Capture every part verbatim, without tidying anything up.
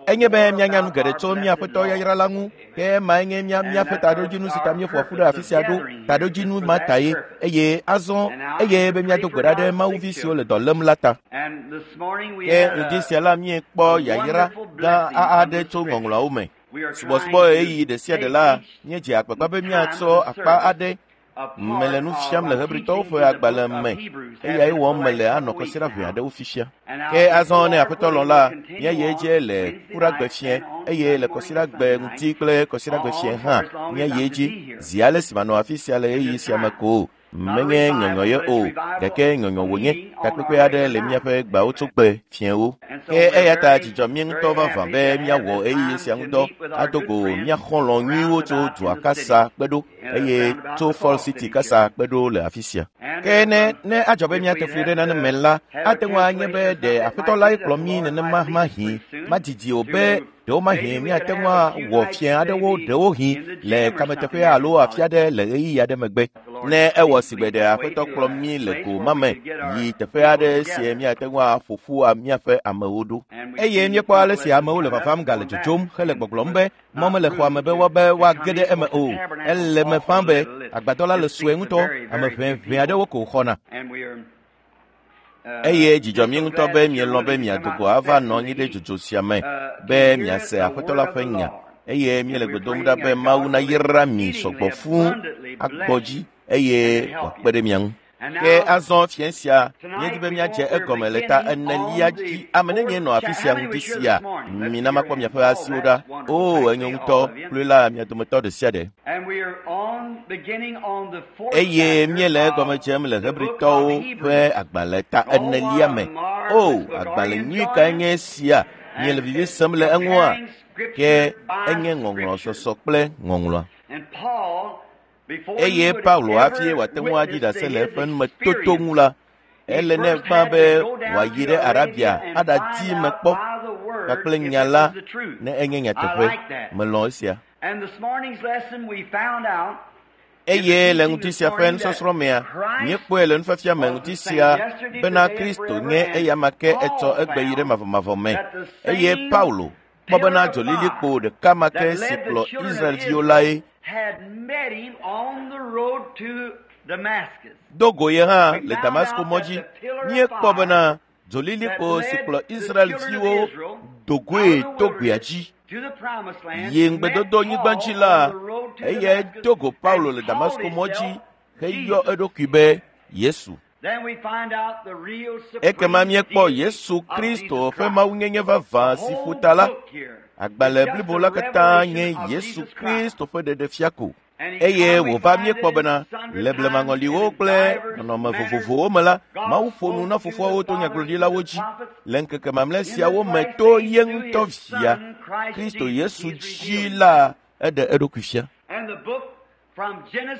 Enye be míanya nu geɖe tso mía Aƒetɔ yayra la ŋu, ke emae nye mía míaƒe taɖodzinu si ta míeƒo ƒu ɖe afi sia ɖo. Taɖodzinu ma ta ye eye azɔ eye be míado gbe ɖa ɖe Mawuvi siwo le dɔ lém la ta. Ke ŋdi sia la míekpɔ yayra gã aɖe tso ŋɔŋlɔawo me. Subɔsubɔ ɣeyiɣi ɖe sia ɖe la, míedze agbagba be míatsɔ akpa aɖe mele nu fiam le Hebritɔwo ƒe agbalẽ me eyae wɔm mele anɔ kɔsiɖa ʋɛ aɖewo fifia. Ke azɔ ne Aƒetɔ lɔ̃ la, míayi edzi le Kuɖagbe fiẽ eye le kɔsiɖagbe ŋuti kple kɔsiɖagbe fiẽ hã míayi edzi zi ale si manɔ afi sia le ɣeyiɣi sia me ko. Menye nyɔnyɔ ye o, gake nyɔnyɔ wònye. Takpekpe aɖe le míaƒe gbawotsogbe fiẽwo. Ke eya ta dzidzɔ mí ŋutɔ vavã be míawɔ ɣeyiɣi sia ŋudɔ ado go mía xɔlɔ̃ nyuiwo tso dua kasa kpe ɖo eye tso Fall City kasa kpe ɖo le afi sia. Ke ne ne adzɔ be míate fli ɖe nane me la, ate ŋu anye be ɖe Aƒetɔ lae kplɔ mí nenema mahi madidi o be ɖewomahi míate ŋu awɔ fiẽ aɖewo ɖewohĩ le kameteƒe alo afi aɖe le ɣeyiɣi aɖe megbe. Ne ewɔ sigbe ɖe Aƒetɔ kplɔ mí le go ma me yi teƒe aɖe si míate ŋu aƒo ƒu míaƒe amewo ɖo. Eye míekpɔ ale si amewo le vavam gale dzodzom hele gbɔgblɔm be mɔ mele xɔa me be woabe woage ɖe eme o. Ele me ƒã be agbadɔ la le sue ŋutɔ, ame ʋɛʋɛ aɖewo ko xɔna. Eye dzidzɔ mí ŋutɔ be mielɔ̃ be miado go ava nɔ anyi ɖe dzodzo sia me be miase Aƒetɔ la ƒe nya. Eye míele gbe dom ɖa be Mawu nayra mi sɔgbɔ fũu agbɔ dzi eye wòakpe ɖe mia ŋu. Ke azɔ fiẽ sia míedi be míadze egɔme le ta enelia dzi. Ame nenye nɔ afi sia ŋdi sia, mina makpɔ miaƒe asiwo ɖa. O, enyo ŋutɔ, kloe la mia dometɔ ɖe sia ɖe. Eye míele egɔme dzem le Hebritɔwo ƒe agbalẽ ta enelia me. O, agbalẽ nyui kae nye esia? Miele vivi sem le eŋua? Ke enye ŋɔŋlɔ sɔsɔ kple ŋɔŋlɔa. Eye Paulo hafi wòate ŋu aɖi ɖase le eƒe numetoto ŋu la, ele nɛ gbã be wòayi ɖe Arabia aɖadi me kpɔ kpakple nya la ne enye nyateƒe. Melɔ̃ esia. Eye le ŋuti sia ƒe nusɔsrɔ̃ mea, míekpɔe le nufiafia me ŋuti sia bena Kristo nye eyama ke etsɔ egbe yi ɖe mavɔmavɔ me. Eye Paulo kpɔ bena dzolilikpo ɖeka ma ke si kplɔ Israelviwo lae do go ye hã le Damasko mɔ dzi. Míekpɔ bena dzolilikpo si kplɔ Israelviwo do goe to gbea dzi yi ŋugbedodonyigba dzi la, eyae do go Paulo le Damasko mɔ dzi heyɔ eɖokui be Yesu. Ekema míekpɔ Yesu Kristo ƒe mawunyenye vavã si ƒo ta la. Agbalẽ blibo la katã nye Yesu Kristo ƒe ɖeɖefia ko. Eye wòva míekpɔ bena le blemaŋɔliwo kple nɔnɔme vovovowo me la, Mawu ƒo nu na fofoawo to nyagblɔɖilawo dzi le ŋkeke mamlɛ siawo me to ye ŋutɔ via Kristo Yesu dzi la eɖe eɖokui fia.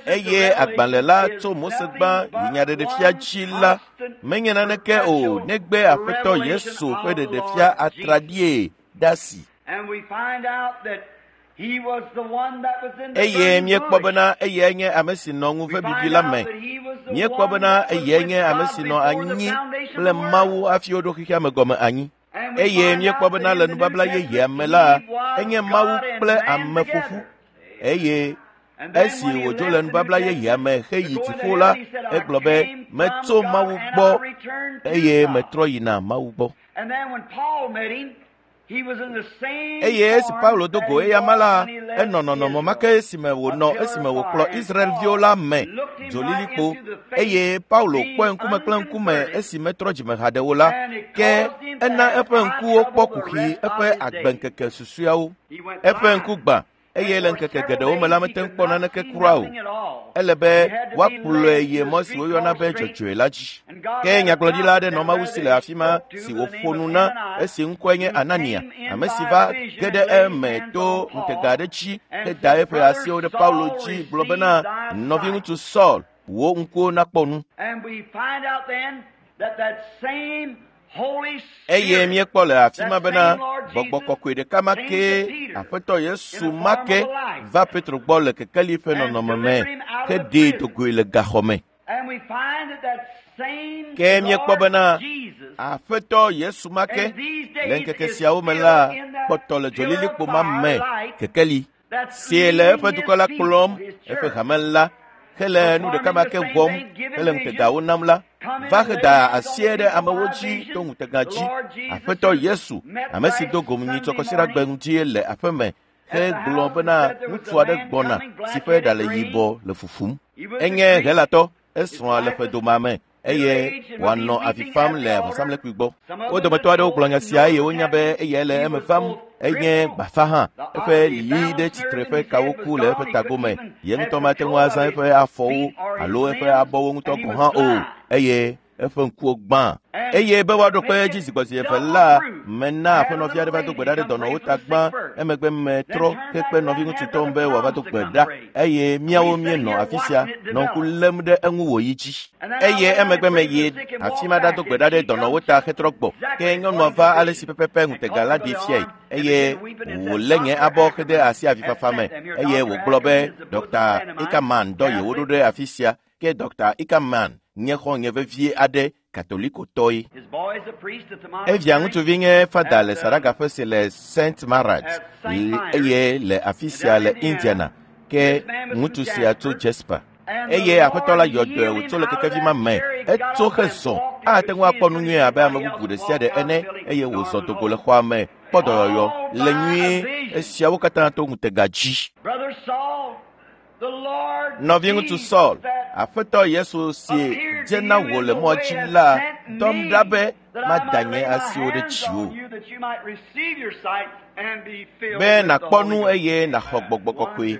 Eye agbalẽ la tso Mose gbã yi nyaɖeɖefia dzi la menye naneke o negbe Aƒetɔ Yesu ƒe ɖeɖefia atraɖie ɖe asi. Eye míekpɔ bena eyae nye ame si nɔ ŋuve bibi la me. Míekpɔ bena eyae nye ame si nɔ anyi kple Mawu hafi woɖo xexea me gɔme anyi. Eye míekpɔ bena le nubabla yeyea me la, enye Mawu kple ame ƒoƒu. Eye esi wòdzo le nubabla yeyea me heyi dziƒo la, egblɔ be metso Mawu gbɔ eye metrɔ yina Mawu gbɔ. Eye esi Paulo do go eyama la, enɔ nɔnɔme ma ke esime wònɔ esime wòkplɔ Israelviwo la me dzolilikpo. Eye Paulo kpɔe ŋkume kple ŋkume esi metrɔ dzime haɖe o la, ke ena eƒe ŋkuwo kpɔ kuxi eƒe agbeŋkeke susɔeawo. Eƒe ŋku gbã eye le ŋkeke geɖewo me la mete ŋu kpɔ naneke kura o. Ele be woakplɔe yi mɔ si woyɔna be dzɔdzɔe la dzi. Ke nyagblɔɖila aɖe nɔ Mawu si le afi ma si wòƒo nu na esi ŋkɔe nye Anania, ame si va ge ɖe eme to ŋutega aɖe dzi heda eƒe asiwo ɖe Paulo dzi gblɔ bena, nɔviŋutsu Saul, wò ŋkuwo nakpɔ nu. Eye míekpɔ le afi ma bena gbɔgbɔ kɔkɔe ɖeka ma kee Aƒetɔ Yesu ma ke va Petro gbɔ le kekeli ƒe nɔnɔme me heɖee do goe le gaxɔ me. Ke míekpɔ bena Aƒetɔ Yesu ma ke le ŋkeke siawo me la Ekpɔtɔ le dzolilikpo ma me kekeli si le eƒe dukɔ la kplɔm eƒe hame la hele nu ɖeka ma ke wɔm hele ŋutegawo nam la va heda asie ɖe amewo dzi to ŋutega dzi. Aƒetɔ Yesu, ame si do gom nyitsɔ kɔsiɖagbe ŋuti le aƒeme hegblɔ bena ŋutsu aɖe gbɔna si ƒe ɖa le yibɔ le fufum. Enye Helatɔ, esrɔ̃a le ƒe domea me eye wòanɔ avi fam le vɔsamlekpui gbɔ. Wo dometɔ aɖewo gblɔ nya sia eye wonya be eyae le eme vam. Enye gbafa hã. Eƒe lili ɖe tsitre ƒe kawo ku le eƒe tagome. Ye ŋutɔ mate ŋu azã eƒe afɔwo alo eƒe abɔwo ŋutɔ gɔ̃ hã o eye eƒe ŋkuwo gbã. Eye be woaɖo kpe edzi zigbɔzi eve la, mena aƒenɔvi aɖe va do gbe ɖa ɖe dɔnɔwo ta gbã. Emegbe metrɔ hekpe nɔviŋutsu Tom be wòava do gbe ɖa eye míawo míenɔ afi sia nɔ ŋku lém ɖe eŋu wòyi dzi. Eye emegbe meyi afi ma ɖado gbe ɖa ɖe dɔnɔwo ta hetrɔ gbɔ. Ke nyɔnua va ale si pɛpɛpɛ ŋutega la ɖee fiae eye wòlé nye abɔ hede asi avifafa me eye wògblɔ be Dɔkta Ikaman dɔ yewo ɖo ɖe afi sia. Ke Dɔkta Ikaman nye xɔ̃nye vevie aɖe katolikotɔe. Evia ŋutsuvi nye fada le saɖagaƒe si le Saint Marat eye le afi sia le Indiana. Ke ŋutsu sia tso Jasper. Eye aƒetɔ la yɔ dɔe wòtso le kekevi ma me. Etso hezɔ ate ŋu akpɔ nu nyuie abe ame bubu ɖe sia ɖe ene eye wòzɔ dogo le xɔa me kpɔ dɔyɔyɔ le nyuie. Esiawo katã to ŋutega dzi. Nɔviŋutsu Saul, Aƒetɔ Yesu si dze na wò le mɔ dzi la dɔm ɖa be mada nye asiwo ɖe dziwò be nàkpɔ nu eye nàxɔ gbɔgbɔ kɔkɔe.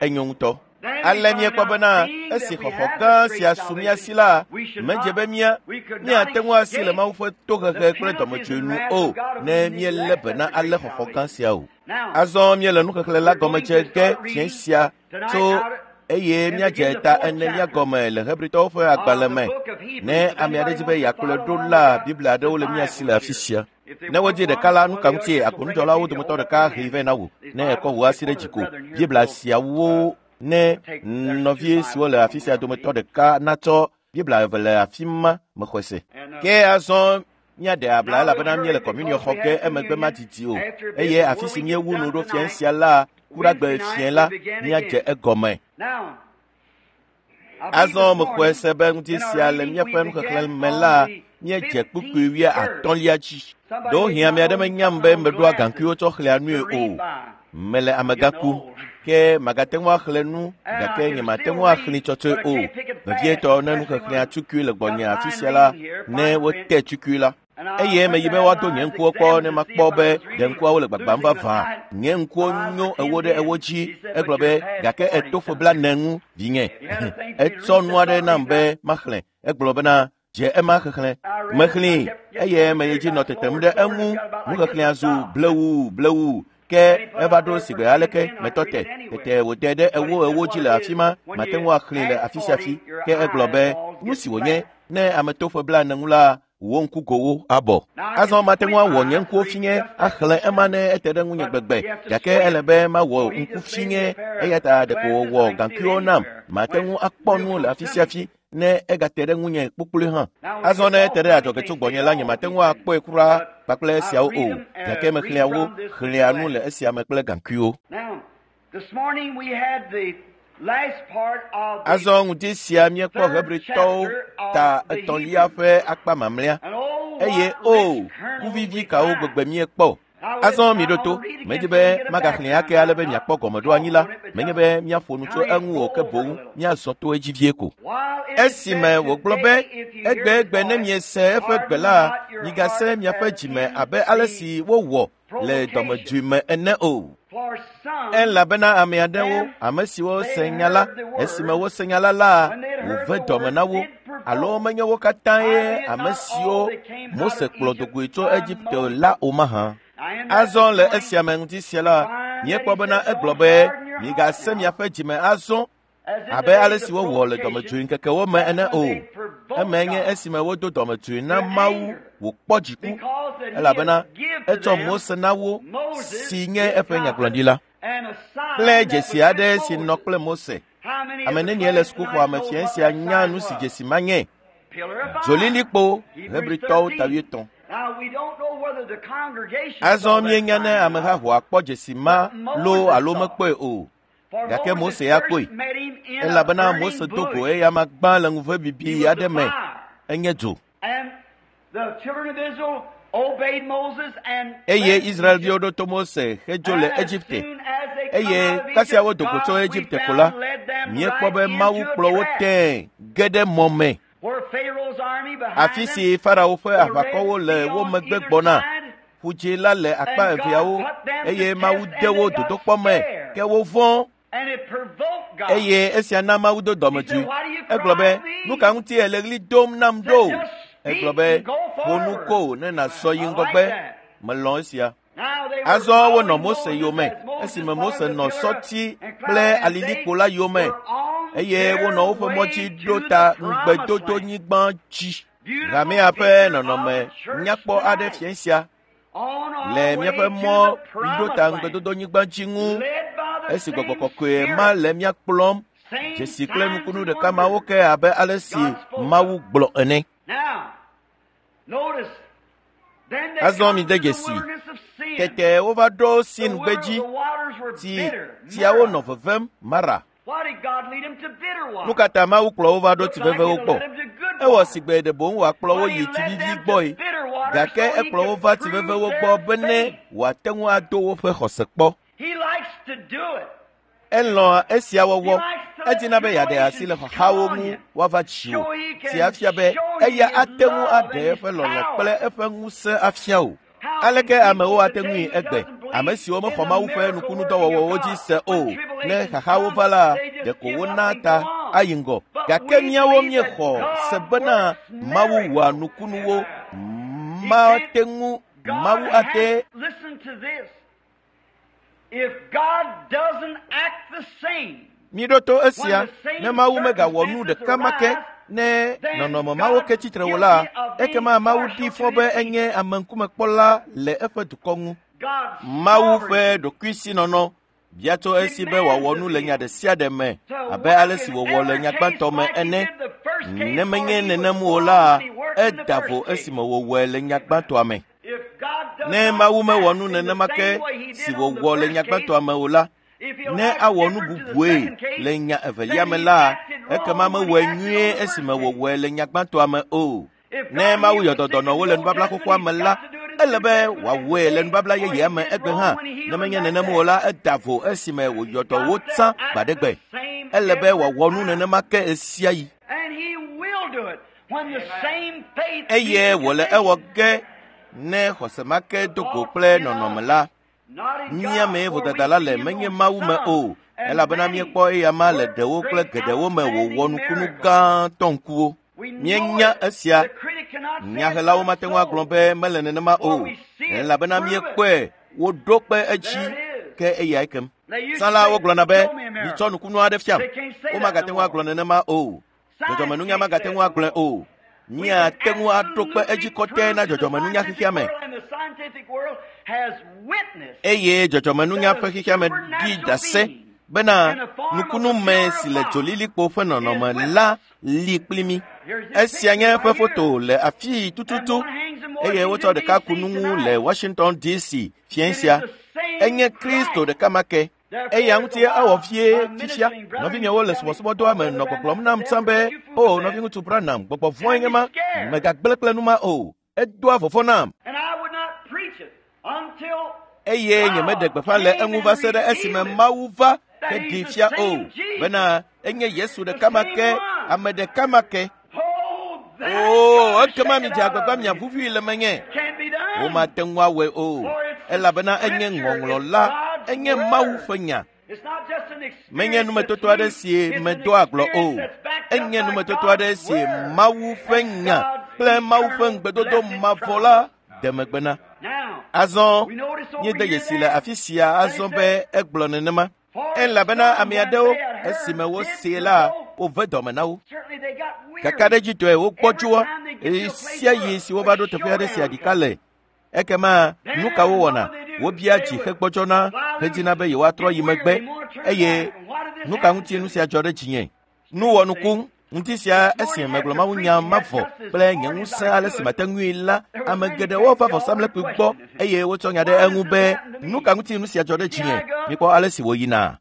Enyo ŋutɔ. Ale míekpɔ bena esi xɔxɔ gã sia su mía si la, medze be mía míate ŋu asi le Mawu ƒe tohehe kple dɔmedzoe nu o ne míelé be na ale xɔxɔ gã sia o. Azɔ míele nuxexlẽ la gɔme dze ge fiẽ sia tso eye míadze ta enelia gɔme le Hebritɔwo ƒe agbalẽ me. Ne ame aɖe di be yeakplɔe ɖo la, Biblia aɖewo le mía si le afi sia. Ne wodzi ɖeka la, nu ka ŋutie agbonudzɔlawo dometɔ ɖeka hee vɛ na wò ne èkɔ wò asi ɖe dzi ko. Biblia siawo ne nɔvi siwo le afi sia dometɔ ɖeka natsɔ Biblia eve le afi ma mexɔe se. Ke azɔ míaɖe abla elabena míele kɔmuniɔ xɔ ge emegbe madidi o eye afi si míewu nu ɖo fiẽ sia la kuɖagbe fiẽ la míadze egɔme. Azɔ mexɔe se be ŋuti sia le míaƒe nuxexlẽ me la míedze kpukpui wuiatɔ̃lia dzi. Ɖewohĩ ame aɖe menyam be meɖoa gaŋkuiwo tsɔ xlẽa nui o. Mele amegã kum ke magate ŋu axlẽ nu gake nyemate ŋu axlẽe tsɔtsɔe o. Vevietɔ ne nuxexlẽa tukui le gbɔnye afi sia la ne wote tukui la. Eye meyi be woado nye ŋkuwo kpɔ ne makpɔ be ɖe ŋkuawo le gbagbam vavã. Nye ŋkuwo nyo ewo ɖe ewo dzi. Egblɔ be gake eto ƒe blaene ŋu vinye. Etsɔ nu aɖe nam be maxlẽ. Egblɔ bena dze ema xexlẽ. Mexlẽe eye meyi dzi nɔ tetem ɖe eŋu. Nuxexlẽa zu blewu blewu. Ke eva ɖo sigbe aleke metɔ te tete wòde ɖe ewo ewo dzi le afi ma mate ŋu axlẽe le afi sia afi. Ke egblɔ be nu si wònye ne ame to ƒe blaene ŋu la wò ŋkugowo abɔ. Azɔ mate ŋu awɔ nye ŋkuwo fiŋe axlẽ ema ne ete ɖe ŋunye gbegbe gake ele be mawɔ ŋku fiŋe eya ta ɖeko wòwɔ gaŋkuiwo nam mate ŋu akpɔ nu le afi sia afi ne egate ɖe ŋunye kpukploe hã. Azɔ ne ete ɖe adzɔge tso gbɔnye la nyemate ŋu akpɔe kura kpakple esiawo o gake mexlẽa wo xlẽa nu le esia me kple gaŋkuiwo. Azɔ ŋdi sia míekpɔ Hebritɔwo ta etɔ̃lia ƒe akpa mamlɛa eye o kuvivi kawo gbegbe míekpɔ. Azɔ miɖo to, medzi be magaxlẽe ake ale be miakpɔ gɔmeɖoanyi la, menye be míaƒo nu tso eŋu o ke boŋ míazɔ to edzi vie ko. Esime wògblɔ be egbegbe ne miese eƒe gbe la, migase miaƒe dzime abe ale si wowɔ le dɔmedzoe me ene o. Elabena ame aɖewo, ame siwo se nya la, esime wose nya la la, wòve dɔme na wo alo menye wo katã ye ame siwo Mose kplɔ dogoe tso Egipte la o mahã. Azɔ le esia me ŋuti sia la, míekpɔ bena egblɔ be migase miaƒe dzime azɔ abe ale si wowɔ le dɔmedzoe ŋkekewo me ene o. Eme nye esime wodo dɔmedzoe na Mawu wòkpɔ dziku elabena etsɔ Mose na wo si nye eƒe nyagblɔɖila kple dzesi aɖe si nɔ kple Mose. Ame nenie le sukuxɔa me fiẽ sia nya nu si dzesi ma nye? Dzolilikpo Hebritɔwo ta wuietɔ̃. Azɔ míenya ne amehahoa kpɔ dzesi ma loo alo mekpɔe o. Gake Mose ya kpɔe, elabena Mose do go eyama gbã le ŋuve bibi aɖe me. Enye dzo. Eye Israelviwo ɖo to Mose hedzo le Egipte. Eye kasia wodo go tso Egipte ko la, míekpɔ be Mawu kplɔ wo tẽe ge ɖe mɔ me. Afi si Farao ƒe aʋakɔwo le wo megbe gbɔna, ƒudzĩ la le akpa eveawo, eye Mawu de wo dodokpɔ me, ke wovɔ̃. Eye esia na Mawu do dɔmedzoe. Egblɔ be, nu ka ŋuti èle ɣli dom nam ɖo? Egblɔ be, ƒo nu ko ne nàzɔ yi ŋgɔgbe. Melɔ̃ esia. Azɔ wonɔ Mose yome esime Mose nɔ sɔti kple alilikpo la yome eye wonɔ woƒe mɔ dzi ɖo ta ŋugbedodonyigba dzi. Hamea ƒe nɔnɔme nyakpɔ aɖe fia sia le míaƒe mɔ ɖo ta ŋugbedodonyigba dzi ŋu esi gbɔgbɔ kɔkɔe ma le mía kplɔm dzesi kple nukunu ɖeka mawo ke abe ale si Mawu gblɔ ene. Azɔ mide dzesi. Tete wova ɖo Sin gbedzi, ti tsiawo nɔ vevem Mara. Nu ka ta Mawu kplɔ wo va ɖo tsi vevewo gbɔ? Ewɔ sigbe ɖe boŋ wòakplɔ wo yi tsi vivi gbɔe, gake ekplɔ wo va tsi vevewo gbɔ bene wòate ŋu ado woƒe xɔse kpɔ. Elɔ̃a esia wɔwɔ. Edina be yeaɖe asi le xaxawo ŋu woava dziwò, si afia be eya ate ŋu aɖe eƒe lɔlɔ̃ kple eƒe ŋusẽ afia wò. Aleke amewo ate ŋui egbe? Ame siwo mexɔ Mawu ƒe nukunudɔwɔwɔwo dzi se o, ne xaxawo va la, ɖeko wona ta ayi ŋgɔ. Gake míawo míexɔ se bena Mawu wɔa nukunuwo. Mate ŋu, Mawu ate. Miɖo to esia, ne Mawu megawɔ nu ɖeka ma ke ne nɔnɔme mawo ke tsitre o la, ekema Mawu ɖi fɔ be enye ameŋkumekpɔla le eƒe dukɔ ŋu. Mawu ƒe ɖokuisinɔnɔ bia tso esi be wòawɔ nu le nya ɖe sia ɖe me abe ale si wòwɔ le nya gbãtɔ me ene. Ne menye nenem o la, eda vo esime wòwɔe le nya gbãtɔa me. Ne Mawu mewɔ nu nenema ke si wòwɔ le nya gbãtɔa me o la, ne awɔ nu bubue le nya evelia me la, ekema mewɔe nyuie esime wòwɔe le nya gbãtɔa me o. Ne Mawu yɔ dɔ dɔnɔwo le nubabla xoxoa me la, ele be wòawɔe le nubabla yeyea me egbe hã. Ne menye nenem o la, eda vo esime wòyɔ dɔ wo tsã gbaɖegbe. Ele be wòawɔ nu nenema ke ɣe sia ɣi. Eye wòle ewɔ ge ne xɔse ma ke do go kple nɔnɔme la. Mía mee vodada la le menye Mawu me o, elabena míekpɔ eyama le ɖewo kple geɖewo me wòwɔ nukunu gãtɔ ŋkuwo. Míenya esia. Nyahelawo mate ŋu agblɔ be mele nenema o, elabena míekpɔe woɖo kpe edzi ke eyae kem. Tsã la wogblɔna be mitsɔ nukunu aɖe fiam. Womagate ŋu agblɔ nenema o. Dzɔdzɔmenunya magate ŋu agblɔe o. Míate ŋu aɖo kpe edzi kɔtɛ na dzɔdzɔmenunya xexea me. Eye dzɔdzɔmenunya ƒe xexea me ɖi ɖase bena nukunume si le dzolilikpo ƒe nɔnɔme la li kpli mí. Esia nye eƒe foto le afii tututu eye wotsɔ ɖeka ku nu ŋu le Washington D C fiẽ sia. Enye Kristo ɖeka ma ke. Eya ŋuti ewɔ vie fifia. Nɔvinyewo le subɔsubɔdɔa me nɔ gbɔgblɔm nam tsã be, o nɔviŋutsu Branham, gbɔgbɔ vɔ̃e nye ma, mègagblẽ kple nu ma o. Edoa vɔvɔ̃ nam. Eye nyemeɖe gbeƒã le eŋu va se ɖe esime Mawu va heɖee fia o, bena enye Yesu ɖeka ma ke, ame ɖeka ma ke. Oo, ekema midze agbagba miaʋuʋui le menye. Womate ŋu awɔe o, elabena enye ŋɔŋlɔ la, enye Mawu ƒe nya. Menye numetoto aɖe si medoa agblɔ o, enye numetoto aɖe si Mawu ƒe nya kple Mawu ƒe ŋugbedodo mavɔ la de megbe na. Azɔ míede dzesi le afi sia azɔ be egblɔ nenema. Elabena ame aɖewo esime wosee la, wove dɔme na wo. Kakaɖedzitɔe wogbɔdzɔa ɣe sia ɣi si wova ɖo teƒe aɖe si aɖika le. Ekema nu ka wowɔna? Wobia dzi hegbɔdzɔna hedina be yewoatrɔ yi megbe. Eye nu ka ŋuti nu sia dzɔ ɖe dzinye? Nu wɔnuku, Ŋuti sia esime megblɔ mawunya mavɔ kple nye ŋusẽ ale si mate ŋui la, ame geɖewo va vɔsamlekpui gbɔ eye wotsɔ nya ɖe eŋu be nu ka ŋuti nu sia dzɔ ɖe dzinye. Mikpɔ ale si wòyina.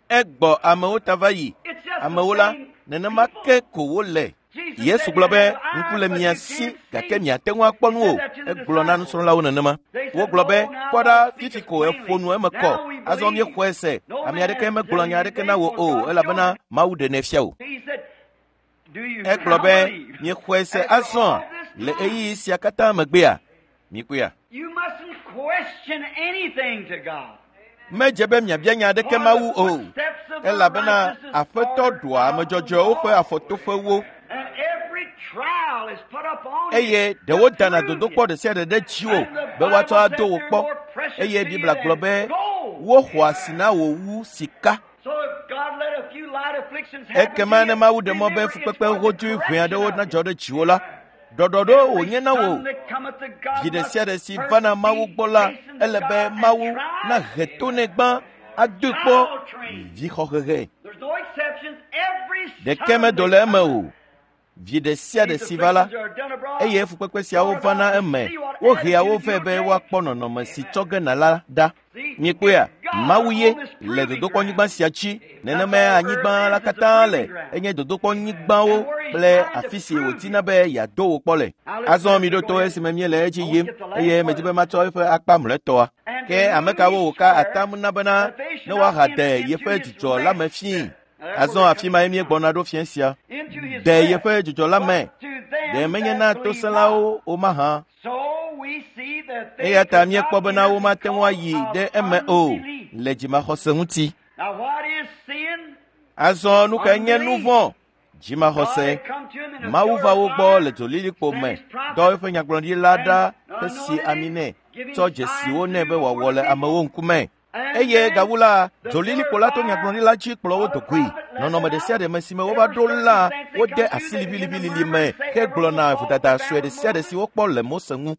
Egbɔ amewo ta va yi. Amewo la, nenema ke ko wole. Yesu gblɔ be ŋku le mia si gake miate ŋu akpɔ nu o. Egblɔ na nusrɔ̃lawo nenema. Wogblɔ be kpɔ ɖa fifi ko eƒo nu eme kɔ. Azɔ míexɔe se. Ame aɖeke megblɔ nya aɖeke na wò o elabena Mawu ɖenɛ fia wò. Egblɔ be miexɔe se azɔ le ɣeyiɣi sia katã megbea. Mikpɔea? Medze be miabia nya aɖeke Mawu o elabena Aƒetɔ ɖoa ame dzɔdzɔewo ƒe afɔtoƒewo eye ɖewo dana dodokpɔ ɖe sia ɖe ɖe dziwò be woatsɔ ado wò kpɔ eye Biblia gblɔ be woxɔ asi na wò wu sika. Ekema ne Mawu ɖe mɔ be fukpekpe hodzoe ʋɛ aɖewo nadzɔ ɖe dziwò la, ɖɔɖɔɖo wònye na wò. Vi ɖe sia ɖe si vana Mawu gbɔ la, ele be Mawu nahe to nɛ gbã adoe kpɔ vixɔhehe. Ɖeke medo le eme o. Vi ɖe sia ɖe si va la, eye fukpekpe siawo vana eme. Wohea wo vɛ be woakpɔ nɔnɔme si tsɔ ge na la ɖa. Mikpɔea, Mawu ye le dodokpɔnyigba sia dzi. Nenemae anyigba la katã le. Enye dodokpɔnyigbawo kple afi si wòdina be yeado wò kpɔ le. Azɔ miɖo to esime míele edzi yim eye medi be matsɔ eƒe akpa mlɔetɔa. Ke ame kawo wòka atam na bena ne woahade yeƒe dzudzɔ la me fii. Azɔ afi mae míegbɔna ɖo fiẽ sia. De yeƒe dzudzɔ la me. Ɖe menye na tosẽlawo o mahã. Eya ta míekpɔ bena womate ŋu ayi ɖe eme o le dzimaxɔse ŋuti. Azɔ nu kae nye nu vɔ̃? Dzimaxɔse. Mawu va wo gbɔ le dzolilikpo me, dɔ eƒe nyagblɔɖila ɖa hesi ami nɛ, tsɔ dzesiwo nɛ be wòawɔ le amewo ŋkume. Eye gawu la, dzolilikpo la to nyagblɔɖila dzi kplɔ wo dogoe. Nɔnɔme ɖe sia ɖe me si me wova ɖo la, wode asi liʋiliʋilili me hegblɔna vodada sue ɖe sia ɖe si wokpɔ le Mose ŋu.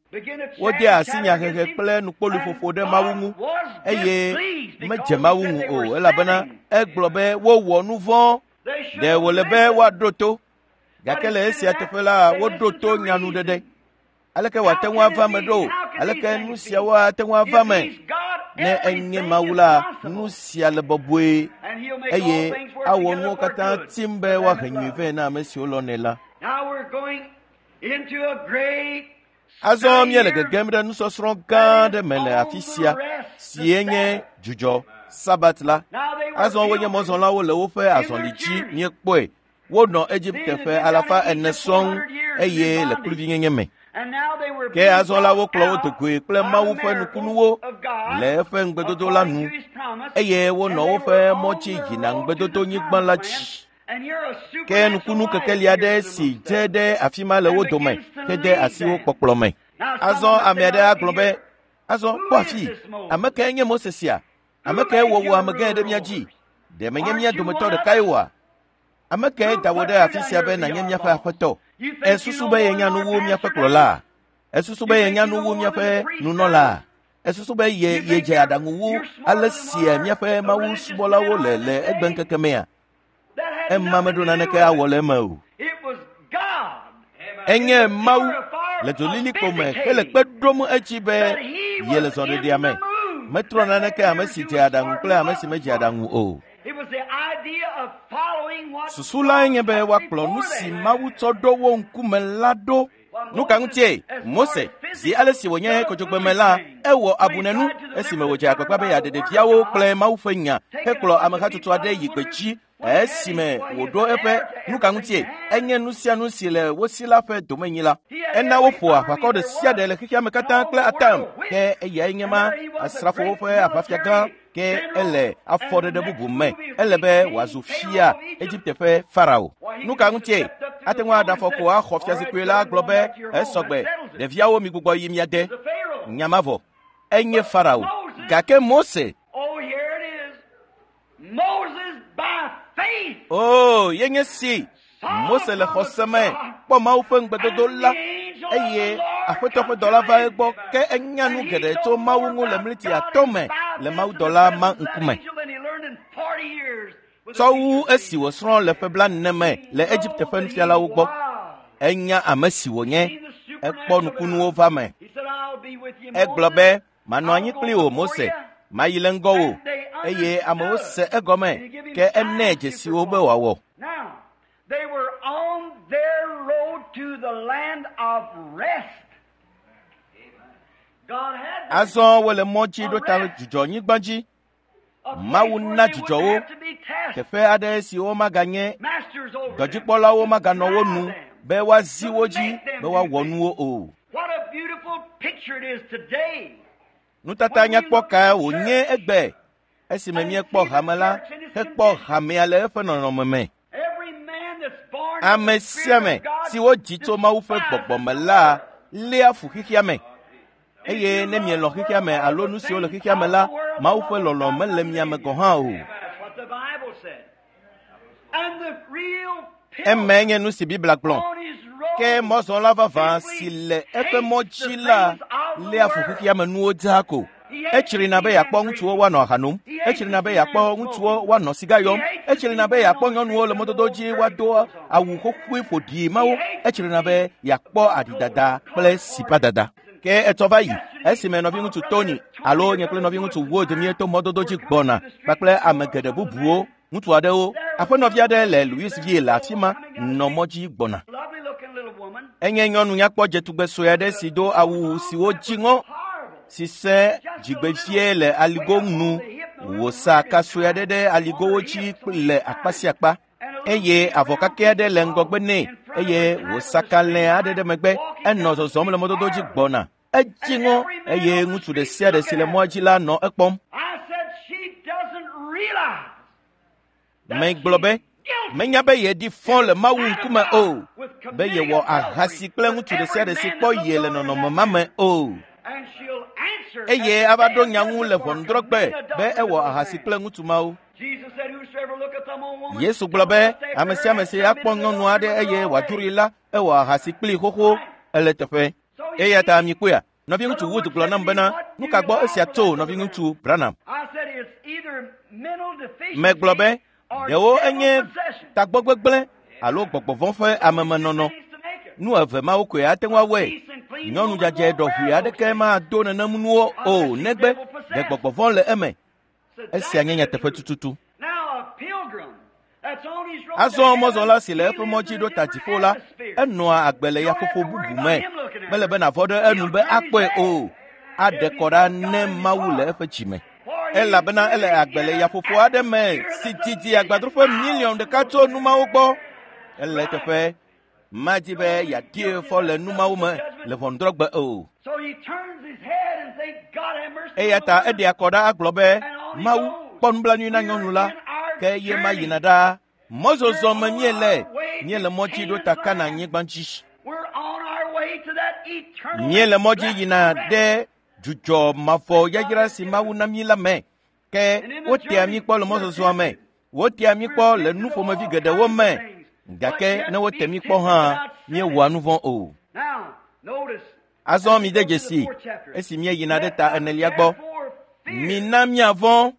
Wode asi nyahehe kple nukpoluƒoƒo ɖe Mawu ŋu eye medze Mawu ŋu o elabena egblɔ be wowɔ nu vɔ̃. Ɖe wòle be woaɖo to. Gake le esia teƒe la, woɖo to nyanuɖeɖe. Aleke wòate ŋu ava eme ɖo? Aleke nu siawo ate ŋu ava eme? Ne enye Mawu la, nu sia le bɔbɔe eye awɔ nuwo katã tim be woahe nyui vɛ na ame siwo lɔnɛ la. Azɔ míele gegem ɖe nusɔsrɔ̃ gã aɖe me le afi sia si nye dzudzɔ Sabat la. Azɔ wonye mɔzɔlawo le woƒe azɔli dzi míekpɔe. Wonɔ Egipte ƒe alafa ene sɔŋ eye le kluvinyenye me. Ke azɔ la wokplɔ wo dogoe kple Mawu ƒe nukunuwo le eƒe ŋugbedodo la nu eye wonɔ woƒe mɔ dzi yina ŋugbedodonyigba la dzi. Ke nukunu kekeli aɖe si dze ɖe afi ma le wo dome hede asi wo kpɔkplɔ me. Azɔ ame aɖe agblɔ be, azɔ kpɔ afi, ame kae nye Mose sia? Ame kae wɔ wò amegãe ɖe mía dzi? Ɖe menye mía dometɔ ɖekae oa? Ame kae da wò ɖe afi sia be nànye míaƒe aƒetɔ? Èsusu be yenya nu wu míaƒe kplɔla? Èsusu be yenya nu wu míaƒe nunɔla? Èsusu be ye yedze aɖaŋu wu ale si míaƒe mawusubɔlawo le le egbeŋkeke mea? Ema meɖo naneke awɔ le eme o. Enye Mawu le dzolilikpo me hele kpe ɖom edzi be yele zɔɖeɖea me. Metrɔ naneke ame si dze aɖaŋu kple ame si medze aɖaŋu o. Susu lae nye be woakplɔ nu si Mawu tsɔ ɖo wo ŋkume la ɖo. Nu ka ŋutie Mose zi ale si wònye kodzogbeme la, ewɔ abunenu esime wòdze agbagba be yeaɖe ɖeviawo kple Mawu ƒe nya hekplɔ amehatsotso aɖe yi gbedzi esime wòɖo eƒe nu ka ŋutie enye nu sia nu si le wo si la ƒe domenyila. Ena woƒo aʋakɔ ɖe sia ɖe le xexea me katã kple atam ke eyae nye ma asrafowo ƒe aʋafiagã ke ele afɔɖeɖe bubu me. Ele be wòazu fia Egipte ƒe Farao. Nu ka ŋutie ate ŋu aɖe afɔ ko axɔ fiazikpui la gblɔ be esɔgbe ɖeviawo migbugbɔ yi mia de. Nya ma vɔ. Enye Farao. Gake Mose Oh, yenye si Mose le xɔse me kpɔ Mawu ƒe ŋugbedodo la eye Aƒetɔ ƒe dɔla va egbɔ ke enya nu geɖe tso Mawu ŋu le mliti atɔ̃ me le mawudɔla ma ŋkume. Tsɔ wu esi wòsrɔ̃ le ƒe blaene me le Egipte ƒe nufialawo gbɔ. Enya ame si wònye. Ekpɔ nukunuwo va me. Egblɔ be, manɔ anyi kpli wò Mose, mayi le ŋgɔwò, eye amewo se egɔme, ke enɛ dzesiwo be wòawɔ. Now, they were on their road to the land of rest. God had them. Azɔ wole mɔ dzi ɖo ta dzudzɔnyigba dzi, A place Mawu where na they dzidzɔ wouldn't wo. have to be tasked. teƒe aɖe si womaganye Masters over them. dɔdzikpɔlawo maganɔ wo nu Them. be woazi wo dzi be woawɔ nuwo o. What a beautiful picture it is today. Nutata nyakpɔ kae wònye egbe esime míekpɔ hame la hekpɔ hamea le eƒe nɔnɔme me. Every man that's born of Ame the sia Spirit ame of God si wodzi tso Mawu ƒe gbɔgbɔ me la léa fu xexea me. Eye ne mielɔ̃ xexea me alo nu siwo le xexea me la, Mawu ƒe lɔlɔ̃ mele mia me gɔ̃ hã o. That's what the Bible said. And the real Emae nye nu si Biblia gblɔ. on his road Ke mɔzɔla vavã si le eƒe mɔ dzi la léa fu xexea me nuwo dzaa ko. Etsrina be yeakpɔ ŋutsuwo woanɔ aha nom. Etsrina be yeakpɔ ŋutsuwo woanɔ siga yɔm. Etsrina be yeakpɔ nyɔnuwo le mɔdodo dzi woado awu xoxoe ƒoɖi mawo. Etsrina be yeakpɔ aɖidada kple sipadada. Ke etsɔ va yi esime nɔviŋutsu Tony alo nye kple nɔviŋutsu Wood míeto mɔdodo dzi gbɔna kpakple ame geɖe bubuwo, ŋutsu aɖewo, aƒenɔvi aɖe le Louisville le afi ma nɔ mɔ dzi gbɔna. Lovely looking little woman. Enye nyɔnu nyakpɔ dzetugbe sue aɖe si do awu siwo dzi ŋɔ Horrible. si sẽ dzigbevie le aligo nu wòsa ka sue aɖe ɖe aligowo dzi le akpa sia akpa eye avɔ kakɛ aɖe le ŋgɔgbe nɛ eye wòsa kalẽ aɖe ɖe megbe enɔ zɔzɔm le mɔdodo dzi gbɔna. Edzi ŋɔ eye ŋutsu ɖe sia ɖe si le mɔa dzi la nɔ ekpɔm. I said she doesn't realize that Megblɔ be she's guilty menya be yeɖi fɔ le Mawu ŋkume o, be yewɔ ahasi kple ŋutsu ɖe sia ɖe si kpɔ ye le nɔnɔme ma me o. And she'll answer Eye at ava the ɖo day nya of ŋu le judgment for ʋɔnudrɔ̃gbe committing be adultery ewɔ with a ahasi man. kple ŋutsu mawo. Jesus said, "Whosoever looketh on a woman, Yesu gblɔ be ame sia ame si akpɔ nyɔnu aɖe eye wòadzroe la, ewɔ ahasi kplii xoxo ele teƒe. Eya ta mikpɔea, nɔviŋutsu Wood gblɔ nam bena, nu ka gbɔ esia tso nɔviŋutsu Branham? I said it's either mental deficiency Megblɔ be or ɖewo devil enye possession. tagbɔ gbegblẽ alo gbɔgbɔ vɔ̃ ƒe amemenɔnɔ. Things to make it. Nu eve mawo koe ate ŋu awɔe. Nyɔnu dzadzɛ ɖɔʋui aɖeke mado nenem nuwo o negbe ɖe gbɔgbɔ vɔ̃ le eme. So Esia nye that's the nyateƒe truth. tututu. Now a pilgrim that's on his road Azɔ to heaven, mɔzɔla si le he eƒe lives mɔ dzi in a ɖo ta different dziƒo la, atmosphere. enɔa agbe le yaƒoƒo bubu me. Mele be nàvɔ ɖe enu be akpɔe o. Aɖe kɔ ɖa ne Mawu le eƒe dzime. For he Elabena ele agbe le yaƒoƒo aɖe me si didi agbadroƒe miliɔn ɖeka tso nu mawo gbɔ. Ele teƒe madi be yeaɖie fɔ le nu mawo me le ʋɔnudrɔ̃gbe o. So he turns his head and thinks, God have mercy Eya on ta the woman. eɖe akɔ ɖa agblɔ be Mawu kpɔ nublanui na nyɔnu la ke ye ma yina ɖaa. Mɔzɔzɔ me míele, míele mɔ dzi ɖo ta Kana nyigba dzi. We're on our way to that eternal Míele mɔ dzi yina blessed ɖe dzudzɔ mavɔ yayra si Mawu na mí la me. Ke wotea mí kpɔ le mɔzɔzɔa me. Wotea mí kpɔ le nu ƒomevi geɖewo me. Gake ne wote mí kpɔ hã, míewɔa nu vɔ̃ o. Now, notice. Azɔ mide dzesi esi míeyina ɖe ta enelia gbɔ. Mina míavɔ̃,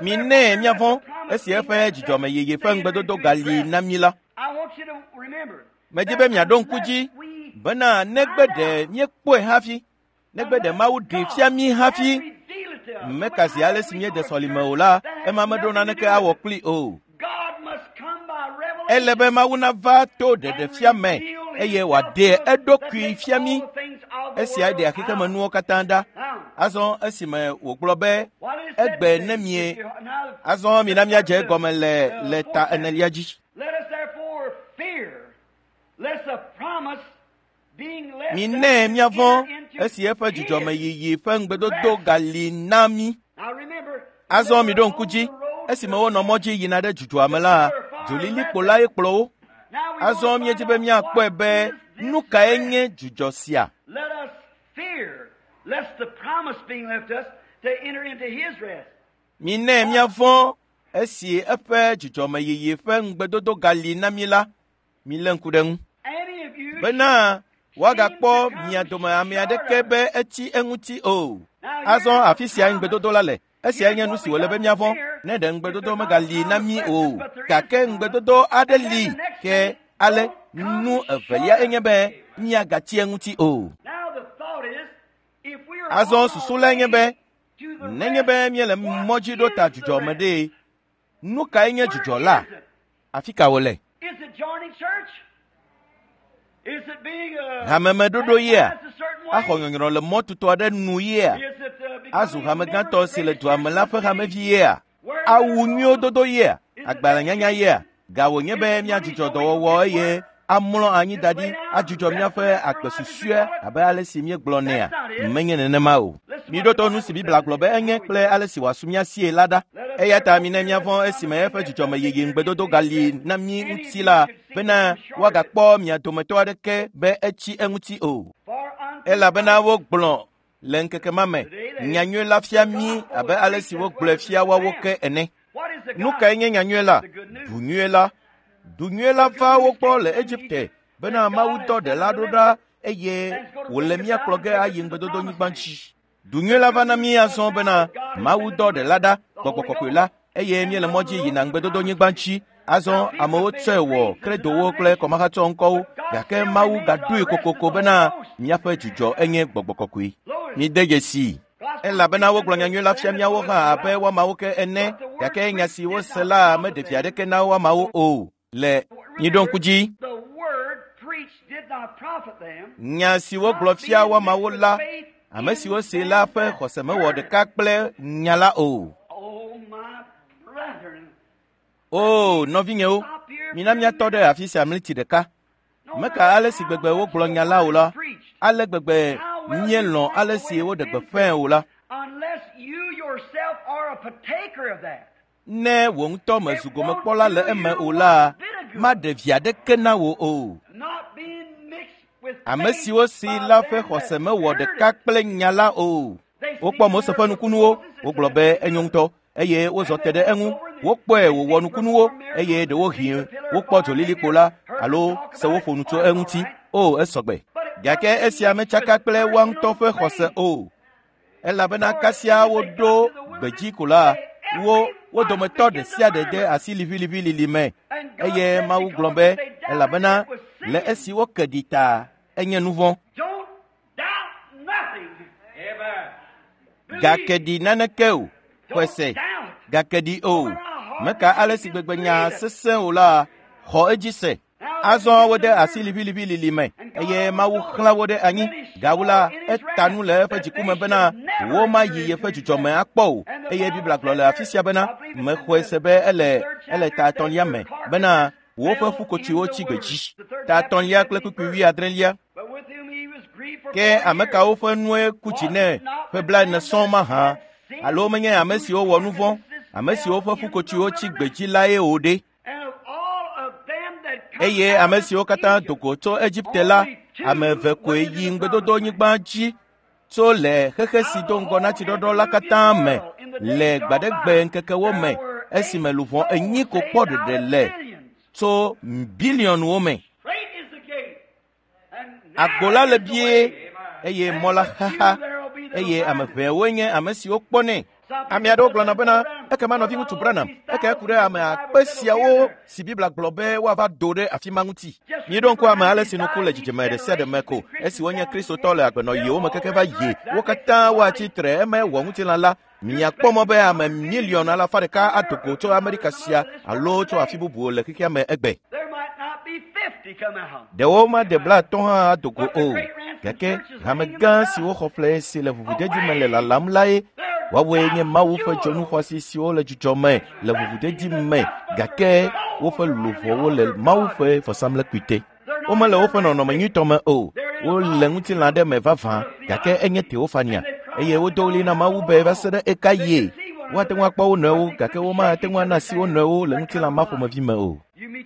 minɛ míavɔ̃ esi eƒe dzidzɔmeyeye ƒe ŋugbedodo gali na mí la. I want you to remember. Medi be miaɖo ŋku dzi bena negbe ɖe míekpɔe hafi, negbe ɖe Mawu ɖee fia mí hafi, meka zi ale si míede sɔlime o la, ema meɖo naneke awɔ kplii o. God must come by revelation. Ele be Mawu nava to ɖeɖefia me eye wòaɖe eɖokui fia mí. Esia ɖea xexemenuwo katã ɖa. Azɔ esime wògblɔ be egbe ne mie azɔ mina míadze egɔme le le ta enelia dzi. Let us therefore fear, lest the promise being left Minɛ us míavɔ̃ enter into esi eƒe his. dzidzɔmeyiyi ƒe ŋugbedodo gali na mí. Now remember, Azɔ miɖo ŋku dzi esime wonɔ mɔ dzi yina ɖe dzudzɔa me la, dzolilikpo lae kplɔ wo. now we Azɔ want to míedi find be out míakpɔe what be is this nu kae rest. nye dzudzɔ sia. Let us fear, lest the promise being left us to enter into his rest. Minɛ míavɔ̃ esi eƒe dzidzɔmeyiyi ƒe ŋugbedodo gali na mí la, milé ŋku ɖe eŋu. Any of you Bena woagakpɔ mia dome ame aɖeke be etsi eŋuti o. Azɔ afi sia ŋugbedodo la le. Esiae nye nu si wòle be míavɔ̃. Ne ɖe ŋugbedodo megali na mí o, gake ŋugbedodo aɖe li ke ale nu evelia enye be míagatsi eŋuti o. Azɔ susu lae nye be nenye be míele mɔ dzi ɖo ta dzudzɔ me ɖe, nu kae nye dzudzɔ la? Afi ka wòle? Hamemeɖoɖo yea? Axɔ nyɔnyrɔ le mɔ tutɔ aɖe nu yea? Azu hamegãtɔ si le dua me la ƒe hamevi yea? Awu nyuiwo dodo yea? Agbalẽnyanya yea? Ga wònye be míadzudzɔ dɔwɔwɔ eye amlɔ anyi da ɖi adzudzɔ míaƒe agbe susɔe abe ale si míegblɔnɛa? Menye nenema o. Miɖo to nu si Biblia gblɔ be enye kple ale si wòasu mía sie la ɖa. Eya ta mina míavɔ̃ esime eƒe dzudzɔmeyiyi ŋugbedodo gali na mí ŋuti la bena woagakpɔ mia dometɔ aɖeke be etsi eŋuti o. Elabena wogblɔ le ŋkeke ma me nyanyui la fia mí abe ale si wogblɔe fia woawo ke ene. Nu kae nye nyanyui la? Du nyui la. Du nyui la va wo gbɔ le Egipte bena Mawu dɔ ɖela ɖo ɖa eye wòle mía kplɔ ge ayi ŋugbedodonyigba dzi. Du nyui la va na mí azɔ bena Mawu dɔ ɖela ɖa, Gbɔgbɔ Kɔkɔe la, eye míele mɔ dzi yina ŋugbedodonyigba dzi. Azɔ amewo tsɔe wɔ kredowo kple kɔmahatsɔ ŋkɔwo, gake Mawu gaɖoe kokoko bena míaƒe dzudzɔ enye Gbɔgbɔ Kɔkɔe. Mide dzesii. Elabena wogblɔ nyanyui la fia míawo hã abe woamawo ke ene, gake nya si wose la meɖe vi aɖeke na woamawo o. Le miɖo ŋku dzi. Nya si wogblɔ fia woamawo la, ame siwo see la ƒe xɔse mewɔ ɖeka kple nya la o. O, nɔvinyewo, mina míatɔ ɖe afi sia mliti ɖeka. Meka ale si gbegbe wogblɔ nya la o la, ale gbegbe míelɔ̃ ale si woɖe gbeƒãe o la. Ne wò ŋutɔ mezu gomekpɔla le eme o la, maɖe vi aɖeke na wò o. Ame siwo si la ƒe xɔse mewɔ ɖeka kple nya la o. Wokpɔ Mose ƒe nukunuwo, wogblɔ be enyo ŋutɔ, eye wozɔ te ɖe eŋu. Wokpɔe wòwɔ nukunuwo, eye ɖewohĩ wokpɔ dzolilikpo la alo se woƒo nu tso eŋuti. O, esɔgbe. Gake esia metsaka kple woa ŋutɔ ƒe xɔse o. Elabena kasia woɖo gbedzi ko la, wo wo dometɔ ɖe sia ɖe de asi liʋiliʋilili me. Eye Mawu gblɔ be elabena le esi woke ɖi ta enye nu vɔ̃. Gake ɖi naneke o, xɔse. Gake ɖi o. Meka ale si gbegbe nya sesẽ o la, xɔ edzi se. Azɔ wode asi liʋiliʋilili me eye Mawu xlã wo ɖe anyi. Gawu la, eta nu le eƒe dziku me bena womayi yeƒe dzudzɔme akpɔ o. Eye Biblia gblɔ le afi sia bena mexɔe se be ele ele ta etɔ̃lia me bena woƒe ƒukotsiwo tsi gbedzi. Ta etɔ̃lia kple kpukpui wuiadrelia. Ke ame kawo ƒe nue ku dzi nɛ ƒe blaene sɔŋ mahã? Alo menye ame siwo wɔ nu vɔ̃, ame siwo ƒe ƒukotsiwo tsi gbedzi lae o ɖe? Eye ame siwo katã do go tso Egipte la, ame eve koe yi ŋugbedodonyigba dzi tso le xexe si do ŋgɔ na tsiɖɔɖɔ la katã me le gbaɖegbe ŋkekewo me esime luʋɔ enyi ko kpɔ ɖeɖe le tso biliɔnwo me. Agbo la le bie eye mɔ la xaxa eye ame ʋɛwoe nye ame siwo kpɔnɛ. Ame aɖewo gblɔna bena ekema nɔviŋutsu Branham eke ku ɖe ame akpe siawo si Biblia gblɔ be woava do ɖe afi ma ŋuti. Miɖo ŋku ame ale si nuku le dzidzime ɖe sia ɖe me ko esi wonye Kristotɔ le agbenɔɣiwo me keke va yi wo katã woatsi tre eme wɔ ŋutilã la. Miakpɔ mɔ be ame miliɔn alafa ɖeka ado go tso Amerika sia alo tso afi bubuwo le xexea me egbe. Ɖewo made blaatɔ̃ hã ado go o. Gake hame gã siwo xɔ ƒle si le ʋuʋudedi me le lalam lae. Woawoe nye Mawu ƒe dzonu xɔasi siwo le dzudzɔ me le ʋuʋudedi me gake woƒe luʋɔwo le Mawu ƒe vɔsamlekpui te. Womele woƒe nɔnɔme nyuitɔ me o. Wole ŋutilã ɖe me vavã gake enye teofania eye wodo ɣli na Mawu be va se ɖe eka yie. Woate ŋu akpɔ wo nɔewo gake womate ŋu ana asi wo nɔewo le ŋutilã ma ƒomevi me o.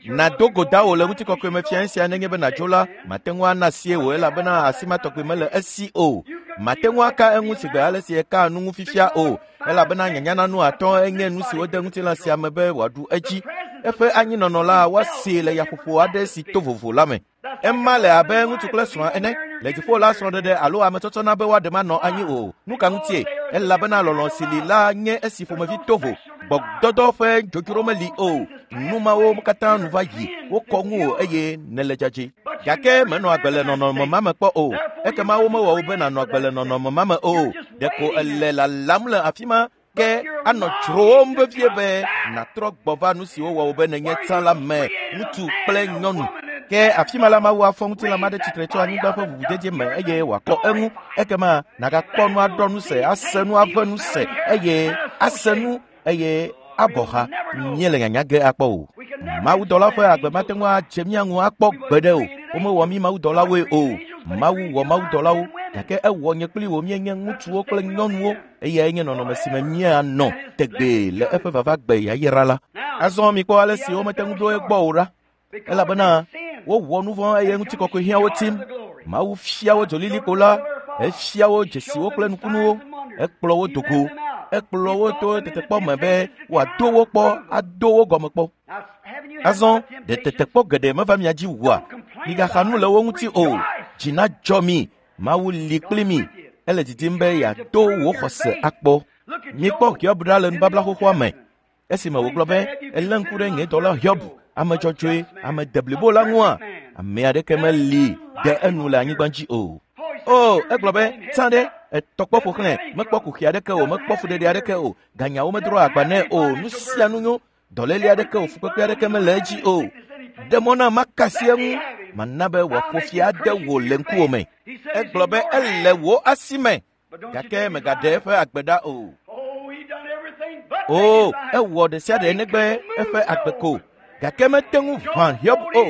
Nàdo go da wò le ŋutikɔkɔe me fia sia nenye be nàdzo la, mate ŋu ana asie wò elabena asi ma tɔgbi mele esi o. Mate ŋu aka eŋu si gbe ale si eka nu ŋu fifia o, elabena nyanyananu atɔ̃ enye nu si wode ŋutilã sia me be wòaɖu edzi. Eƒe anyinɔnɔ la woasee le yaƒoƒo aɖe si to vovo la me. Ema le abe ŋutsu kple srɔ̃a ene. Le dziƒo la srɔ̃ɖeɖe alo ametsɔtsɔ na be woaɖe manɔ anyi o. Nu ka ŋutie? Elabena lɔlɔ̃ si li la nye esi ƒomevi to vo. Gbɔgbɔdɔdɔ ƒe dzodzro meli o. Nu mawo katã nu va yi, wokɔ ŋuwò eye nèle dzadzɛ. Gake menɔ agbe le nɔnɔme ma me kpɔ o. Ekema womewɔ wò be nànɔ agbe le nɔnɔme ma me o. Ɖeko èle lalam le afi ma ke anɔ dzrowòm vevie be nàtrɔ gbɔ va nu si wowɔ wò be nènye tsã la me, ŋutsu kple nyɔnu. Ke afi ma la Mawu afɔ ŋutilã ma ɖe tsitre tso anyigba ƒe ʋuʋudede me eye wòakɔ eŋu. Ekema nàgakpɔ nu aɖɔ nu se, ase nu aʋe nu se eye ase nu eye abɔ ha. Míele nyanya ge akpɔ o. Mawudɔla ƒe agbe mate ŋu adze mía ŋu akpɔ gbeɖe o. Womewɔ mí mawudɔlawoe o. Mawu wɔ mawudɔlawo, gake ewɔ nye kpli wò míenye ŋutsuwo kple nyɔnuwo eyae nye nɔnɔme si me míanɔ tegbee le eƒe vavagbe yayra la. Azɔ mikpɔ ale si womete ŋu ɖo egbɔ o ɖa, elabena wowɔ nu vɔ̃ eye ŋutikɔkɔe hiã wo tim. Mawu fia wo dzolilikpo la, efia wo dzesiwo kple nukunuwo, ekplɔ wo dogo, ekplɔ wo to tetekpɔ me be wòado wo kpɔ, ado wo gɔme kpɔ. Azɔ ɖe tetekpɔ geɖe meva mia dzi wua? Migaxa nu le wo ŋuti o. Dzi nadzɔ mi. Mawu li kpli mi. Ele didim be yeado wò xɔse akpɔ. Mikpɔ Hiob ɖa le nubabla xoxoa me. Esime wògblɔ be elé ŋku ɖe nye dɔla Hiob, ame dzɔdzɔe, ame deblibo la ŋua, ame aɖeke meli de enu le anyigba dzi o. O, egblɔ be, tsã ɖe, etɔ kpɔ ƒo xlãe, mekpɔ kuxi aɖeke o, mekpɔ fuɖeɖe aɖeke o, ganyawo medro agba nɛ o, nu sia nu nyo, dɔléle aɖeke o, fukpekpe aɖeke mele edzi o. Ɖe mɔ na makasi eŋu, mana be wòaƒo fi ade wò le ŋkuwò me. Egblɔ be ele wò asi me, gake megaɖe eƒe agbe ɖa o. O, ewɔ ɖe sia ɖe negbe eƒe agbe ko, gake mete ŋu ʋã Hiob o.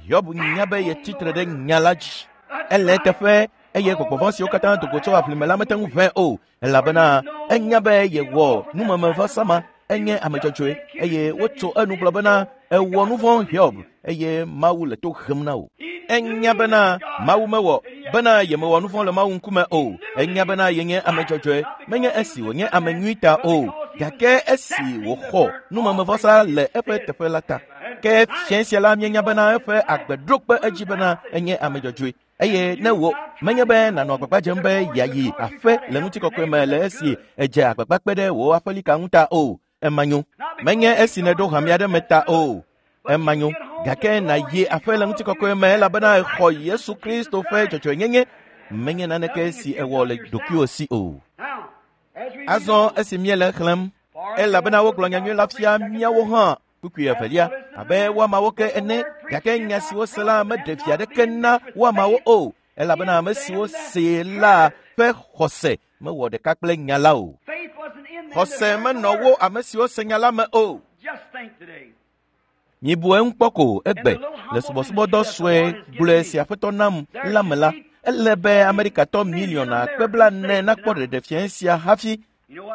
Hiob nya be yetsi tre ɖe nya la dzi. Ele eteƒe eye gbɔgbɔ vɔ̃ siwo katã do go tso aʋlime la mete ŋu ʋãe o, elabena enya be yewɔ numemevɔsa ma, enye ame dzɔdzɔe eye wotso enu gblɔ bena ewɔ nu vɔ̃ Hiob eye Mawu le to hem na wò. Enya bena Mawu mewɔ bena yemewɔ nu vɔ̃ le Mawu ŋkume o. Enya bena yenye ame dzɔdzɔe, menye esi wònye ame nyui ta o, gake esi wòxɔ numemevɔsa le eƒe teƒe la ta. Ke fiẽ sia la míenya bena eƒe agbe ɖo kpe edzi bena enye ame dzɔdzɔe. Eye ne wò menye be nànɔ agbagba dzem be yeayi aƒe le ŋutikɔkɔe me le esi edze agbagba kpe ɖe wò aƒelika ŋu ta o, ema nyo. Menye esi nèɖo hame aɖe me ta o, ema nyo. Gake nàyi aƒe le ŋutikɔkɔe me elabena exɔ Yesu Kristo ƒe dzɔdzɔenyenye, menye naneke si ewɔ le ɖokuiwò si o. Azɔ esi míele xlẽm, elabena wogblɔ nyanyui la fia míawo hã kpukpui evelia abe woamawo ke ene, gake nya si wose la meɖe vi aɖeke na woamawo o, elabena ame siwo see la ƒe xɔse mewɔ ɖeka kple nya la o. Xɔse menɔ wo ame siwo se nya la me o. Mibu eŋu kpɔ ko egbe le subɔsubɔdɔ sue gblɔe si Aƒetɔ nam la me la, ele be Amerikatɔ miliɔn akpe blaene nakpɔ ɖeɖefia sia hafi.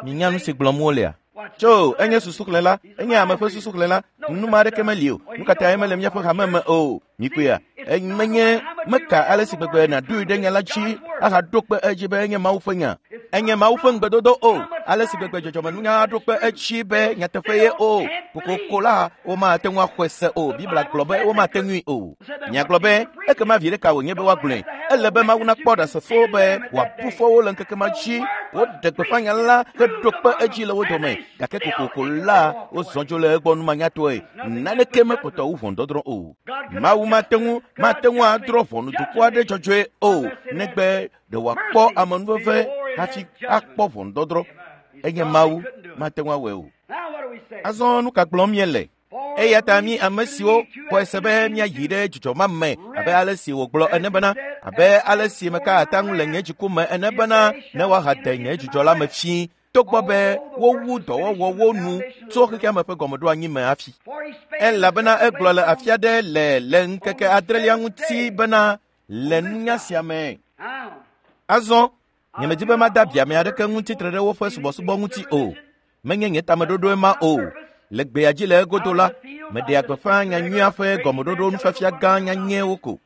Minya nu si gblɔm wolea? Tso, enye susuxlẽla, enye ame ƒe susuxlẽla, nu ma aɖeke meli o. Nu ka tae mele míaƒe hame me o? Mikpɔea? Menye meka ale si gbegbe nàɖoe ɖe nya la dzi ahaɖo kpe edzi be enye Mawu ƒe nya. Enye Mawu ƒe ŋugbedodo o. Ale si gbegbe dzɔdzɔmenunya aɖo kpe edzi be nyateƒe ye o. Kokoko la, womate ŋu axɔe se o. Biblia gblɔ be womate ŋui o. Miagblɔ be ekema vi ɖeka wònye be woagblɔe. Ele be Mawu nakpɔ ɖasefo be wòabu fɔ wo le ŋkeke ma dzi. Woɖe gbeƒã nya la heɖo kpe edzi le wo dome. Gake kokoko la, wozɔ dzo le egbɔ numanyatɔe. Naneke mekpɔtɔ wu ʋɔnudɔdrɔ̃ o. Mawu mate ŋu mate ŋu adrɔ̃ ʋɔnu dukɔ aɖe dzɔdzɔe o, negbe ɖe wòakpɔ amenuveve hafi akpɔ ʋɔnudɔdrɔ̃. Enye Mawu, mate ŋu awɔe o. Azɔ nu ka gblɔm míele? Eya ta mí ame siwo xɔe se be míayi ɖe dzidzɔ ma me abe ale si wògblɔ ene bena, abe ale si meka ata ŋu le nye dziku me ene bena, ne woahade nye dzidzɔ la me fĩi, togbɔ be wowu dɔwɔwɔwo nu tso xexea me ƒe gɔmeɖoanyi me hafi. Elabena egblɔ le afi aɖe le le ŋkeke adrelia ŋuti bena le nunya sia me. Azɔ nyemedi be mada biame aɖeke ŋuti tre ɖe woƒe subɔsubɔ ŋuti o. Menye nye tameɖoɖoe ma o. Le gbea dzi le egodo la, meɖea gbeƒã nyanyuia ƒe gɔmeɖoɖo nufiafia gã nyanyɛwo ko.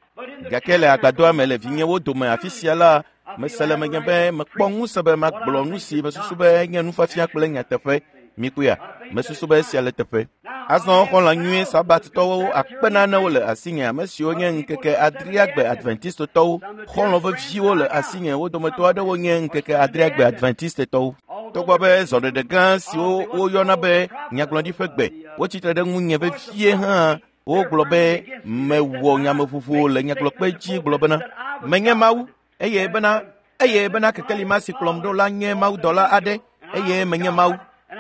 Gake le agbadɔa me le vinyewo dome afi sia la, mese le menye be mekpɔ ŋusẽ be magblɔ nu si mesusu be nye nufiafia kple nyateƒe. Mikpɔea, mesusu be esia le teƒe. Azɔ xɔlɔ̃ nyui Sabatitɔwo akpe nanewo le asinye, ame siwo nye ŋkeke adreagbe Adventistetɔwo. Xɔlɔ̃ veviwo le asinye, wo dometɔ aɖewo nye ŋkeke adreagbe Adventistetɔwo. Togbɔ be zɔɖeɖe gã siwo woyɔna be nyagblɔɖi ƒe gbe wotsitre ɖe ŋunye vevie hã wogblɔ be mewɔ nyameƒoƒo le nyagblɔkpe dzi gblɔ bena menye Mawu eye bena eye bena kekeli ma si kplɔm ɖo la nye mawudɔla aɖe eye menye Mawu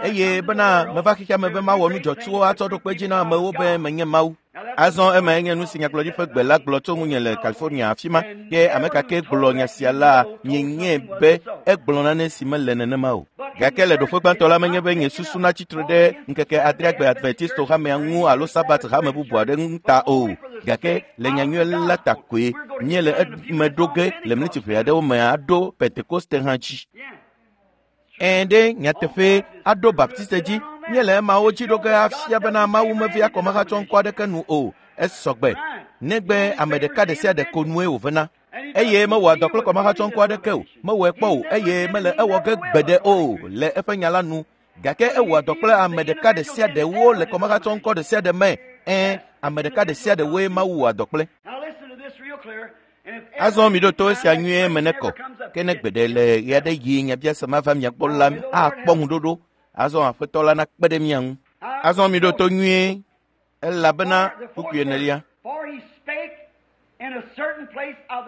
eye bena meva xexea me be mawɔ nu dzɔtsuwo atsɔ ɖo kpe dzi na amewo be menye Mawu. Azɔ ema nye nu si nyagblɔɖi ƒe gbe la gblɔ tso ŋunye le California afi ma ke ame ka ke gblɔ nya sia la mienyae be egblɔ nane si mele nenema o. Gake le ɖoƒe gbãtɔ la menye be nye susu natsi tre ɖe ŋkeke adreagbe Adventisto hamea ŋu alo Sabat hame bubu aɖe ŋu ta o. Gake le nyanyui la ta koe míele eme ɖo ge le mleti ʋe aɖewo me aɖo Pentekoste hã dzi. Ɛ̃ ɖe nyateƒe aɖo Baptiste dzi míele emawo dzi ɖo ge afia bena Mawu mevia kɔmehatsɔ ŋkɔ aɖeke nu o. Esɔgbe negbe ame ɖeka ɖe sia ɖe ko nue wòvena. Eye mewɔa dɔ kple kɔmehatsɔ ŋkɔ aɖeke o, mewɔe kpɔ o eye mele ewɔ ge gbeɖe o le eƒe nya la nu. Gake ewɔa dɔ kple ame ɖeka ɖe sia ɖewo le kɔmehatsɔ ŋkɔ ɖe sia ɖe me. Ɛ̃, ame ɖeka ɖe sia ɖewoe Mawu wɔa dɔ kple. Azɔ mi ɖo to esia nyuie me ne kɔ. Ke ne gbeɖe le ɣe aɖe yi nyabiase ma va mia gbɔ la akpɔ ŋuɖoɖo. Azɔ Aƒetɔ la nakpe ɖe mia ŋu. Azɔ mi ɖo to nyuie elabena kpukpui enelia.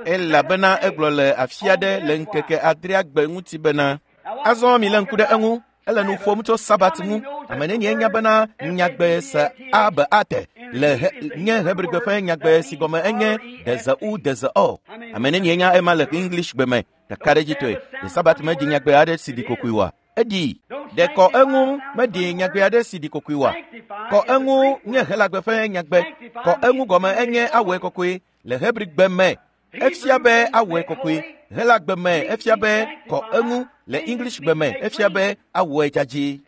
Elabena egblɔ le afi aɖe le ŋkeke adreagbe ŋuti bena azɔ mi lé ŋku ɖe eŋu. Ele nu ƒom tso Sabat ŋu. Ame nenie nya bena nyagbe se a be ate le he, nye Hebrigbe ƒe nyagbe si gɔme enye deze u deze o. Ame nenie nya ema le English gbe me ɖekaɖedzitɔe. Le Sabat me dzi nyagbe aɖe si ɖi kokoe oa? Eɖi. Ɖe kɔ eŋu meɖi nyagbe aɖe si ɖi kokoe oa? Kɔ eŋu nye Helagbe ƒe nyagbe. Kɔ eŋu gɔme enye awɔe kɔkɔe le Hebrigbe me. Efia be awɔe kɔkɔe. Helagbe me efia be kɔ eŋu. Le English gbe me efia be awɔe dzadzɛ.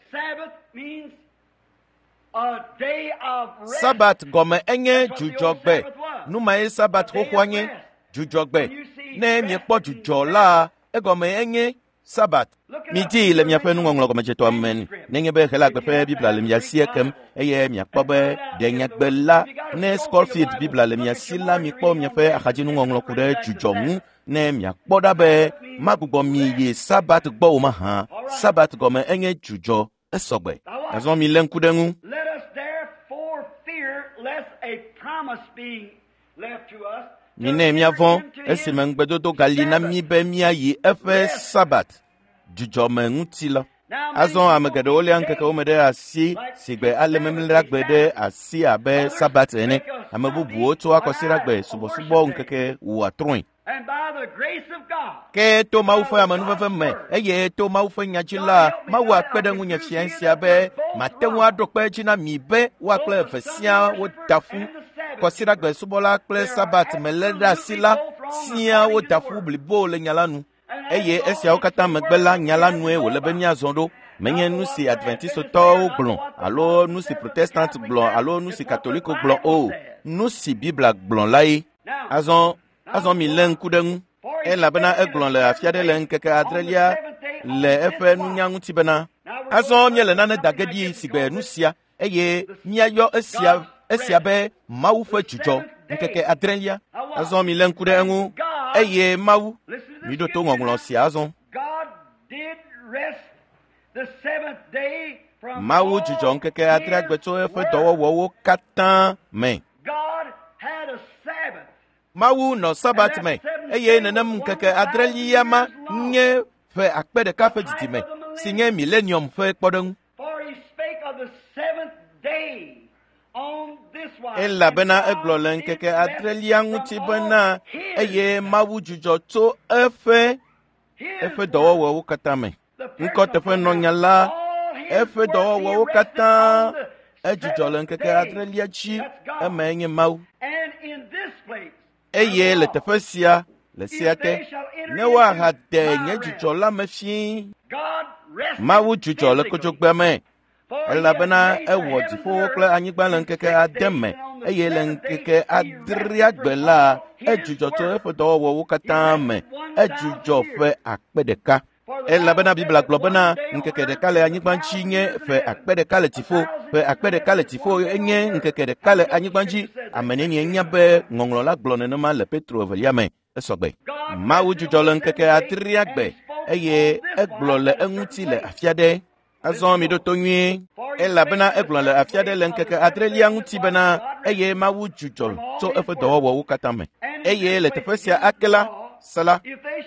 Sabat gɔme enye dzudzɔgbe. Nu mae Sabat xoxoa nye dzudzɔgbe. Ne miekpɔ dzudzɔ la, egɔme enye Sabat. Midii le miaƒe nuŋɔŋlɔ gɔmedzetɔa me nenye be Helagbe ƒe Biblia le mia si ekem eye miakpɔ be ɖe nyagbe la ne Scofield Biblia le mia si la mikpɔ miaƒe axadzinuŋɔŋlɔ ku ɖe dzudzɔ ŋu ne miakpɔ ɖa be magbugbɔ mi yi Sabat gbɔ o mahã. Sabat gɔme enye dzudzɔ esɔgbe. Azɔ mi lé ŋku ɖe ŋu. Minɛ míavɔ̃ esime ŋugbedodo gali na mí be míayi eƒe Sabat dzudzɔme ŋuti la. Azɔ ame geɖewo léa ŋkekewo me ɖe asi si gbe ale memleɖagbe ɖe asi abe Sabat ene. Ame bubuwo tsoa kɔsiɖagbe subɔsubɔ ŋkeke wɔa trɔ̃e. Ke to Mawu ƒe amenuveve me eye to Mawu ƒe nya dzi la, Mawu akpe ɖe ŋunye fia sia be mate ŋu aɖo kpe edzi na mi be woa kple eve siaa woda ƒu. Kɔsiɖagbe subɔla kple Sabat me lé ɖe asi la siaa woda ƒu blibo le nya la nu. Eye esiawo katã megbe la nya la nue wòle be míazɔ ɖo. Menye nu si Adventistotɔwo gblɔ alo nu si Protestant gblɔ alo nu si Katoliko gblɔ o. Nu si Biblia gblɔ lae. Azɔ azɔ mi lé ŋku ɖe ŋu. Elabena egblɔ le afi aɖe le ŋkeke adrelia le eƒe nunya ŋuti bena azɔ míele nane da ge ɖi si gbe nu sia eye míayɔ esia esia be Mawu ƒe dzudzɔ ŋkeke adrelia. Azɔ mi lé ŋku ɖe eŋu eye Mawu miɖo to ŋɔŋlɔ sia azɔ. Mawu dzudzɔ ŋkeke adreagbe tso eƒe dɔwɔwɔwo katã me. Mawu nɔ Sabat me eye nenem ŋkeke adrelia ma nye ƒe akpe ɖeka ƒe didime si nye millennium ƒe kpɔɖeŋu. Elabena egblɔ le ŋkeke adrelia ŋuti bena eye Mawu dzudzɔ tso eƒe eƒe dɔwɔwɔwo katã me. Ŋkɔteƒenɔnya la eƒe dɔwɔwɔwo katã edzudzɔ le ŋkeke adrelia dzi emae nye Mawu. Eye le teƒe sia le sia te ne woahade nye dzudzɔ la me fĩi. Mawu dzudzɔ le kodzogbea me elabena ewɔ dziƒowo kple anyigba le ŋkeke ade me eye le ŋkeke adreagbe la edzudzɔ tso eƒe dɔwɔwɔwo katã me. Edzudzɔ ƒe akpe ɖeka. Elabena Biblia gblɔ bena ŋkeke ɖeka le anyigba dzi nye ƒe akpe ɖeka le dziƒo. Ƒe akpe ɖeka le dziƒo enye ŋkeke ɖeka le anyigba dzi. Ame nenie nya be ŋɔŋlɔ la gblɔ nenema le Petro evelia me. Esɔgbe. Mawu dzudzɔ le ŋkeke adreagbe eye egblɔ le eŋuti le afi aɖe. Azɔ mi ɖo to nyuie, elabena egblɔ le afi aɖe le ŋkeke adrelia ŋuti bena eye Mawu dzudzɔ tso eƒe dɔwɔwɔwo katã me. Eye le teƒe sia ake la, se la,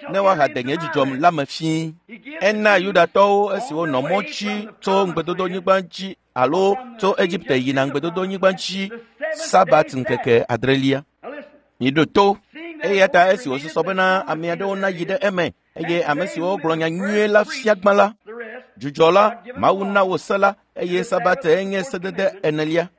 ne woahade nye dzidzɔ la me fĩi. Ena Yudatɔwo esi wonɔ mɔ dzi tso ŋugbedodonyigba dzi alo tso Egipte yina ŋugbedodonyigba dzi Sabat ŋkeke adrelia. Miɖo to. Eya ta esi wòsusɔ bena ame aɖewo nayi ɖe eme eye ame siwo gblɔ nya nyuie la fia gbã la, dzudzɔ la, Mawu na wo se la eye Sabat enye sedede enelia.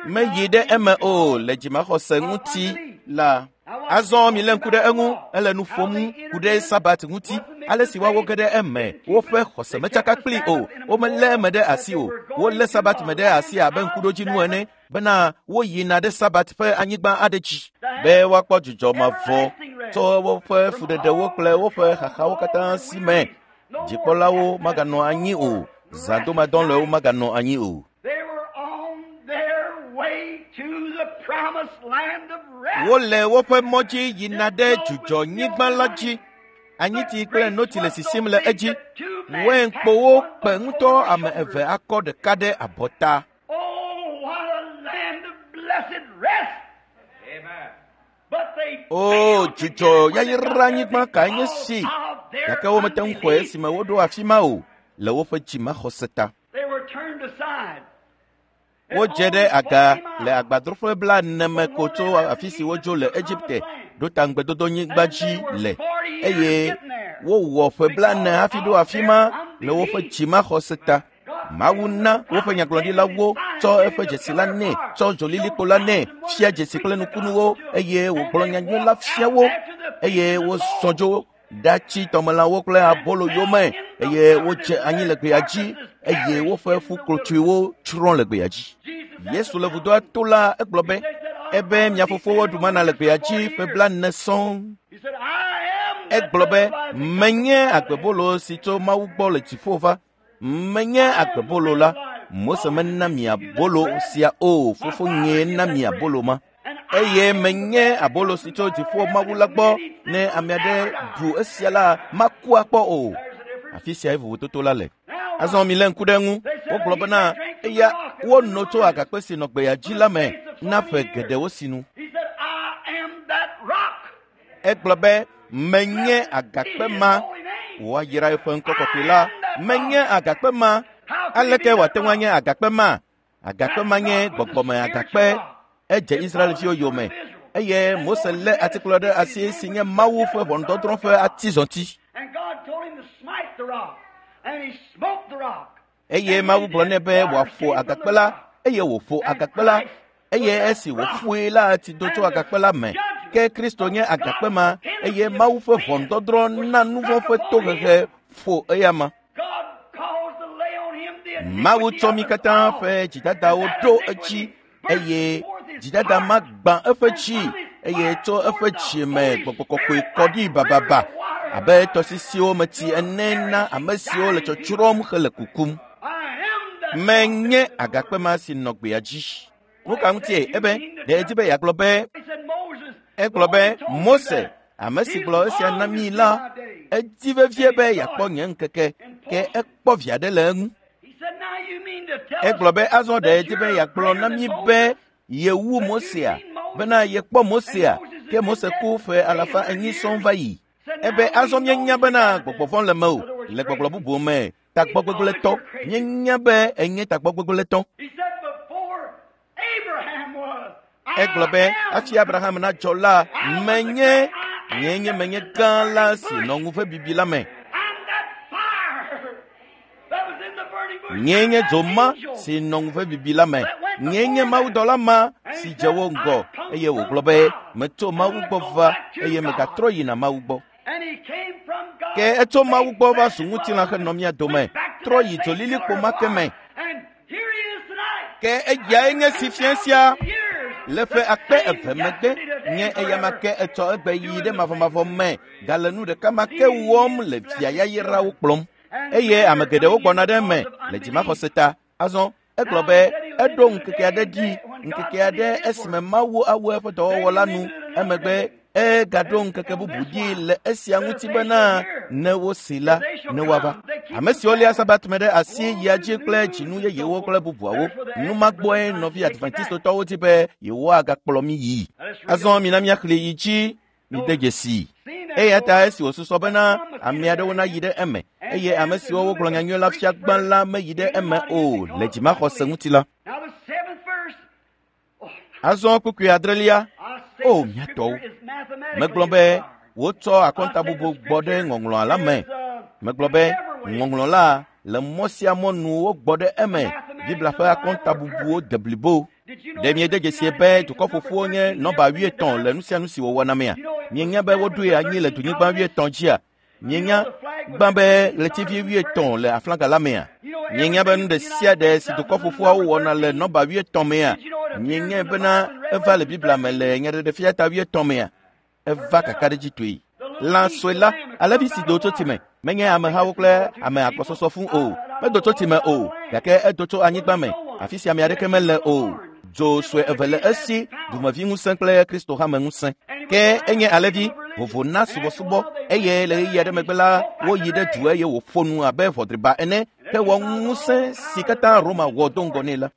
Meyi ɖe eme o le dzimaxɔse ŋuti la. Azɔ milé ŋku ɖe eŋu, ele nu ƒom ku ɖe Sabat ŋuti, ale si woawo ge ɖe eme, woƒe xɔse metsaka kpli o, womelé eme ɖe asi o, wolé Sabat me ɖe asi abe ŋkuɖodzinu ene, bena woyina ɖe Sabat ƒe anyigba aɖe dzi, be woakpɔ dzudzɔ mavɔ tso woƒe fuɖeɖewo kple woƒe xaxawo katã si me. Dzikpɔlawo maganɔ anyi o, zãdomadɔlɔ̃ewo maganɔ anyi o. Wole woƒe mɔ dzi yina ɖe dzudzɔnyigba la dzi. Anyitsi kple notsi le sisim le edzi. Wainkpowo kpe ŋutɔ ame eve akɔ ɖeka ɖe abɔta. O, dzudzɔ yayranyigba kae nye si! Gake womete ŋu xɔe esime woɖo afi ma o le woƒe dzimaxɔse ta. Wodze ɖe aga le agbadroƒe blaene me ko tso afi si wodzo le Egipte ɖo ta ŋugbedodonyigba dzi le eye wowɔ ƒe blaene hafi ɖo afi ma le woƒe dzimaxɔse ta. Mawu na woƒe nyagblɔɖilawo tsɔ eƒe dzesi la nɛ, tsɔ dzolilikpo la nɛ, fia dzesi kple nukunuwo eye wògblɔ nyanyui la fia wo eye wozɔ dzo ɖatsi tɔmelãwo kple abolo yome eye wodze anyi le gbea dzi eye woƒe ƒuklotsoewo tsrɔ̃ le gbea dzi. Yesu le vudoa to la egblɔ be ebe mia fofowo ɖu mana le gbea dzi ƒe blaene sɔŋ. Egblɔ be menye agbebolo si tso Mawu gbɔ le dziƒo va. Menye agbebolo la. Mose mena mi abolo sia o, fofo nyee na mi abolo ma. Eye menye abolo si tso dziƒo Mawu la gbɔ ne ame aɖe ɖu esia la maku akpɔ o. Afi siae vovototo la le. Azɔ milé ŋku ɖe eŋu. Wogblɔ bena eya wono tso agakpe si nɔ gbea dzi la me na ƒe geɖewo sinu. Egblɔ be menye agakpe ma. Woayra eƒe ŋkɔ kɔkɔe la. Menye agakpe ma. Aleke wòate ŋu anye agakpe ma? Agakpe ma nye gbɔgbɔme agakpe. Edze Israelviwo yome eye Mose lé atikplɔ ɖe asi si nye Mawu ƒe ʋɔnudɔdrɔ̃ ƒe atizɔti. Eye Mawu gblɔ nɛ be wòaƒo agakpe la eye wòƒo agakpe la eye esi wòƒoe la tsi do tso agakpe la me. Ke Kristo nye agakpe ma eye Mawu ƒe ʋɔnudɔdrɔ̃ na nu vɔ̃ ƒe tohehe ƒo eyama. Mawu tsɔ mí katã ƒe dzidadawo ɖo edzi eye dzidada ma gbã eƒe dzi eye tso eƒe dzi me gbɔgbɔ kɔkɔe kɔ ɖi bababa abe tɔsisiwo me tsi ene na ame siwo le tsɔtsrɔ̃m hele kukum. Menye agakpe ma si nɔ gbea dzi. Nu ka ŋutie? Ebe ɖe edzi be yeagblɔ be egblɔ be Mose, ame si gblɔ esia na mí la, edi vevie be yeakpɔ nye ŋkeke ke ekpɔ vi aɖe le eŋu. Egblɔ be azɔ ɖe edi be yeagblɔ na mí be yewu Mosea, bena yekpɔ Mosea, ke Mose ku ƒe alafa enyi sɔŋ va yi. Ebe azɔ míenya bena gbɔgbɔ vɔ̃ le mewò le gbɔgblɔ bubu me tagbɔgbegblẽtɔ. Míenya be enye tagbɔgbegblẽtɔ. Egblɔ be hafi Abraham nadzɔ la, menye nye nye menye gã la si nɔ ŋu ƒe bibi la me. Nye nye dzo ma si nɔ ŋu ƒe bibi la me. Nye nye mawudɔla ma si dze wo ŋgɔ eye wògblɔ be metso Mawu gbɔ va eye megatrɔ yina Mawu gbɔ. Ke etso Mawu gbɔ va zu ŋutilã henɔ mía dome, trɔ yi dzolilikpo ma ke me. Ke eyae nye si fia sia le ƒe akpe eve megbe nye eyama ke etsɔ egbe yi ɖe mavɔmavɔ me gale nu ɖeka ma ke wɔm le via yayrawo kplɔm. Eye ame geɖewo gbɔna ɖe eme le dzimaxɔse ta. Azɔ egblɔ be eɖo ŋkeke aɖe dzi, ŋkeke aɖe esime Mawu awu eƒe dɔwɔwɔ la nu. Emegbe Egaɖo ŋkeke bubu ɖi le esia ŋuti bena ne wosi la, ne woava. Ame siwo lia Sabat me ɖe asi yia dzi kple dzinu yeyewo kple bubuawo. Numagbɔe nɔvi Adventistotɔwo di be yewoagakplɔ mí yii. Azɔ mina míaxlẽ yi dzi mide dzesii. Eya ta esi wòsusɔ bena ame aɖewo nayi ɖe eme eye ame siwo wogblɔ nyanyui la fia gbã la meyi ɖe eme o le dzimaxɔse ŋuti la. Azɔ kpukpui adrelia. O mía tɔwo, megblɔ be wotsɔ akɔntabubu gbɔ ɖe ŋɔŋlɔa la me. Megblɔ be ŋɔŋlɔ la le mɔ sia mɔ nu wogbɔ ɖe eme. Biblia ƒe akɔntabubuwo de blibo. Ɖe miede dzesie be dukɔ ƒoƒuwo nye nɔba wuietɔ̃ le nu sia nu si wòwɔna mea? Mienya be woɖoe anyi le dunyigba wuietɔ̃ dzia? Mienya gbã be ɣletivi wuietɔ̃ le aflaga la mea? Mienya be nu ɖe sia ɖe si dukɔ ƒoƒuawo wɔna le nɔba wuietɔ̃ mea? Mienya bena eva le Biblia me le nyaɖeɖefia ta wuietɔ̃ mea? Eva kakaɖedzitɔe. Lã sue la, alẽvi si do tso tsi me, menye amehawo kple ame agbɔsɔsɔ fũ o. Medo tso tsi me o, gake edo tso anyigba me, afi si ame aɖeke mele o. Dzo sue eve le esi, dumevi ŋusẽ kple Kristo hame ŋusẽ. Ke enye alẽvi vovo na subɔsubɔ eye le ɣeyiɣi aɖe megbe la, woyi ɖe du eye wòƒo nu abe ʋɔdriba ene hewɔ ŋusẽ si katã Roma wɔ do ŋgɔ nɛ la.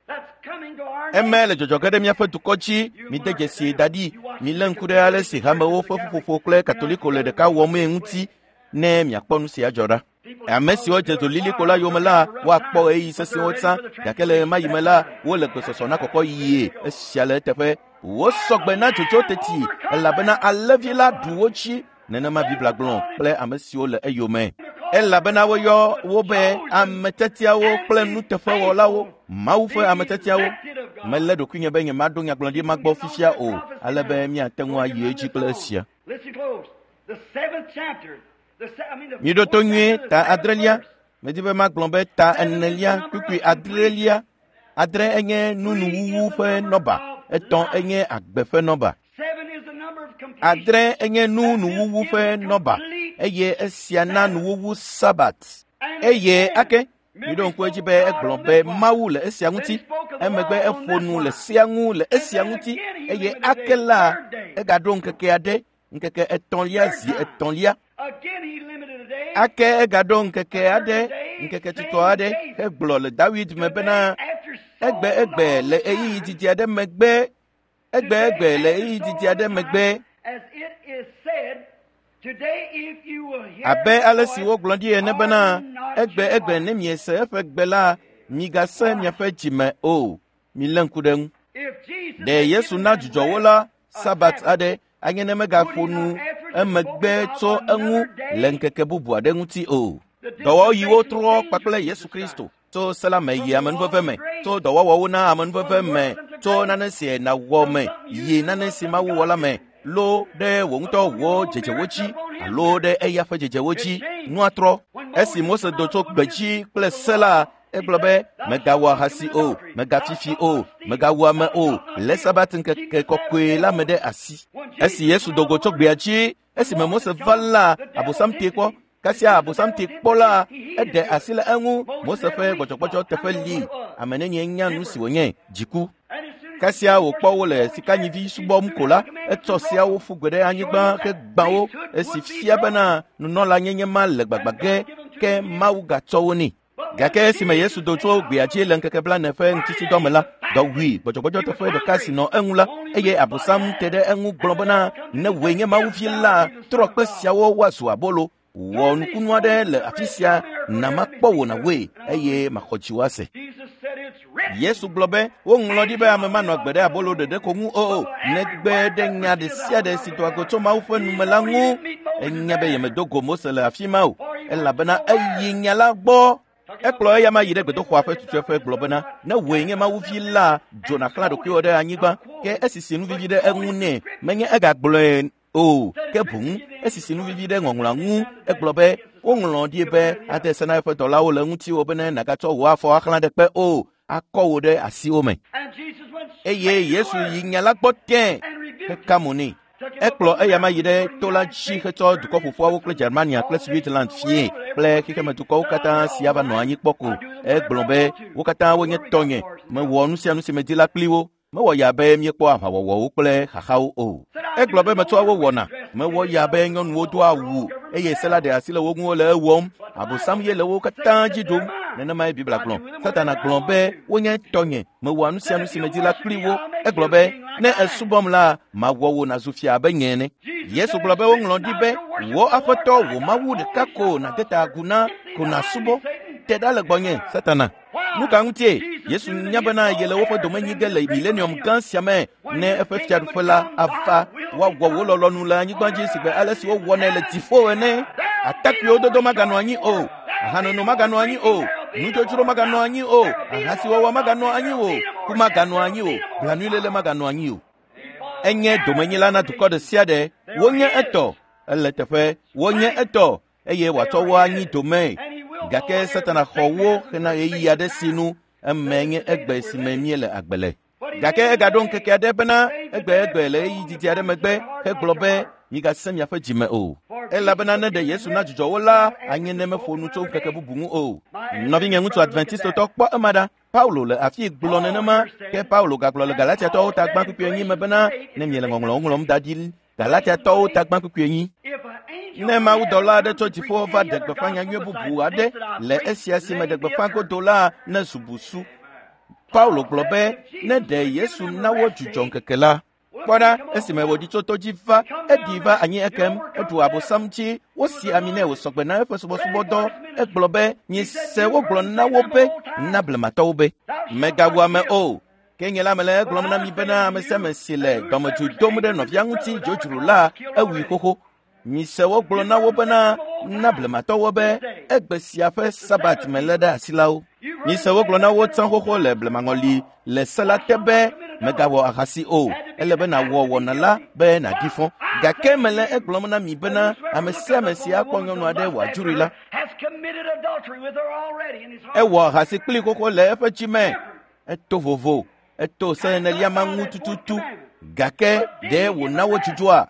Eme le dzɔdzɔ ge ɖe míaƒe dukɔ dzi. Mide dzesi da ɖi. Milé ŋku ɖe ale si hamewo ƒe ƒuƒoƒo kple Katoliko le ɖeka wɔmee ŋuti ne miakpɔ nu sia dzɔ ɖa. Ame siwo dze dolilikpo la yome la, woakpɔ ɣeyiɣi sesẽwo tsã, gake le ɣemaɣi me la, wole gbesɔsɔ na kɔkɔ yie. Esia le eteƒe. Wosɔgbe na dzodzo teti elabena alẽvi la ɖu wo dzi. Nenema Biblia gblɔ kple ame siwo le eyome. Elabena woyɔ wo be ametetiawo kple nuteƒewɔlawo, Mawu ƒe ametetiawo. Melé ɖokuinye be nyemaɖo nyagblɔɖi ma gbɔ fifia o, ale be míate ŋu ayi edzi kple esia. Miɖo to nyuie ta adrelia. Medi be magblɔ be ta enelia kpukpui adrelia. Adre enye nunuwuwu ƒe nɔba, etɔ̃ enye agbe ƒe nɔba. Adre enye nunuwuwu ƒe nɔba eye esia na nuwuwu Sabat. Eye ake miɖo ŋku edzi be egblɔ be Mawu le esia ŋuti. Emegbe eƒo nu le sea ŋu le esia ŋuti eye ake la egaɖo ŋkeke aɖe, ŋkeke etɔ̃lia zi etɔ̃lia. Ake egaɖo ŋkeke aɖe, ŋkeke tutɔ aɖe hegblɔ le Dawid me bena egbe egbe le ɣeyiɣi didi aɖe megbe, egbe egbe le ɣeyiɣi didi aɖe megbe. Abe ale si wogblɔ ɖi ene bena egbe egbe ne miese eƒe gbe la, migase miaƒe dzime o. Milé ŋku ɖe ŋu. Ɖe Yesu na dzudzɔ wo la Sabat aɖe anye ne megaƒo nu emegbe tso eŋu le ŋkeke bubu aɖe ŋuti o. Dɔwɔɣiwo trɔ kpakple Yesu Kristo tso se la me yi amenuveve me, tso dɔwɔwɔwo na amenuveve me, tso nane si nàwɔ me yi nane si Mawu wɔ la me, lo ɖe wò ŋutɔ wò dzedzewo dzi alo ɖe eya ƒe dzedzewo dzi. Nua trɔ. Esi Mose do tso gbedzi kple se la, egblɔ be megawɔ ahasi o, megafifi o, megawu ame o, le Sabat ŋkeke kɔkɔe la me ɖe asi. Esi Yesu do go tso gbea dzi, esime Mose va la, Abosam tee kpɔ. Kasia Abosam tee kpɔ la, eɖe asi le eŋu. Mose ƒe gbɔdzɔgbɔdzɔ teƒe li. Ame nenie nya nu si wònye? Dziku. Kasia wòkpɔ wo le sikanyivi subɔm ko la, etsɔ seawo ƒu gbe ɖe anyigba hegbã wo, esi fia bena nunɔlanyenye ma le gbagba ge, ke Mawu gatsɔ wo nɛ. Gake esime Yesu do tso gbea dzi le ŋkeke blaene ƒe ŋutitsidɔ me la, dɔ wui gbɔdzɔgbɔdzɔ teƒe ɖeka si nɔ eŋu la, eye Abosam te ɖe eŋu gblɔ bena ne wòe nye Mawu vi la, trɔ kpe siawo woazu abolo. Wɔ nukunu aɖe le afi sia na makpɔ wò nàwɔe eye maxɔ dziwò ase. Yesu gblɔ be woŋlɔ ɖi be ame manɔ agbe ɖe abolo ɖeɖe ko ŋu o, negbe ɖe nya ɖe sia ɖe si doa go tso Mawu ƒe nume la ŋu. Enya be yemedo go Mose le afi ma o, elabena eyi nya la gbɔ. Ekplɔ eya ma yi ɖe gbedoxɔa ƒe tutueƒe gblɔ bena ne wòe nye Mawu vi la, dzo nàxlã ɖokuiwò ɖe anyigba. Ke esisi nu vivi ɖe eŋu nɛ, menye egagblɔe o, ke boŋ esisi nu vivi ɖe ŋɔŋlɔa ŋu. Egblɔ be woŋlɔ ɖi be ade se na eƒe dɔlawo le ŋutiwò bene nàgatsɔ wò afɔ axlã ɖe kpe o, akɔ wò ɖe asiwo me. Eye Yesu yi nya la gbɔ tẽ heka mo nɛ. Ekplɔ eya ma yi ɖe to la dzi hetsɔ dukɔ ƒoƒuawo kple Germania kple Switzerland fie kple xexemedukɔwo katã si ava nɔ anyi kpɔ ko. Egblɔ be wo katã wonye tɔnye, mewɔ nu sia nu si medi la kpli wo. Mewɔ ya be míekpɔ aʋawɔwɔwo kple xaxawo o. Egblɔ be metsɔa wo wɔna. Mewɔ ya be nyɔnuwo doa awu eye se la ɖe asi le wo ŋu wole ewɔm. Abosam ye le wo katã dzi ɖom. Nenemae Biblia gblɔ. Satana gblɔ be wonye tɔnye. Mewɔa nu sia nu si medzi la kpli wo. Egblɔ be ne esubɔm la, mawɔ wò nàzu fia abe nye ene. Yesu gblɔ be woŋlɔ ɖi be wò Aƒetɔ wò Mawu ɖeka ko nàde ta agu na ko nàsubɔ. Te ɖa le gbɔnye, Satana. Nu ka ŋutie? Yesu nya bena yele woƒe domenyi ge le milenium gã sia me ne eƒe fiaɖuƒe la ava woawɔ wò lɔlɔ̃nu le anyigba dzi sigbe ale si wowɔnɛ le dziƒo ene. Atakpuiwo dodo maganɔ anyi o, ahanono maganɔ anyi o, nudzodzro maganɔ anyi o, ahasiwɔwɔ maganɔ anyi o, ku maganɔ anyi o, blanuiléle maganɔ anyi o. Enye domenyila na dukɔ ɖe sia ɖe. Wonye etɔ, ele teƒe, wonye etɔ eye wòatsɔ wo anyi domee. Gake Satana xɔ wo hena ɣeyiɣi aɖe si nu eme nye egbe si me míele agbe le. Gake egaɖo ŋkeke aɖe bena egbe egbe le ɣeyiɣi didi aɖe megbe hegblɔ be migasẽ miaƒe dzime o. Elabena ne ɖe Yesu na dzudzɔ wo la, anye ne meƒo nu tso ŋkeke bubu ŋu o. Nɔvinye ŋutsu Adventistotɔ kpɔ ema ɖa. Paulo le afi gblɔ nenema ke Paulo gagblɔ le Galatiatɔwo ta gbã kpukpui enyi me bena ne miele ŋɔŋlɔwo ŋlɔm da ɖi Galatiatɔwo ta gbã kpukpui enyi. Ne mawudɔla aɖe tso dziƒo va ɖe gbeƒã nyanyui bubu aɖe le esia si me ɖe gbeƒã godo la ne zu busu. Paulo gblɔ be ne ɖe Yesu na wo dzudzɔ ŋkeke la. Kpɔ ɖa esime wòɖi tso to dzi va, eɖi va anyi ekem, eɖu abosam dzi, wosi ami nɛ wòsɔgbe na eƒe subɔsubɔdɔ. Egblɔ be mise wogblɔ na wo be na blematɔwo be megawu ame o. Ke nye la mele egblɔm na mi bena ame sia ame si le dɔmedzoe dom ɖe nɔvia ŋuti dzodzro la ewui xoxo. Mise wogblɔ na wo bena na blematɔwo be egbe sia ƒe sabat me lé ɖe asi la wo. Mise wogblɔ na wo tsã xoxo le blemaŋɔli le se la te be megawɔ ahasi o. Ele be nàwɔ wɔna la be nàɖi fɔ. Gake mele egblɔm na mi bena ame sia ame si akpɔ nyɔnu aɖe wòadzroe la, ewɔ ahasi kpli xoxo le eƒe dzi me. Eto vovo, eto se enelia ma ŋu tututu. Gake ɖe wòna wo dzudzɔa?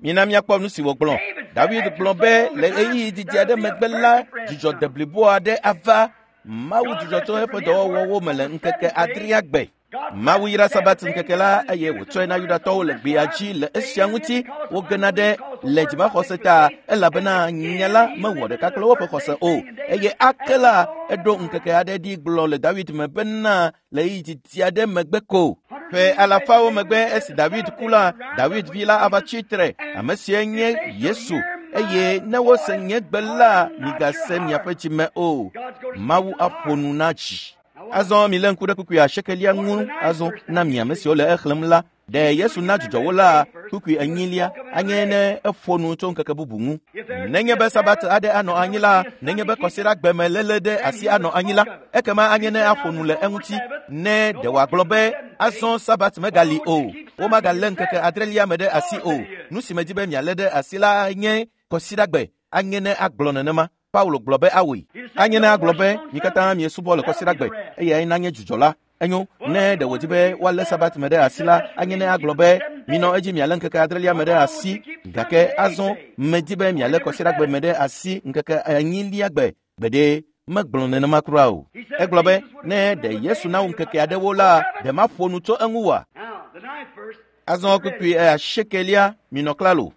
Mina míakpɔ nu si wògblɔ. David gblɔ be le ɣeyiɣi didi aɖe megbe la, dzudzɔ deblibo aɖe ava. Mawu dzudzɔ tso eƒe dɔwɔwɔwo me le ŋkeke adrea gbe. Mawu yra Sabat ŋkeke la eye wòtsɔe na Yudatɔwo le gbea dzi le esia ŋuti wogena ɖe le dzimaxɔse ta elabena nya la mewɔ ɖeka kple woƒe xɔse o. Eye ake la eɖo ŋkeke aɖe ɖi gblɔ le David me bena le ɣeyiɣi didi aɖe megbe ko. Ƒe alafawo megbe esi David ku la, David vi la ava tsi tre, ame sie nye Yesu. Eye ne wose nye gbe la, migase miaƒe dzime o. Mawu aƒo nu na dzi. Azɔ milé ŋku ɖe kpukpui asiekelia ŋu azɔ na mi ame siwo le exlẽm la. Ɖe Yesu na dzudzɔ wo la kpukpui enyilia anye ne eƒo nu tso ŋkeke bubu ŋu. Nenye be Sabat aɖe anɔ anyi la, nenye be kɔsiɖagbe me léle ɖe asi anɔ anyi la, ekema anye ne aƒo nu le eŋuti. Ne ɖe wòagblɔ be azɔ Sabat megali o, womagalé ŋkeke adrelia me ɖe asi o. Nu si medi be mialé ɖe asi la nye kɔsiɖagbe. Anye ne agblɔ nenema. Paulo gblɔ be awɔe. Anye ne agblɔ be mi katã miesubɔ le kɔsiɖagbe eye nanye dzudzɔ la. Enyo, ne ɖe wòdi be woalé Sabat me ɖe asi la, anye ne agblɔ be minɔ edzi mialé ŋkeke adrelia me ɖe asi. Gake azɔ medi be mialé kɔsiɖagbe me ɖe asi ŋkeke enyilia gbe. Gbeɖe megblɔ nenema kura o. Egblɔ be ne ɖe Yesu na wo ŋkeke aɖewo la, ɖe maƒo nu tso eŋu oa? Azɔ kpukpui asiekelia minɔ klalo.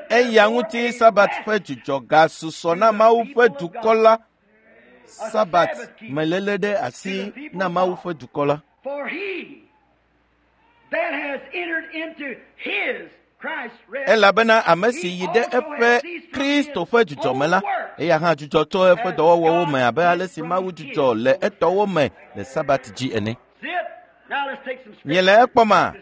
Eya ŋuti Sabat ƒe dzudzɔ gasusɔ na Mawu ƒe dukɔ la. Sabat meléle ɖe asi na Mawu ƒe dukɔ la. Elabena ame si yi ɖe eƒe Kristo ƒe dzudzɔ me la, eya hã dzudzɔ tso eƒe dɔwɔwɔwo me abe ale si Mawu dzudzɔ le etɔwo me le Sabat dzi ene. Miele ekpɔma?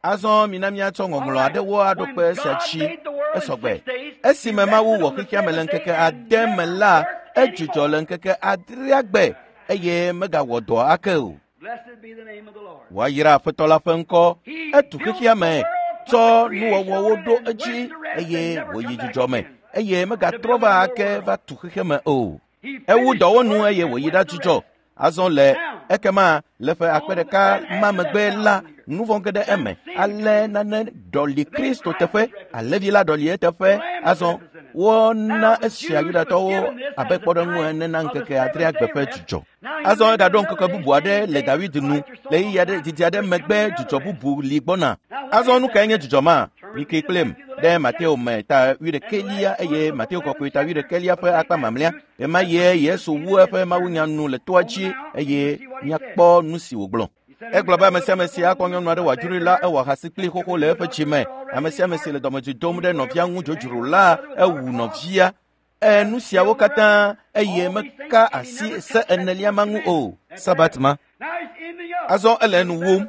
Azɔ mina míatsɔ ŋɔŋlɔ aɖewo aɖo kpe esia dzi esɔgbe. Esime Mawu wɔ xexea me le ŋkeke ade me la, edzudzɔ le ŋkeke adrea gbe eye megawɔ dɔ ake o. Woayra Aƒetɔ la ƒe ŋkɔ. Etu xexea me, tsɔ nuwɔwɔwo ɖo edzi eye wòyi dzudzɔ me eye megatrɔ va ake va tu xexea me o. Ewu dɔwɔnu eye wòyi ɖa dzudzɔ. Azɔ le ekema le ƒe akpe ɖeka ma megbe la, nu vɔ̃ ge ɖe eme. Ale nane ɖɔli Kristo teƒe, alẽvi la ɖɔli eteƒe. Azɔ Wona esia Yudatɔwo abe kpɔɖeŋu ene na ŋkeke adrea gbe ƒe dzudzɔ. Azɔ egaɖo ŋkeke bubu aɖe le David nu le ɣeyiɣi aɖe didi aɖe megbe dzudzɔ bubu li gbɔna. Azɔ nu kae nye dzudzɔ ma? Mikli kplim ɖe Mateo me ta wuiɖekɛlia eye Mateo kɔkɔe ta wuiɖekɛlia ƒe akpa mamlɛa. Ɣema ɣie Yesu wu eƒe mawunya nu le toa dzi eye míakpɔ nu si wògblɔ. Egblɔ be ame sia ame si akpɔ nyɔnu aɖe wòadzroe la, ewɔ ahasi kpli xoxo le eƒe dzi me. Ame sia ame si le dɔmedzoe dom ɖe nɔvia ŋu dzodzro la, ewu nɔvia. E nu siawo katã eye meka asi se enelia ma ŋu o. Sabat ma. Azɔ ele nu wum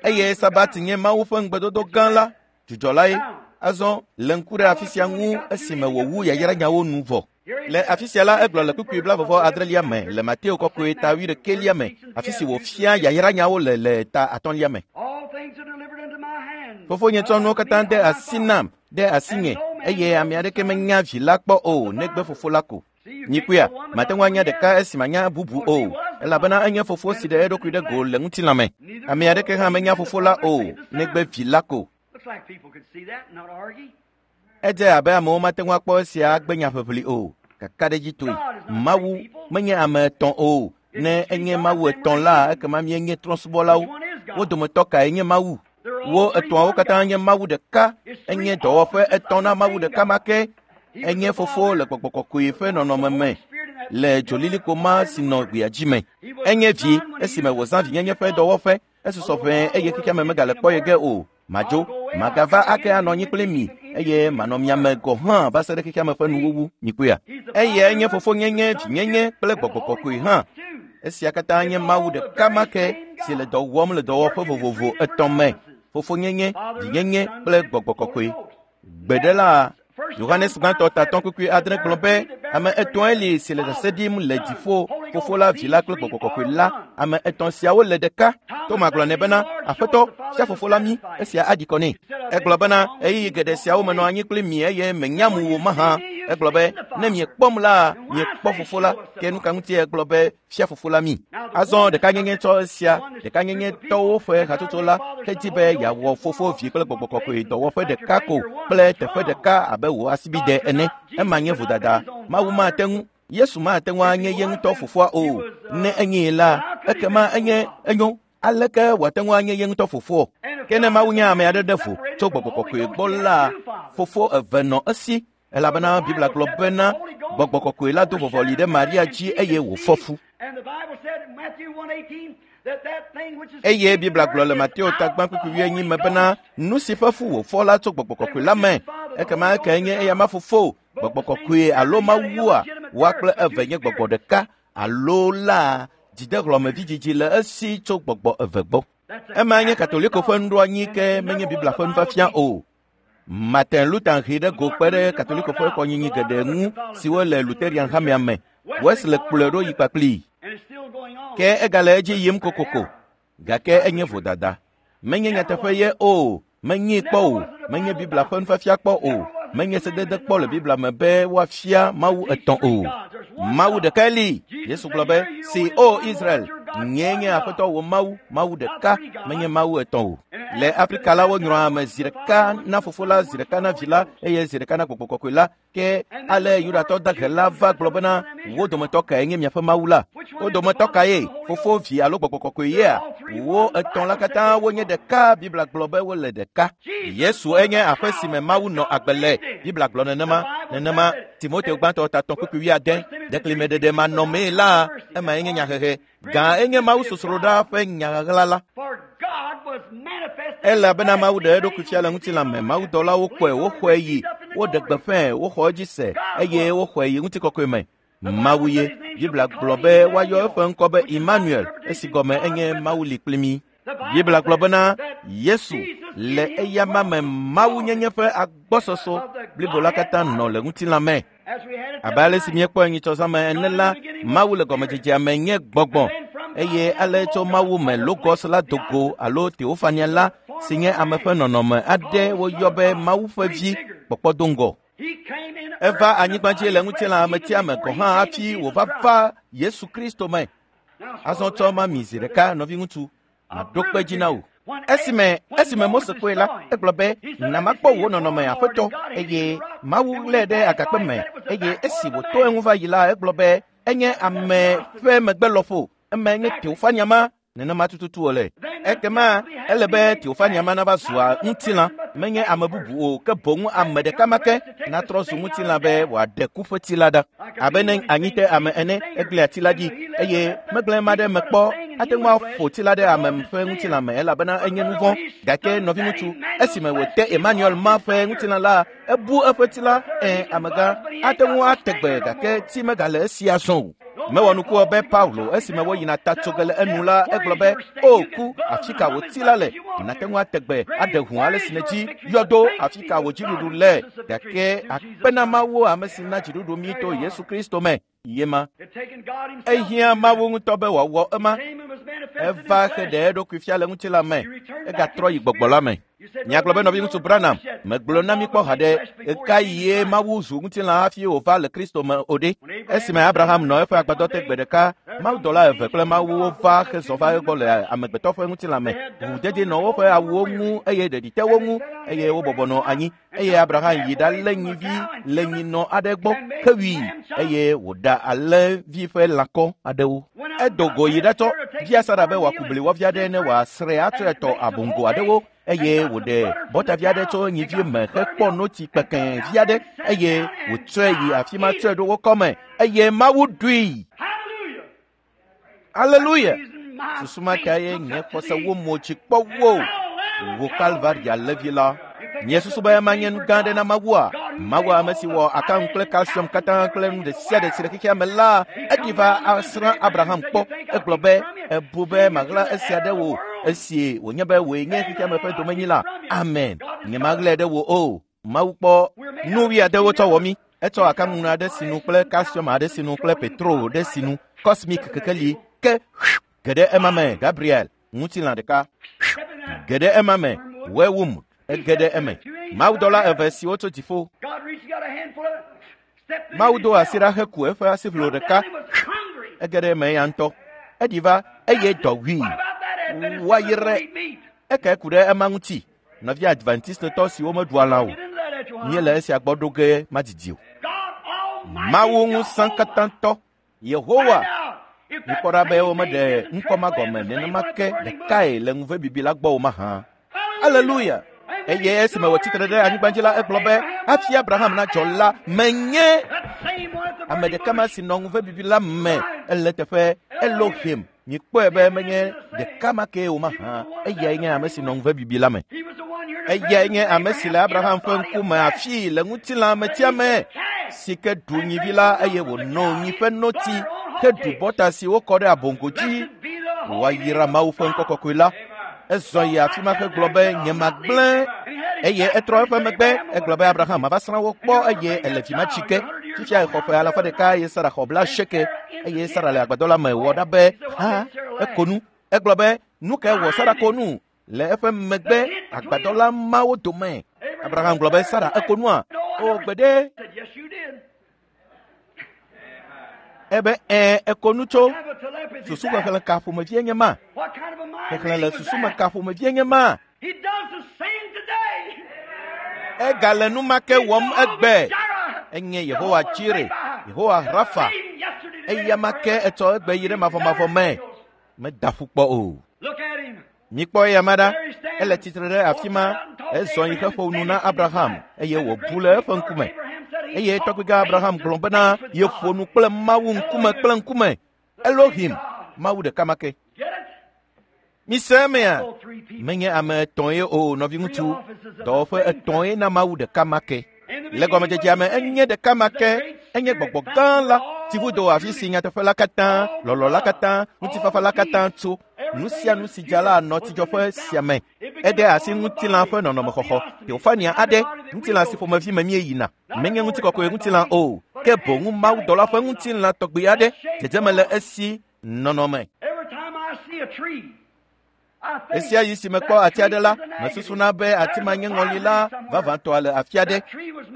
eye Sabat nye Mawu ƒe ŋugbedodo gã la, dzudzɔ lae. Azɔ le ŋku ɖe afi sia ŋu esime wòwu yayranyawo nu vɔ. Le afi sia la, egblɔ le kpukpui blaeve adrelia me le Mateo kɔkɔe ta wuiɖekɛlia me, afi si wòfia yayranyawo le le ta atɔ̃lia me. Fofonye tsɔ nuwo katã de asi nam, de asinye, eye ame aɖeke menya vi la kpɔ o, negbe fofo la ko. Nyikpɔea, mate ŋu anya ɖeka esi manya bubu o, elabena enye fofo si ɖe eɖokui ɖe go le ŋutilã me. Ame aɖeke hã menya fofo la o, negbe vi la ko. Edze abe amewo mate ŋu akpɔ esia agbe nyaʋeʋli o. Kakaɖedzitɔe, Mawu menye ame etɔ̃ o. Ne enye Mawu etɔ̃ la, ekema míenye trɔ̃subɔlawo. Wo dometɔ kae nye Mawu? Wo etɔ̃awo katã nye Mawu ɖeka. Enye dɔwɔƒe etɔ̃ na Mawu ɖeka ma ke. Enye fofo le gbɔgbɔ kɔkɔe ƒe nɔnɔme me le dzolilikpo ma si nɔ gbea dzi me. Enye vi esime wòzã vinyenye ƒe dɔwɔƒe. Esusɔ ʋɛe eye xexeame megale kpɔ ye ge o. Madzo, magava ake anɔ anyi kpli mi eye manɔ mia me gɔ̃ hã va se ɖe xexeame ƒe nuwuwu. Nyikpɔea? Eyae nye fofonyenye, vinyenye kple gbɔgbɔ kɔkɔe hã. Esia katã nye Mawu ɖeka ma ke si le dɔ wɔm le dɔwɔƒe vovovo etɔ̃ me. Fofonyenye, vinyenye kple gbɔgbɔ kɔkɔe. Gbeɖe la, Yohanes gbãtɔ tatɔ̃ kpukpui adre gblɔ be ame etɔ̃e li si le ɖase ɖim le dziƒo, fofo la, vi la kple gbɔgbɔ kɔkɔe la. Ame etɔ̃ siawo le ɖeka. Toma gblɔ nɛ bena, Aƒetɔ, fia fofo la mí, esia aɖi kɔ nɛ. Egblɔ bena, ɣeyiɣi geɖe siawo menɔ anyi kpli mi eye menyam wò mahã. Egblɔ be, ne miekpɔm la, miekpɔ fofo la. Ke nu ka ŋutie egblɔ be fia fofo la mí? Azɔ ɖekanyenye tsɔ esia, ɖekanyenye tɔwo ƒe hatsotso la hedi be yeawɔ fofo, vi kple gbɔgbɔ kɔkɔe dɔwɔƒe ɖeka ko kple teƒe ɖeka abe wò asibide ene. Ema nye vodada. Mawu mate ŋu, Yesu mate ŋu anye ye ŋutɔ fofoa o. Ne enyee la, ekema enye enyo. Aleke wòate ŋu anye ye ŋutɔ fofoa? Ke ne Mawu nye ame aɖe ɖe vo tso gbɔgbɔ kɔkɔe gbɔ la, fofo eve nɔ esi. Elabena Biblia gblɔ bena gbɔgbɔ kɔkɔe la do vɔvɔli ɖe Maria dzi eye wòfɔ fu. Eye Biblia gblɔ le Mateo tagbã kpukpui wuienyi me bena nu si ƒe fu wòfɔ la tso gbɔgbɔ kɔkɔe la me. Ekema ekae nye eyama fofo, gbɔgbɔ kɔkɔe alo Mawua? Woa kple eve nye gbɔgbɔ ɖeka alo la dzidehlɔ̃mevidzidzi le esi tso gbɔgbɔ eve gbɔ. Ema nye Katoliko ƒe nuɖoanyi ke menye Biblia ƒe nufiafia o. Martin Luther hee ɖe go kpe ɖe Katoliko ƒe kɔnyinyi geɖe ŋu siwo le Lutheran hamea me. Wesley kplɔe ɖo yi kpakplii. Ke egale edzi yim kokoko. Gake enye vodada. Menye nyateƒe ye o. Menyee kpɔ o. Menye Biblia ƒe nufiafia kpɔ o. Menye sedede kpɔ le Biblia me be woafia Mawu etɔ̃ o. Mawu ɖekae li. Yesu gblɔ be, si o Israel, nyee nye Aƒetɔ wò Mawu, Mawu ɖeka, menye Mawu etɔ̃ o. Le Afrika la, wonyrɔa ame zi ɖeka na fofo la, zi ɖeka na vi la, eye zi ɖeka na gbɔgbɔ kɔkɔe la. Ke ale Yudatɔ dahe la va gblɔ bena, wo dometɔ kae nye miaƒe Mawu la? Wo dometɔ kae? Fofo, vi alo gbɔgbɔ kɔkɔe yea? Wo etɔ̃ la katã wonye ɖeka. Biblia gblɔ be wole ɖeka. Yesu enye aƒe si me Mawu nɔ agbe le. Biblia gblɔ nenema. Nenema Timoteo gbãtɔ tatɔ̃ kpukpui wuiade. Ɖeklimeɖeɖe manɔmee la, emae nye nyahehe. Gã enye Mawu sosroɖa ƒe nyaɣaɣla la. Elabena Mawu ɖe eɖokui fia le ŋutilã me. Mawudɔlawo kpɔe, woxɔe yi, woɖe gbeƒãe, woxɔ edzi se eye woxɔe yi ŋutikɔkɔe me. Mawu ye. Biblia gblɔ be woayɔ eƒe ŋkɔ be Emmanuel, esi gɔme enye Mawu li kpli mí. Biblia gblɔ bena Yesu le eyama me Mawunyenye ƒe agbɔsɔsɔ blibo la katã nɔ le ŋutilã me. Abe ale si míekpɔe nyitsɔzãme ene la, Mawu le gɔmedzedzea me nye gbɔgbɔ eye ale tso Mawu me Logos la do go alo Teofania la si nye ame ƒe nɔnɔme aɖe woyɔ be Mawu ƒe vi kpɔkpɔ do ŋgɔ. Eva anyigba dzi le ŋutilã ametia me gɔ̃ hã hafi wòva va Yesu Kristo me. Azɔ tsɔ ma mi zi ɖeka, nɔviŋutsu, maɖo kpe dzi na wò. Esime esime Mose kpɔe la, egblɔ be, na makpɔ wò nɔnɔme aƒetɔ, eye Mawu lé ɖe agakpe me, eye esi wòto eŋu va yi la, egblɔ be enye ame ƒe megbe lɔƒo, eme nye teofania ma. Nenema tututu wòle. Ekema ele be teofania ma nava zua ŋutilã, menye ame bubu o, ke boŋ ame ɖeka ma ke natrɔ zu ŋutilã be wòaɖe ku ƒe ti la ɖa. Abe ne anyi te ame ene, egblẽ ati la dzi, eye megblẽ ma ɖe me kpɔ, ate ŋu aƒo ti la ɖe ame ƒe ŋutilã me elabena enye nu vɔ̃. Gake nɔviŋutsu, esime wòte Emmanuel ma ƒe ŋutilã la, ebu eƒe ti la, ẽ, amegã, ate ŋu ate gbe gake ti megale esi azɔ o. Mewɔ nuku be Paulo esime woyina ta tso ge le enu la, egblɔ be, o ku, afi ka wò ti la le? Nate ŋu ate gbe aɖe ʋu ale si nèdzi yɔdo afi ka wò dziɖuɖu le. Gake akpe na Mawu ame si na dziɖuɖu mí to Yesu Kristo me. Ye ma. Ehiã Mawu ŋutɔ be wòawɔ ema. Eva he ɖe eɖokui fia le ŋutilã me. Egatrɔ yi gbɔgbɔ la me. Miagblɔ be nɔviŋutsu Branham, megblɔ na mi kpɔ haɖe, ɣeka yie Mawu zu ŋutilã hafi wòva le Kristo me o ɖe? Esime Abraham nɔ eƒe agbadɔ te gbe ɖeka, mawudɔla eve kple Mawuwo va hezɔ va egbɔ le amegbetɔ ƒe ŋutilã me. Ʋuʋudedi nɔ woƒe awuwo ŋu eye ɖeɖi te wo ŋu eye wobɔbɔ nɔ anyi. Eye Abraham yi ɖalé nyivi le nyinɔ aɖe gbɔ hewui eye wòɖa alẽvi ƒe lãkɔ aɖewo. Edo go yi ɖatsɔ via Sara be wòaku bliwɔvi aɖe ne wòasrɛ atsɔe tɔ abongo aɖewo eye wòɖe bɔtavi aɖe tso nyivi me hekpɔ notsi kpekẽ vi aɖe eye wòtsɔe yi afi ma tsɔe ɖo wo kɔme eye Mawu ɖui. Aleluya! Susu ma ta ye nye xɔse wo mo tsi kpɔ wo wò Kalvaria levi la. Nye susu be manye nu gã aɖe na Mawua. Mawu ame si wɔ akaŋu kple calcium katã kple nu ɖe sia ɖe si le xexea me la, eɖi va asrã Abraham kpɔ. Egblɔ be, ebu be maɣla esia ɖe wò esi wònye be wòe nye xexea me ƒe domenyila. Amen. Nyemaɣlae ɖe wò o. Mawu kpɔ nu wuiadewo tsɔ wɔ mí. Etsɔ akaŋu aɖe sinu kple calcium aɖe sinu kple petrol ɖe sinu, cosmic kekeli ke ge ɖe ema me. Gabriel, ŋutilã ɖeka ge ɖe ema me. Wewum ege ɖe eme. Mawudɔla eve siwo tso dziƒo. Mawu do asi ɖa heku eƒe asiʋlo ɖeka ege ɖe eme ya ŋutɔ. Eɖi va eye dɔ wui. Woayrae. Eke ku ɖe ema ŋuti. Nɔvi Adventistotɔ siwo meɖua lã o, míele esia gbɔ ɖo ge madidi o. Mawu ŋusẽkatãtɔ, Yehowa, mikpɔ ɖa be womeɖe ŋkɔ ma gɔme nenema ke ɖekae le ŋuvebibi la gbɔ o mahã. Aleluya! Eye esime wòtsi tre ɖe anyigba dzi la, egblɔ be, hafi Abraham nadzɔ la, menye ame ɖeka ma si nɔ ŋuvebibi la me, ele teƒe Elohim. Mikpɔe be menye ɖeka ma kee o mahã. Eyae nye ame si nɔ ŋuvebibi la me. Eyae nye ame si le Abraham ƒe ŋkume afii le ŋutilã metia me, si ke ɖu nyivi la eye wòno nyi ƒe notsi heɖu bɔta si wokɔ ɖe abongo dzi. Wòayra Mawu ƒe ŋkɔ kɔkɔe la. Ezɔ yi afi ma hegblɔ be, nyemagblẽ. Eye etrɔ eƒe megbe, egblɔ be Abraham mava srã wo kpɔ eye ele vi ma tsi ke. Fifia exɔ ƒe alafa ɖeka eye Sara xɔ blaasieke eye Sara le agbadɔ la me wɔ ɖa be, ha, eko nu. Egblɔ be, nu kae wɔ Sara ko nu le eƒe megbe agbadɔ la mawo dome? Abraham gblɔ be, Sara, eko nua? O, gbeɖe. Ebe, ẽ, eko nu tso. Susu xexlẽ ka ƒomevie nye ma? Xexlẽ le susu me ka ƒomevie nye ma? Egale nu ma ke wɔm egbe. Enye Yehowa Jire, Yehowa Rafa. Eya ma ke etsɔ egbe yi ɖe mavɔmavɔ me. Meda ƒu kpɔ o. Mikpɔ eya ma ɖa. Ele tsitre ɖe afi ma. Ezɔ yi heƒo nu na Abraham eye wòbu le eƒe ŋkume. Eye tɔgbigã Abraham gblɔ bena yeƒo nu kple Mawu ŋkume kple ŋkume. Elohim, Mawu ɖeka ma ke. Mise emea? Menye ame etɔ̃e o, nɔviŋutsu. Dɔwɔƒe etɔ̃e na Mawu ɖeka ma ke. Le gɔmedzedzea me, enye ɖeka ma ke. Enye gbɔgbɔ gã la, tsivudo afi si nyateƒe la katã, lɔlɔ̃ la katã, ŋutifafa la katã tso. Nu sia nu si dza la nɔ tsidzɔƒe sia me. Ede asi ŋutilã ƒe nɔnɔmexɔxɔ, teofania aɖe, ŋutilã si ƒomevi me míeyina. Menye ŋutikɔkɔe ŋutilã o, ke boŋ mawudɔla ƒe ŋutilã tɔgbi aɖe, dzedzeme le esi nɔnɔme. Esia yi si mekpɔ ati aɖe la, mesusuna be ati ma nye ŋɔli la vavãtɔa le afi aɖe.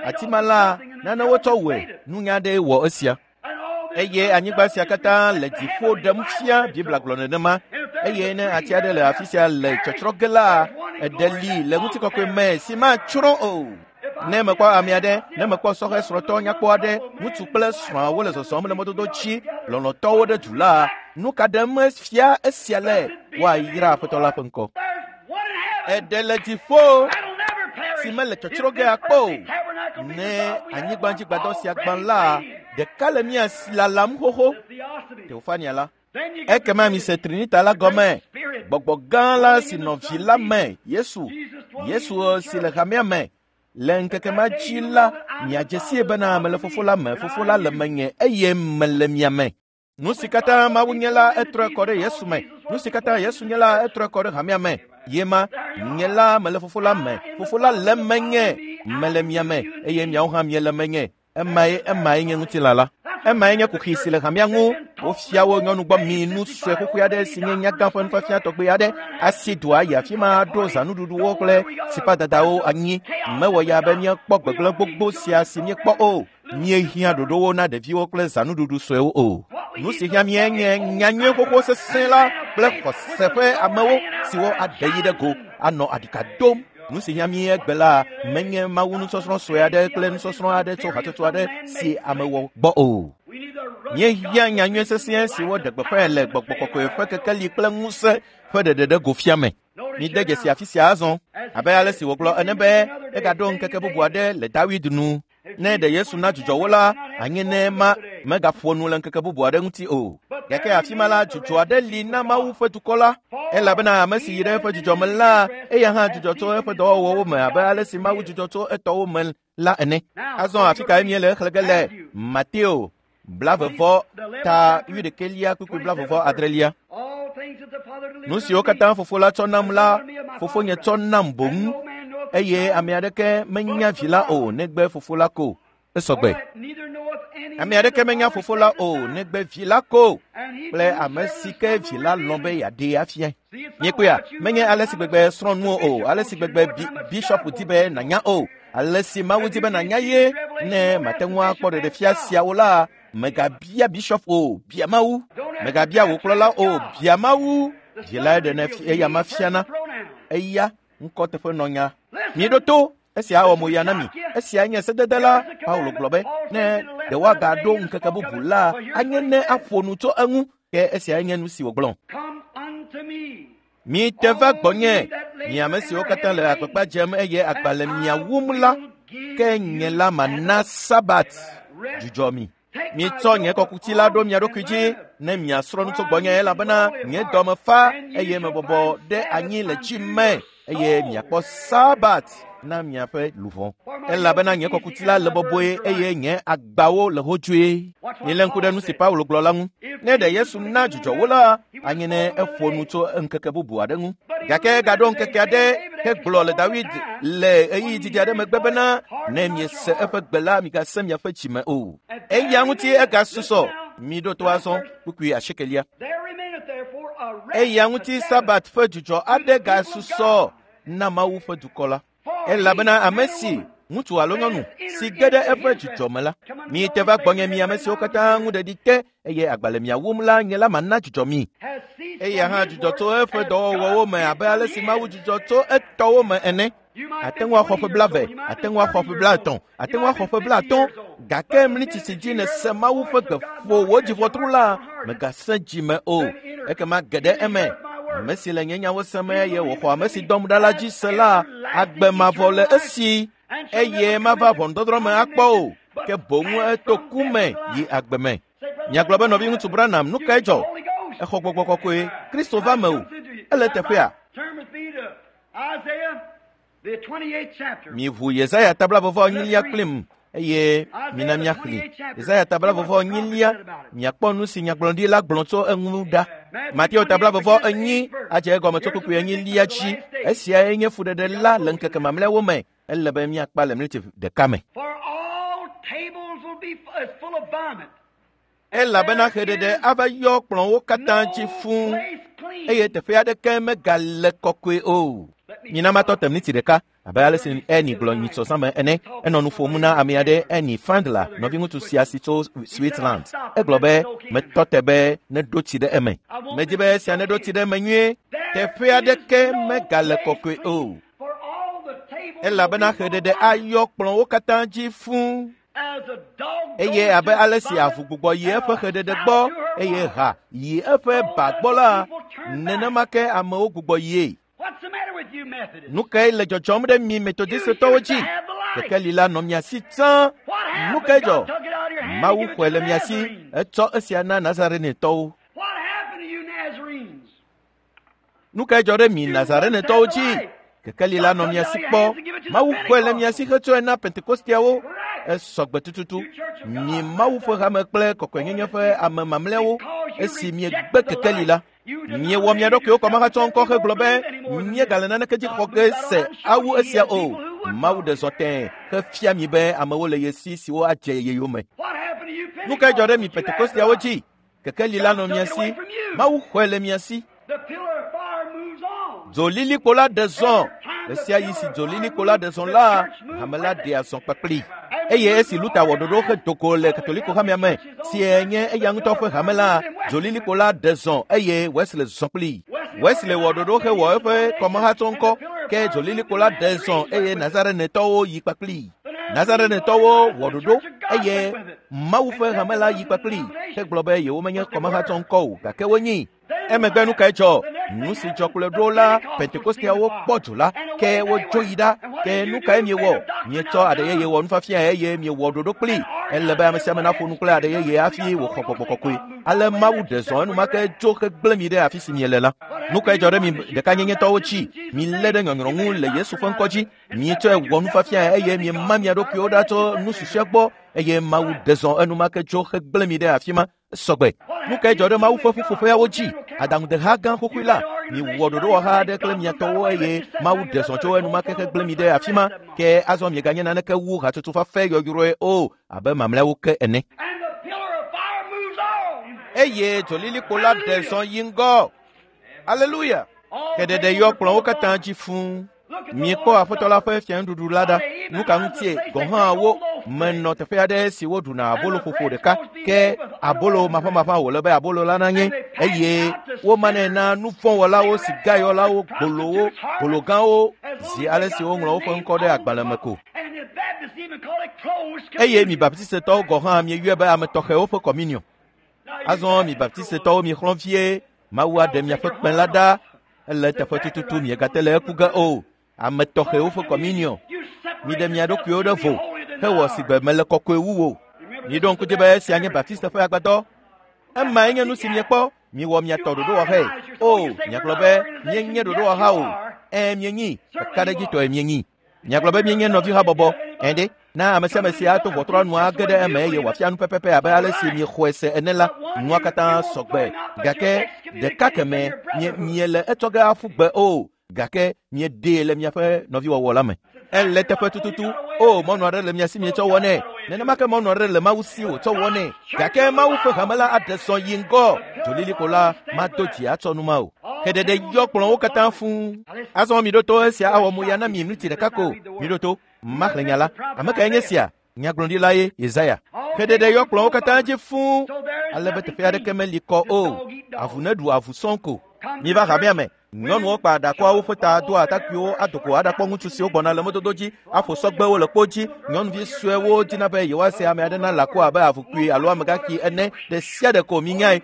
Ati ma la, nane wotsɔ wɔe, nunya aɖee wɔ esia. Eye anyigba sia katã le dziƒo ɖem fia, Biblia gblɔ nenema. Eye ne ati aɖe le afi sia le tsɔtsrɔ̃ ge la, eɖe li le ŋutikɔkɔe me si matsrɔ̃ o. Ne mekpɔ ame aɖe, ne mekpɔ sɔhɛ srɔ̃tɔ nyakpɔ aɖe, ŋutsu kple srɔ̃a wole zɔzɔm le mɔdodo dzi, lɔlɔ̃tɔwo ɖe du la, nu ka ɖem fia esia le? Woayra Aƒetɔ la ƒe ŋkɔ. Eɖe le dziƒo si mele tsɔtsrɔ̃ ge akpɔ o. Ne anyigbadzigbadɔ sia gbã la, ɖeka le mía si lalam xoxo. Teofania la. Ekema mise Trinita la gɔme. Gbɔgbɔ gã la si nɔ vi la me, Yesu, Yesu si le hamea me. Le ŋkeke ma dzi la, miadze sie bena mele Fofo la me, Fofo la le menye eye mele mia me. Nu si katã Mawu nye la, etrɔe kɔ ɖe Yesu me. Nu si katã Yesu nye la, etrɔe kɔ ɖe hamea me. Ye ma, nye la mele Fofo la me, Fofo la le menye, mele mia me eye miawo hã miele menye. Emae emae nye ŋutilã la. Emae nye kuxi si le hamea ŋu. Wofia wo nyɔnu gbɔ mi nu sue xoxoe aɖe si nye nyagã ƒe nufiafia tɔgbe aɖe. Asi dua yi afi ma ɖo zãnuɖuɖuwo kple sipadadawo anyi. Mewɔ ya be míekpɔ gbegblẽ gbogbo sia si míekpɔ o. Míehiã ɖoɖowo na ɖeviwo kple zãnuɖuɖu suewo o. Nu si hiã míe nye nyanyui xoxo sesẽ la kple xɔse ƒe amewo siwo aɖe yi ɖe go anɔ aɖika dom. Nu si hiã mí egbe la menye Mawu nusɔsrɔ̃ sue aɖe kple nusɔsrɔ̃ aɖe tso hatsotso aɖe si ame wɔ gbɔ o. Míehiã nyanyui sesẽ siwo ɖe gbeƒãe le Gbɔgbɔ Kɔkɔe ƒe kekeli kple ŋusẽ ƒe ɖeɖe ɖe go fia me. Mide dzesi afi sia azɔ abe ale si wògblɔ ene be egaɖo ŋkeke bubu aɖe le David nu. Ne ɖe Yesu na dzudzɔ wo la, anye ne ma megaƒo nu le ŋkeke bubu aɖe ŋuti o. Gake afi ma la, dzudzɔ aɖe li na Mawu ƒe dukɔ la, elabena ame si yi ɖe eƒe dzudzɔ me la, eya hã dzudzɔ tso eƒe dɔwɔwɔwo me abe ale si Mawu dzudzɔ tso etɔwo me la ene. Azɔ afi kae míele xlẽ ge le? Mateo blavevɔ ta wuiɖekɛlia kpukpui blavevɔ adrelia. Nu siwo katã Fofo la tsɔ nam la, Fofonye tsɔ nam boŋ, eye ame aɖeke menya vi la o negbe Fofo la ko. Esɔgbe. Ame aɖeke menya Fofo la o negbe vi la ko kple ame si ke vi la lɔ̃ be yeaɖee afiae. Miekpɔea, menye ale si gbegbe srɔ̃ nuwo o, ale si gbegbe bi bishɔpu di be nànya o, ale si Mawu di be nànya ye. Ne mate ŋu akpɔ ɖeɖefia siawo la, megabia bishɔpu o, bia Mawu. Megabia wò kplɔla o, bia Mawu. Vi lae ɖenɛ eya ma fiana. Eya ŋkɔ teƒe nɔnya. Miɖo to. Esia awɔ moya na mi. Esia nye sedede la. Paulo gblɔ be ne ɖe woagaɖo ŋkeke bubu la, anye ne aƒo nu tso eŋu. Ke esiae nye nu si wògblɔ. Mite va gbɔnye, mi ame siwo katã le agbagba dzem eye agba le mia wum la, ke nye la mana Sabat dzudzɔ mi. Mitsɔ nye kɔkuti la ɖo mia ɖokui dzi ne miasrɔ̃ nu tso gbɔnye, elabena nye dɔme fa eye mebɔbɔ ɖe anyi le dzi me, eye miakpɔ Sabat na miaƒe luʋɔ. Elabena nye kɔkuti la le bɔbɔe eye nye agbawo le hodzoe. Milé ŋku ɖe nu si Paulo gblɔ la ŋu. Ne ɖe Yesu na dzudzɔ wo la, anye ne eƒo nu tso ŋkeke bubu aɖe ŋu. Gake egaɖo ŋkeke aɖe hegblɔ le David le ɣeyiɣi didi aɖe megbe bena ne miese eƒe gbe la, migase miaƒe dzime o. Eya ŋuti egasusɔ. Miɖo to azɔ kpukpui asiekelia. Eya ŋuti Sabat ƒe dzudzɔ aɖe gasusɔ na Mawu ƒe dukɔ la. Elabena ame si ŋutsu alo nyɔnu si ge ɖe eƒe dzudzɔ me la, mite va gbɔnye mi ame siwo katã ŋu ɖeɖi te eye agba le mia wum la, nye la mana dzudzɔ mi. Eya hã dzudzɔ tso eƒe dɔwɔwɔwo me abe ale si Mawu dzudzɔ tso etɔwo me ene. Ate ŋu axɔ ƒe blave, ate ŋu axɔ ƒe blaetɔ̃, ate ŋu axɔ ƒe blaatɔ̃, gake mlitsi si dzi nèse Mawu ƒe gbe ƒo wò dziʋɔtru la, mègasẽ dzime o. Ekema ge ɖe eme. Ame si le nye nyawo sem eye wòxɔ ame si dɔm ɖa la dzi se la, agbe mavɔ le esi eye mava ʋɔnudɔdrɔ̃ me akpɔ o, ke boŋ eto ku me yi agbe me. Miagblɔ be nɔviŋutsu Branham, nu kae dzɔ? Exɔ Gbɔgbɔ Kɔkɔe, Kristo va me o. Ele teƒea. Miʋu Yesaya tablavɔvɔ enyilia kplim eye mina míaxlẽ. Yesaya tablavɔvɔ enyilia, miakpɔ nu si nyagblɔɖi la gblɔ tso eŋu ɖa. Mateo tablavɔvɔ enyi adze egɔme tso kpukpui enyilia dzi. Esiae nye fuɖeɖe la le ŋkeke mamlɛawo me. Ele be míakpa le mliti ɖeka me. Elabena xeɖeɖe ava yɔ kplɔ̃wo katã dzi fũu eye teƒe aɖeke megale kɔkɔe o. Mina matɔ te miniti ɖeka abe ale si Eni gblɔ nyitsɔ zãme ene. Enɔ nu ƒom na ame aɖe, Eni Fandla, nɔviŋutsu sia si tso Switzerland. Egblɔ be metɔ te be neɖo tsi ɖe eme. Medi be esia neɖo tsi ɖe eme nyuie. Teƒe aɖeke megale kɔkɔe o. Elabena xeɖeɖe ayɔ kplɔ̃wo katã dzi fũu. Eye abe ale si avu gbugbɔ yi eƒe xeɖeɖe gbɔ eye ha yi eƒe ba gbɔ la, nenema ke amewo gbugbɔ yie. Nu kae le dzɔdzɔm ɖe mi Metodistetɔwo dzi? Kekeli la nɔ mia si tsã. Nu kae dzɔ? Mawu xɔe le mia si, etsɔ esia na Nazarenetɔwo. Nu kae dzɔ ɖe mi Nazarenetɔwo dzi? Kekeli la nɔ mia si kpɔ. Mawu xɔe le mia si hetsɔe na Pentekosteawo. Esɔgbe tututu. Mi Mawu ƒe hame kple kɔkɔenyenye ƒe ame mamlɛawo, esi miegbe kekeli la. Miewɔ mia ɖokuiwo kɔmahatsɔ ŋkɔ hegblɔ be miegale naneke dzi xɔ ge se awu esia o. Mawu ɖe zɔ tẽe hefia mi be amewo le ye si siwo adze ye yome. Nu kae dzɔ ɖe mi Pentekosteawo dzi? Kekeli la nɔ mia si. Mawu xɔe le mia si. Dzolilikpo la ɖe zɔ. Ɣe sia ɣi si dzolilikpo la ɖe zɔ la, hame la ɖea zɔ kpakpli. Eye esi Luther wɔ ɖoɖo hedo go le Katoliko hamea me, si nye eya ŋutɔ ƒe hame la, dzolilikpo la ɖe zɔ eye Wesley zɔ kpli. Wesley wɔ ɖoɖo hewɔ eƒe kɔmahatsɔ ŋkɔ, ke dzolilikpo la ɖe zɔ eye Nazarenetɔwo yi kpakpli. Nazarenetɔwo wɔ ɖoɖo eye Mawu ƒe hame la yi kpakpli hegblɔ be yewomenye kɔmahatsɔ ŋkɔ o, gake wonyi. Emegbe nu kae dzɔ? Nu si dzɔ kplɔe ɖo la, Pentekosteawo kpɔ dzo la, ke wodzo yi ɖa. Ke nu kae miewɔ? Mietsɔ aɖe yeye wɔ nufiafia eye miewɔ ɖoɖo kpli. Ele be ame sia ame naƒo nu kple aɖe yeye hafi wòxɔ gbɔgbɔ kɔkɔe. Ale Mawu ɖe zɔ enumake tso hegblẽ mi ɖe afi si miele la. Nu kae dzɔ ɖe mi ɖekanyenyetɔwo dzi? Milé ɖe nyɔnyrɔ ŋu le Yesu ƒe ŋkɔ dzi. Mietsɔe wɔ nufiafia eye miema mia ɖokuiwo ɖa tso nu susɔe gbɔ eye Mawu ɖe zɔ enumake tso hegblẽ mi ɖe afi ma. Sɔgbe. Nu kae dzɔ ɖe Mawu ƒe ƒuƒoƒeawo dzi? Aɖaŋudeha gã xoxoe la, miwɔ ɖoɖowɔha aɖe kple mia tɔwo eye Mawu ɖe zɔ tso enumake hegblẽ mi ɖe afi ma. Ke azɔ mieganye naneke wu hatsotso fafɛ yɔyrɔe o abe mamlɛawo ke ene. Eye dzolilikpo la ɖe zɔ yi ŋgɔ. Aleluya! Xeɖeɖe yɔ kplɔ̃wo katã dzi fũu. Miekpɔ Aƒetɔ la ƒe fianuɖuɖu la ɖa. Nu ka ŋutie gɔ̃ hã wo menɔ teƒe aɖe si woɖuna abolo ƒoƒo ɖeka, ke abolo maʋamaʋã wòle be abolo la nanye, eye womanɛ na nuvɔ̃wɔlawo, sigayɔlawo, gbolowo, gologãwo, zi ale si woŋlɔ woƒe ŋkɔ ɖe agbalẽ me ko. Eye mi Baptistetɔwo gɔ̃ hã mieyɔe be ame tɔxɛwo ƒe kɔminiɔ. Azɔ mi Baptistetɔwo mixlɔ̃ vie, Mawu aɖe miaƒe kpẽ la ɖa. Ele teƒe tututu miegate le eku ge o. Ame tɔxɛwo ƒe kɔminiɔ. Miɖe mia ɖokuiwo ɖe vo hewɔ si gbe mele kɔkɔe wu wo. Miɖo ŋku dzi be esia nye Baptiste ƒe agbadɔ. Emae nye nu si miekpɔ. Miwɔ mia tɔ ɖoɖowɔhae. O, miagblɔ be mienye ɖoɖowɔha o. Ẽ, mienyi. Kakaɖedzitɔe mienyi. Miagblɔ be mienye nɔvihabɔbɔ. Ẽ ɖe, na ame sia ame si ato ʋɔtrɔa nu age ɖe eme eye wòafia nu pɛpɛpɛ abe ale si miexɔe se ene la, nua katã sɔgbe. Gake ɖeka keme mie miele etsɔ ge aƒu gbe o. Gake mieɖee le miaƒe nɔviwɔwɔ la me. Ele teƒe tututu. O, mɔnu aɖe le mia si mietsɔ wɔnɛ. Nenema ke mɔnu aɖe le Mawu si wòtsɔ wɔnɛ. Gake Mawu ƒe hame la aɖe zɔ yi ŋgɔ. Dzolilikpo la mado dzi atsɔ nu ma o. Xeɖeɖe yɔ kplɔ̃wo katã fũu. Azɔ miɖo to esia awɔ moya na mi miniti ɖeka ko. Miɖo to. Maxlẽ nya la. Ame kae nye sia? Nyagblɔɖila ye Yesaya. Xeɖeɖe yɔ kplɔ̃wo katã dzi fũu ale be teƒe aɖeke meli kɔ o. Avu neɖu avu sɔŋ ko. Miva hamea me. Nyɔnuwo kpa aɖakɔa woƒe ta doa atakpuiwo adoko aɖakpɔ ŋutsu siwo gbɔna le mɔdodo dzi aƒo sɔgbewo le kpo dzi. Nyɔnuvi suewo dina be yewoase ame aɖe na lãko abe avukpui alo amegaxi ene. Ɖe sia ɖe ko minyae.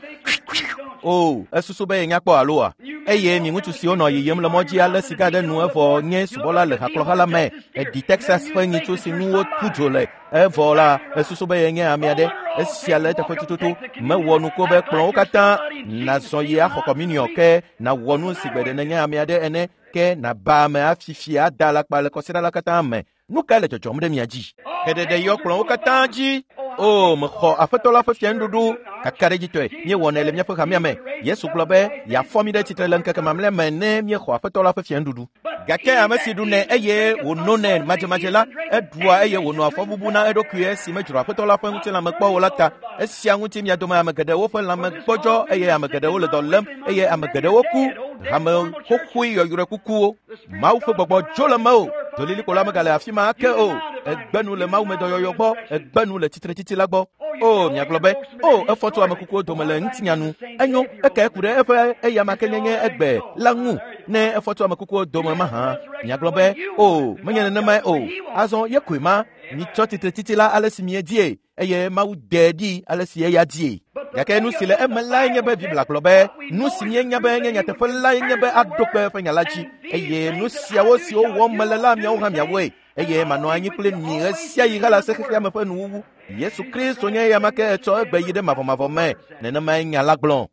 O, esusu be yenya kpɔ aloa? Eye mi ŋutsu siwo nɔ yiyim le mɔ dzi ale sika ɖe nu evɔ nye subɔla le hakplɔha la me. Eɖi Texas ƒe nyitsu si nu wotu dzo le. Evɔ la, esusu be yenye ame aɖe. Esia le eteƒe tututu. Mewɔ nuku be kplɔ̃wo katã nazɔ yi axɔ kɔminiɔ ke nawɔ nu si gbe ɖe nenye ame aɖe ene ke naba ame afifia ada alakpa le kɔsiɖa la katã me. Nu kae le dzɔdzɔm ɖe mia dzi? Xeɖeɖe yɔ kplɔ̃wo katã dzi. O, mexɔ Aƒetɔ la ƒe fianuɖuɖu kakaɖedzitɔe. Míewɔnɛ le míaƒe hamea me. Yesu gblɔ be yeafɔ mí ɖe tsitre le ŋkeke mamlɛa me ne míexɔ Aƒetɔ la ƒe fianuɖuɖu. Gake ame si ɖunɛ eye wònonɛ madzemadze la, eɖua eye wònɔa fɔbubu na eɖokui esi medzro Aƒetɔ la ƒe ŋutilãme kpɔ o la ta. Esia ŋuti mia dome ame geɖewo ƒe lãme gbɔdzɔ eye ame geɖewo le dɔ lém eye ame geɖewo ku. Hame xoxoe yɔyrɔe kukuwo. Mawu ƒe gbɔgbɔ dzo le mewò. Dolilikpo la megale afi ma ake o. Egbe nu le mawumedɔyɔyɔ gbɔ. Egbe nu le tsitretsitsi la gbɔ. O, miagblɔ be, o, efɔ tso ame kukuwo dome le ŋutinya nu. Enyo, eke ku ɖe eƒe eyama ke nyenye egbe la ŋu ne efɔ tso ame kukuwo dome mahã. Miagblɔ be, o, menye nenemae o. Azɔ ye koe ma. Mitsɔ tsitretsitsi la ale si miedie eye Mawu de ɖi ale si eya die. Gake nu si le eme lae nye be Biblia gblɔ be nu si míenya be nye nyateƒe lae nye be aɖo kpe eƒe nya la dzi eye nu siawo siwo wɔm mele la miawo hã miawoe eye manɔ anyi kple mi ɣe sia ɣi hele se xexea me ƒe nuwuwu. Yesu Kristo nye eya ma ke etsɔ egbe yi ɖe mavɔmavɔ me. Nenemae nya la gblɔ.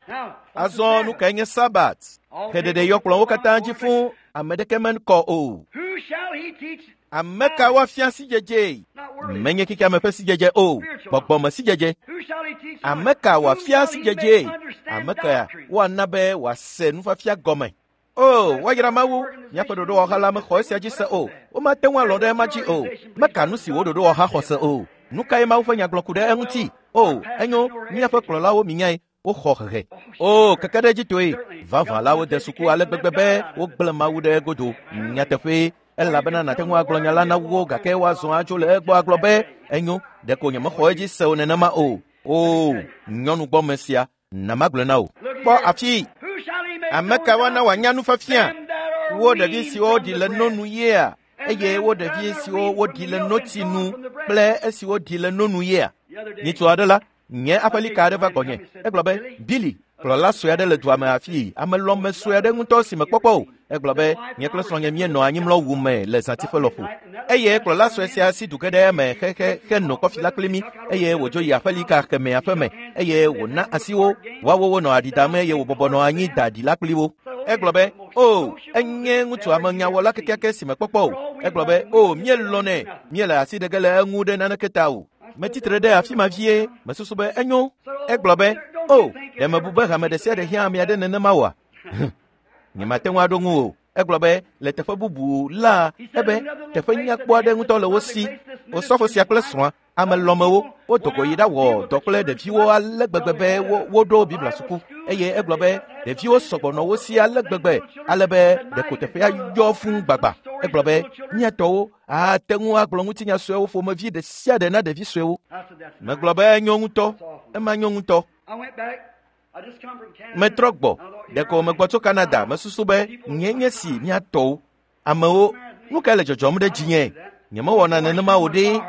Azɔ nu kae nye Sabat? Xeɖeɖe yɔ kplɔ̃wo katã dzi fũu, ame ɖeke mekɔ o. Ame ka woafia sidzedze? Menye xexeame ƒe sidzedze o, gbɔgbɔme sidzedze. Ame ka wòafia sidzedze? Ame ka woana be wòase nufiafia gɔme? O, woayra Mawu, míaƒe ɖoɖowɔha la mexɔ esia dzi se o. Womate ŋu alɔ̃ ɖe ema dzi o. Meka nu si wo ɖoɖowɔha xɔ se o. Nu kae Mawu ƒe nya gblɔ ku ɖe eŋuti? O, enyo, míaƒe kplɔlawo minyae. Woxɔ hehe. O, keke ɖe dzitoe. Vavã la wode suku ale gbegbe be wogblẽ Mawu ɖe egodo. Nyateƒee, elabena nàte ŋu agblɔ nya la na wo gake woazɔ atso le egbɔ agblɔ be enyo, ɖeko nyemexɔ edzi se o nenema o. O, nyɔnu gbɔme sia, na magblɔe na wò. Kpɔ afi. Ame ka woana wòanya nufiafia? Wo ɖevi siwo ɖi le nonu yea? Eye wo ɖevi siwo woɖi le notsi nu kple esiwo ɖi le nonu yea? Nyitsu aɖe la, nye aƒelika aɖe va gbɔnye. Egblɔ be, Billy, kplɔla sue aɖe le dua me afii, ame lɔme sue aɖe ŋutɔ si mekpɔkpɔ o. Egblɔ be, nye kple srɔ̃nye míenɔ anyimlɔwu me le zãtiƒe lɔƒo. Eye kplɔla sue sia si du ge ɖe eme xexe henɔ kɔfi la kpli mí eye wòdzo yi aƒelika kemɛa ƒe me eye wòna asi wo. Woawo wonɔ aɖi dam eye wòbɔbɔ nɔ anyi da aɖi la kpli wo. Egblɔ be, o, enye ŋutsu amenyawɔla kekeake si mekpɔkpɔ o. Egblɔ be, o, míelɔ̃nɛ, míele asi ɖe ge le eŋu ɖe naneke ta o. Metsitre ɖe afi ma vie, mesusu be enyo. Egblɔ be, o, ɖe mebu be hame ɖe sia ɖe hiã ame aɖe nenema oa? Nyemate ŋu aɖo ŋu o. Egblɔ be le teƒe bubu la, ebe teƒe nyakpɔ aɖe ŋutɔ le wo si. Osɔfo sia kple srɔ̃a, ame lɔmewo, wodo go yi ɖawɔ dɔ kple ɖeviwo ale gbegbe be wo woɖo Biblia suku. Eye egblɔ be ɖeviwo sɔgbɔ nɔ wo si ale gbegbe ale be ɖeko teƒea yɔ fũu gbagba. Egblɔ be míatɔwo ate ŋu agblɔ ŋutinya suewo ƒomevi ɖe sia ɖe na ɖevi suewo. Megblɔ be enyo ŋutɔ, ema nyo ŋutɔ. Metrɔ gbɔ, ɖeko megbɔ tso Canada, mesusu be nye nye si míatɔwo. Amewo, nu kae le dzɔdzɔm ɖe dzinye? Nyemewɔna nenema o ɖe.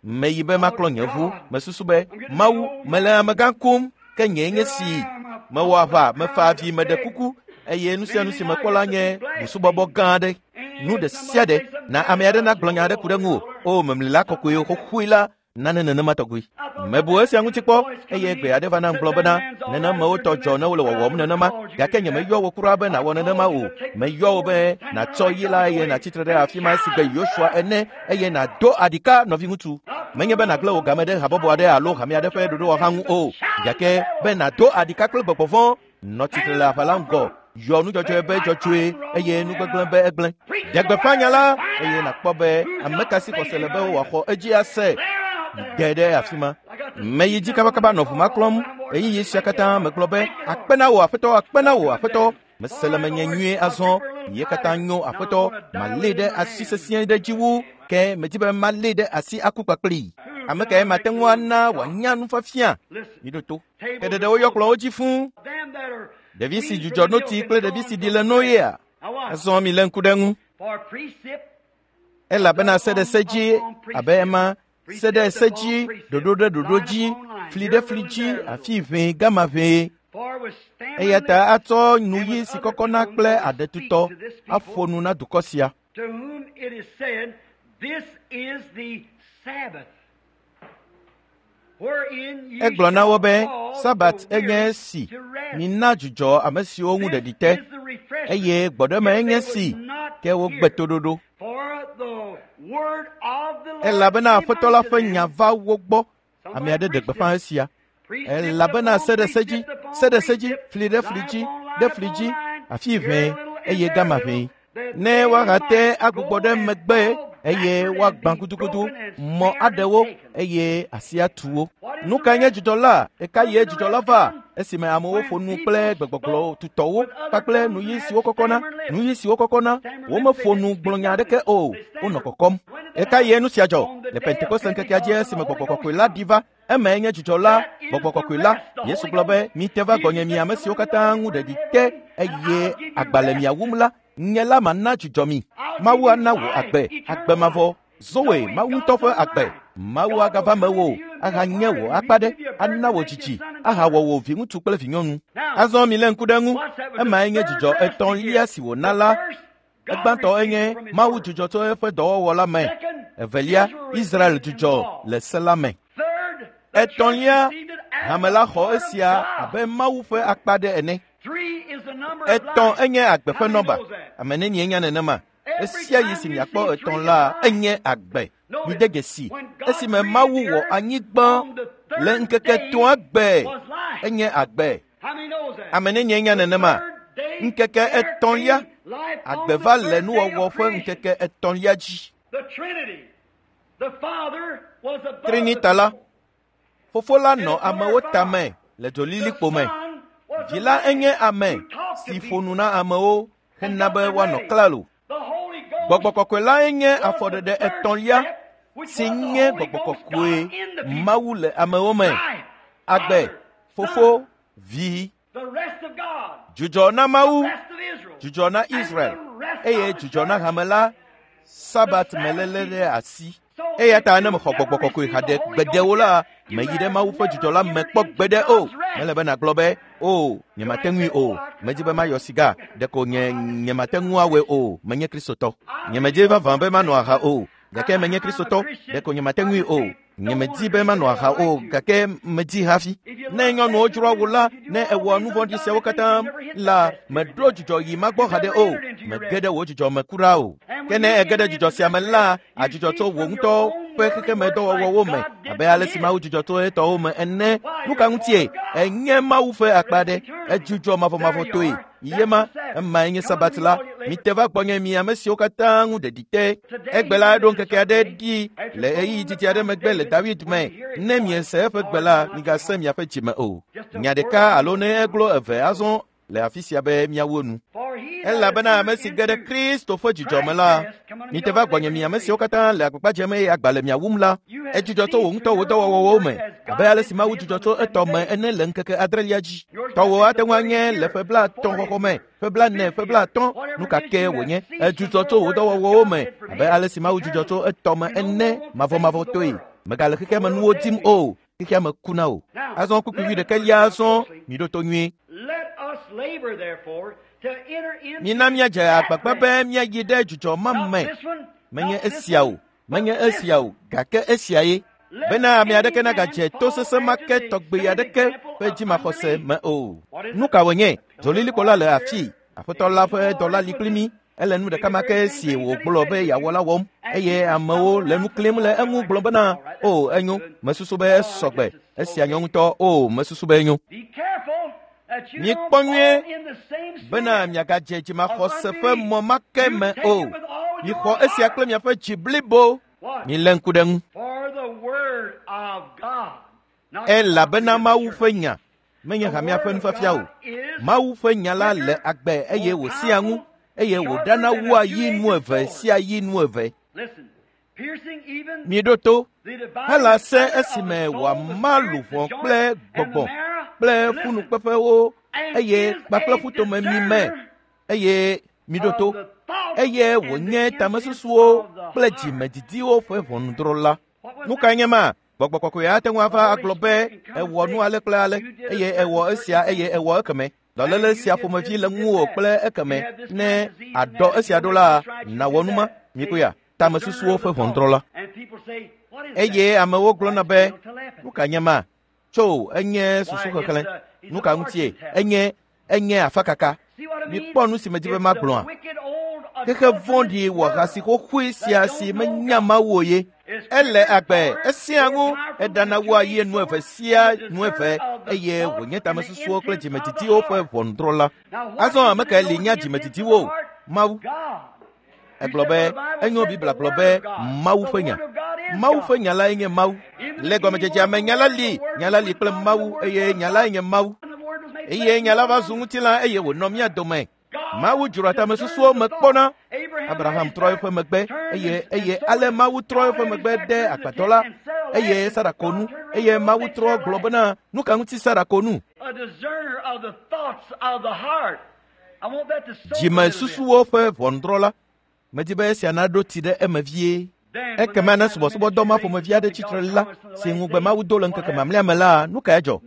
Meyi be maklɔ nye ʋu, mesusu be Mawu, mele amegã kum, ke nye nye si. Mewɔ aʋa, mefa avi, meɖe kuku eye nu sia nu si mekpɔ la nye busubɔbɔ gã aɖe. Nu ɖe sia ɖe na ame aɖe nagblɔ nya aɖe ku ɖe ŋuwò. O, memli la kɔkɔe xoxoe la, nane nenema tɔgbi. Mebu esia ŋuti kpɔ eye gbe aɖe va nam gblɔ bena nenemewo tɔ dzɔ ne wole wɔwɔm nenema gake nyemeyɔ wo kura be nàwɔ nenema o. Meyɔ wo be nàtsɔ yi la eye nàtsitre ɖe afi ma si gbe Yosua ene eye nàdo aɖika nɔviŋutsu. Menye be nàgblẽ wò game ɖe habɔbɔ aɖe alo hame aɖe ƒe ɖoɖowɔha ŋu o, gake be nàdo aɖika kple gbɔgbɔ vɔ̃. Nɔ tsitre le aʋa la ŋgɔ, yɔ nudzɔdzɔe be dzɔdzɔe eye nugbegblẽ be egblẽ. Ɖe gbeƒã nya la eye nàkpɔ be ame ka si xɔse le be wòaxɔ edzi ase. De ɖe afi ma. Meyi dzi kabakaba nɔ ʋu ma klɔm. Ɣeyiɣi sia katã megblɔ be akpe na wò aƒetɔ, akpe na wò aƒetɔ. Mese le menye nyuie azɔ. Ye katã nyo aƒetɔ. Malée ɖe asi sesĩe ɖe dzi wu ke medi be malée ɖe asi aku kpakplii. Ame kae mate ŋu ana wòanya nufiafia? Miɖo to. Ke ɖeɖe woyɔ kplɔ̃wo dzi fũu. Ɖevi si dzudzɔ notsi kple ɖevi si ɖi le no yea? Azɔ milé ŋku ɖe eŋu. Elabena se ɖe se dzi abe ema se ɖe se dzi, ɖoɖo ɖe ɖoɖo dzi, fli ɖe fli dzi, afi ʋee gama ʋee. Eya ta atsɔ nuyi si kɔkɔna kple aɖetutɔ aƒo nu na dukɔ sia. To whom it is said, this is the Sabbath, wherein ye Egblɔ na wo be shall cause Sabat the enye weary esi to rest. mina dzudzɔ ame siwo ŋu ɖeɖi te This is the refreshment eye gbɔɖeme if enye they would si not ke wogbe hear. toɖoɖo. For the word of the Lord Elabena came Aƒetɔ la unto ƒe them. nya va wo gbɔ. Ame aɖe ɖe gbeƒã esia. Elabena se ɖe se dzi, se ɖe se dzi, fli ɖe fli dzi, ɖe fli dzi, afi ʋee eye gama ʋee. Ne woahate agbugbɔ ɖe megbe eye woagbã gudugudu, mɔ aɖewo eye asi atu wo. Nu kae nye dzudzɔ la? Ɣeka ɣie dzudzɔ la va? Esime amewo ƒo nu kple gbegbɔgblɔ tutɔwo kpakple nuyi siwo kɔkɔna, nuyi siwo kɔkɔna, womeƒo nu gblɔ nya aɖeke o, wonɔ kɔkɔm. Ɣeka ɣie nu sia dzɔ? Le Pentekoste ŋkekea dzi esime Gbɔgbɔ Kɔkɔe la ɖi va. Emae nye dzudzɔ la, Gbɔgbɔ Kɔkɔe la. Yesu gblɔ be, mite va gbɔnye mi ame siwo katã ŋu ɖeɖi te eye agba le mia wum la, nye la mana dzudzɔ mi. Mawu ana wò agbe, agbe mavɔ. Zoe, Mawu ŋutɔ ƒe agbe. Mawu agava mewò, ahanye wò akpa ɖe, ana wò dzidzi, ahawɔ wò viŋutsu kple vinyɔnu. Azɔ milé ŋku ɖe eŋu. Emae nye dzidzɔ etɔ̃lia si wòna la. Egbãtɔ enye Mawu dzudzɔ tso eƒe dɔwɔwɔ la me. Evelia, Israel dzudzɔ le se la me. Etɔ̃lia, hame la xɔ esia abe Mawu ƒe akpa ɖe ene. Etɔ̃ enye agbe ƒe nɔba. Ame nenie nya nenema? Esia yi si miakpɔ etɔ̃ la enye agbe. Mide dzesi esime Mawu wɔ anyigba le ŋkeke etɔ̃a gbe enye agbe. Ame nenie nya nenema? Ŋkeke etɔ̃lia, agbe va le nuwɔwɔ ƒe ŋkeke etɔ̃lia dzi. Trinita la, Fofo la nɔ amewo tame le dzolilikpo me. Vi la enye ame si ƒo nu na amewo hena be woanɔ klalo. Gbɔgbɔ Kɔkɔe la enye afɔɖeɖe etɔ̃lia si nye Gbɔgbɔ Kɔkɔe Mawu le amewo me. Agbe, Fofo, Vi. Dzudzɔ na Mawu, dzudzɔ na Israel, eye dzudzɔ na hame la, Sabat meléle ɖe asi. Eya ta ne mexɔ Gbɔgbɔ Kɔkɔe haɖe gbeɖewo la, meyi ɖe Mawu ƒe dzudzɔ la me kpɔ gbeɖe o. Mele be nàgblɔ be, o, nyemate ŋui o. Medzi be mayɔ siga, ɖeko nye nyemate ŋu awɔe o. Menye Kristotɔ. Nyemedzi vavã be manɔ aha o, gake menye Kristotɔ, ɖeko nyemate ŋui o. Nyemedi be manɔ aha o, gake medzi hafi. Ne nyɔnuwo dzroa wò la, ne ewɔ nu vɔ̃ɖi siawo katã la, meɖo dzudzɔ yi magbɔ haɖe o. Mege ɖe wò dzudzɔ me kura o. Ke ne ege ɖe dzudzɔ sia me la, adzudzɔ tso wò ŋutɔ ƒe xexemedɔwɔwɔwo me, abe ale si Mawu dzudzɔ tso etɔwo me ene. Nu ka ŋutie? Enye Mawu ƒe akpa ɖe. Edzudzɔ mavɔmavɔtɔe. Yema, emae nye Sabat la. Mite va gbɔnye mi ame siwo katã ŋu ɖeɖi te. Egbe la eɖo ŋkeke aɖe ɖi le ɣeyiɣi didi aɖe megbe le David me. Ne miese eƒe gbe la, migase miaƒe dzime o. Nya ɖeka alo ne eglo eve azɔ le afi sia be miawo nu. Elabena ame si ge ɖe Kristo ƒe dzudzɔ me la, mite va gbɔnye mi ame siwo katã le agbagba dzem eye agba le mia wum la, edzudzɔ tso wò ŋutɔ wò dɔwɔwɔwo me, abe ale si Mawu dzudzɔ tso etɔ me ene le ŋkeke adrelia dzi. Tɔwò ate ŋu anye le ƒe blaetɔ̃ xɔxɔ me, ƒe blaene, ƒe blaatɔ̃, nu ka ke wònye, edzudzɔ tso wò dɔwɔwɔwo me, abe ale si Mawu dzudzɔ tso etɔ me ene mavɔmavɔtɔe. Megale xexea me nuwo dim o, xexea me kuna o. Azɔ kpukpui wuiɖekɛlia azɔ miɖo to nyuie. Mina míadze agbagba be míayi ɖe dzudzɔ ma me. Menye esia o, menye esia o, gake esia ye. Bena ame aɖeke nagadze to sesẽ ma ke tɔgbe aɖeke ƒe dzimaxɔse me o. Nu ka wònye? Dzolilikpo la le afii. Aƒetɔ la ƒe dɔla li kpli mí. Ele nu ɖeka ma ke si wògblɔ be yeawɔ la wɔm, eye amewo le nu klim le eŋu gblɔ bena, o, enyo, mesusu be esɔgbe. Esia nyɔ ŋutɔ, o, mesusu be enyo. Mikpɔ nyuie bena miagadze dzimaxɔse ƒe mɔ ma ke me o. Mixɔ esia kple miaƒe dzi blibo. Milé ŋku ɖe ŋu. Elabena Mawu ƒe nya menye hamea ƒe nufiafia o. Mawu ƒe nya la le agbe eye wòsẽa ŋu eye wòɖana wua yi nu eve sia yi nu eve. Miɖo to hela se esime wòama luʋɔ kple gbɔgbɔ kple ƒunukpeƒewo eye kpakple ƒutomemi me eye miɖo to eye wònye tamesusuwo kple dzimedidiwo ƒe ʋɔnudrɔ̃la. Nu kae nye ma? Gbɔgbɔ Kɔkɔe ate ŋu ava agblɔ be ewɔ nu ale kple ale eye ewɔ esia eye ewɔ ekeme. Dɔléle sia ƒomevi le ŋuwò kple ekeme. Ne àɖɔ esia ɖo la, nàwɔ nu ma. Mikoya, tamesusuwo ƒe ʋɔnudrɔ̃la. Eye amewo gblɔna be, nu ka nye ma? Tso, enye susuxexlẽ. Nu ka ŋutie? Enye enye afakaka. Mikpɔ nu si medi be magblɔa. Xexe vɔ̃ɖi wɔ hasi xoxoe sia si menya Mawu o ye. Ele agbe, esẽa ŋu, eɖana wua yi nu eve sia nu eve eye wònye tamesusuwo kple dzimedidiwo ƒe ʋɔnudrɔ̃la. Azɔ ame kae li nya dzimedidiwo? Mawu. Egblɔ be enyo Biblia gblɔ be Mawu ƒe nya. Mawu ƒe nya lae nye Mawu. Le gɔmedzedzea me nya la li, nya la li kple Mawu eye nya lae nye Mawu. Eye nya la va zu ŋutilã eye wònɔ mía dome. Mawu dzroa tamesusuwo me kpɔna. Abraham trɔ eƒe megbe eye eye ale Mawu trɔ eƒe megbe ɖe agbadɔ la eye Sara ko nu eye Mawu trɔ gblɔ bena nu ka ŋuti Sara ko nu? Dzimesusuwo ƒe ʋɔnudrɔ̃la. Medi be esia naɖo tsi ɖe eme vie. Ekema ne subɔsubɔdɔ ma ƒomevi aɖe tsitre la si ŋugbe Mawu do le ŋkeke mamlɛa me la, nu kae dzɔ?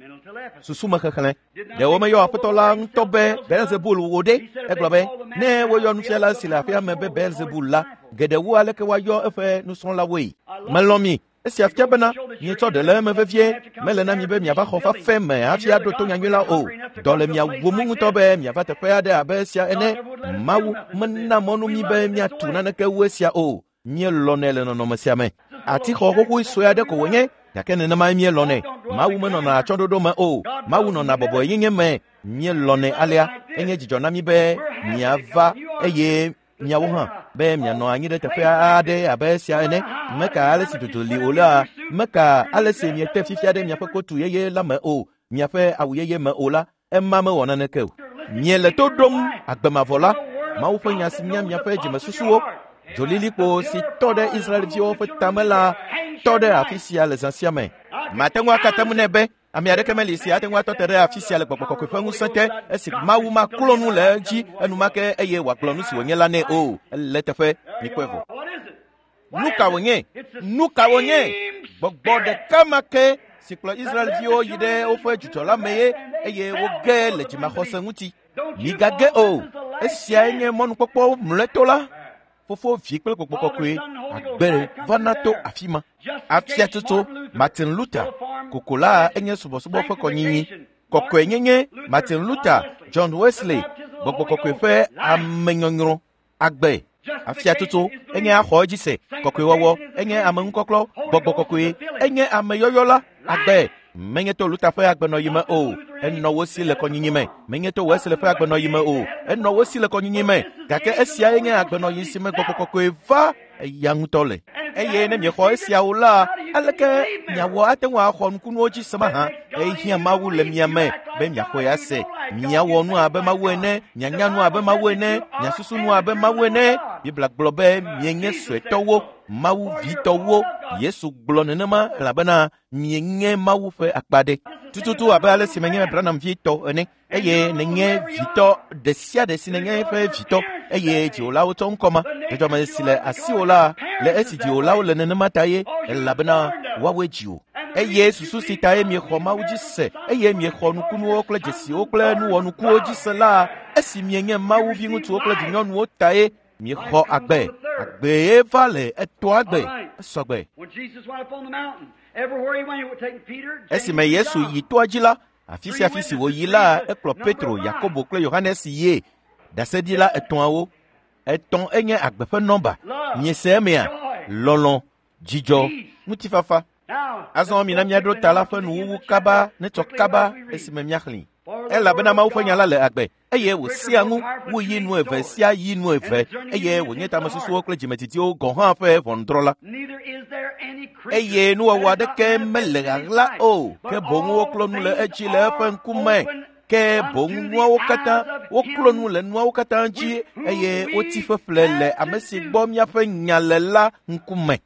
Susumexexlẽ. Ɖe womeyɔ aƒetɔ la ŋutɔ be Beelzebul wò ɖe? Egblɔ be ne woyɔ nufiala si le aƒea me be Beelzebul la, geɖe wu aleke woayɔ eƒe nusrɔ̃lawoe. Melɔ̃ mi. Esia fia bena mietsɔ ɖe le eme vevie. Mele na mi be miava xɔ fafe me hafi aɖo to nyanyui la o. Dɔ le mia wum ŋutɔ be miava teƒe aɖe abe esia ene. Mawu mena mɔnu mi be miatu naneke wu esia o. Míelɔnɛ le nɔnɔme sia me. Atixɔ xoxoe sue aɖe ko wònye, gake nenemae míelɔnɛ. Mawu menɔna atsyɔ̃ɖoɖo me o. Mawu nɔna bɔbɔenyenye me. Míelɔnɛ alea. Enye dzidzɔ na mí be miava eye miawo hã be mianɔ anyi ɖe teƒe aɖe abe esia ene. Meka ale si dzodzo li o la, meka ale si miete fifia ɖe miaƒe kotu yeye la me o, miaƒe awu yeye me o la, ema mewɔ naneke o. Miele to ɖom agbemavɔ la, Mawu ƒe nya si nya miaƒe dzimesusuwo. Dzolilikpo si tɔ ɖe Israelviwo ƒe tame la tɔ ɖe afi sia le zã sia me. Mate ŋu akate ŋu nɛ be ame aɖeke meli si ate ŋu atɔ te ɖe afi sia le gbɔgbɔ kɔkɔe ƒe ŋusẽ te esi Mawu maklɔ nu le edzi enumake eye wòagblɔ nu si wònye la nɛ o. Ele teƒe, mikpɔe vɔ. Nu ka wònye? Nu ka wònye? Gbɔgbɔ ɖeka ma ke si kplɔ Israelviwo yi ɖe woƒe dzudzɔ la me ye eye woge le dzimaxɔse ŋuti. Migage o. Esiae nye mɔnukpɔkpɔ mlɔetɔ la. Fofo, Vi kple Gbɔgbɔ Kɔkɔe agbe vana to afi ma. Afiatsotso Martin Luther kokola enye subɔsubɔ ƒe kɔnyinyi. Kɔkɔenyenye Martin Luther, John Wesley, Gbɔgbɔ Kɔkɔe ƒe amenyɔnyrɔ agbe. Afiatsotso enye axɔ edzi se. Kɔkɔewɔwɔ enye ameŋukɔklɔ. Gbɔgbɔ Kɔkɔe enye ameyɔyɔ la agbe. Menye to Luther ƒe agbenɔyi me o, enɔ wo si le kɔnyinyi me. Menye to Wesley ƒe agbenɔyi me o, enɔ wo si le kɔnyinyi me. Gake esiae nye agbenɔyi si me Gbɔgbɔ Kɔkɔe va eya ŋutɔ le. Eye ne miexɔ esiawo la, aleke miawɔ ate ŋu axɔ nukunuwo dzi se mahã? Ehiã Mawu le mia me be miaxɔe ase. Miawɔ nu abe Mawu ene, mianya nu abe Mawu ene, miasusu nu abe Mawu ene. Biblia gblɔ be mienye suetɔwo, Mawu vitɔwo. Yesu gblɔ nenema elabena mienye Mawu ƒe akpa ɖe. Tututu abe ale si menye Branham vitɔ ene, eye nenye vitɔ ɖe sia ɖe si nenye eƒe vitɔ, eye dziwòlawo tsɔ ŋkɔ ma. Dzɔdzɔme si le asiwò la le esi dziwòlawo le nenema ta ye, elabena woawoe dziwò. Eye susu si tae miexɔ Mawu dzi se, eye miexɔ nukunuwo kple dzesiwo kple nuwɔnukuwo dzi se la, esi mienye Mawu viŋutsuwo kple vinyɔnuwo tae miexɔ agbe. Agbee va le etɔa gbe, esɔgbe. Esime Yesu yi toa dzi la, afi sia afi si wòyi la, ekplɔ Petro, Yakobo kple Yohanes yie. Ɖaseɖila etɔ̃awo. Etɔ̃ enye agbe ƒe nɔmba. Miese emea? Lɔlɔ̃, dzidzɔ, ŋutifafa. Azɔ mina míaɖo ta la ƒe nuwuwu kaba netsɔ kaba esime míaxlẽe. Elabena Mawu ƒe nya la le agbe eye wòsia ŋu wu yi nu eve sia yi nu eve eye wònye tamesusuwo kple dzimedidiwo gɔ̃ hã ƒe ʋɔnudrɔ̃la. Eye nuwɔwɔ aɖeke mele ɣaɣla o, ke boŋ woklɔ nu le edzi le eƒe ŋkume. Ke boŋ nuawo katã woklɔ nu le nuawo katã dzi eye wotsi ƒeƒle le ame si gbɔ míaƒe nya le la ŋkume.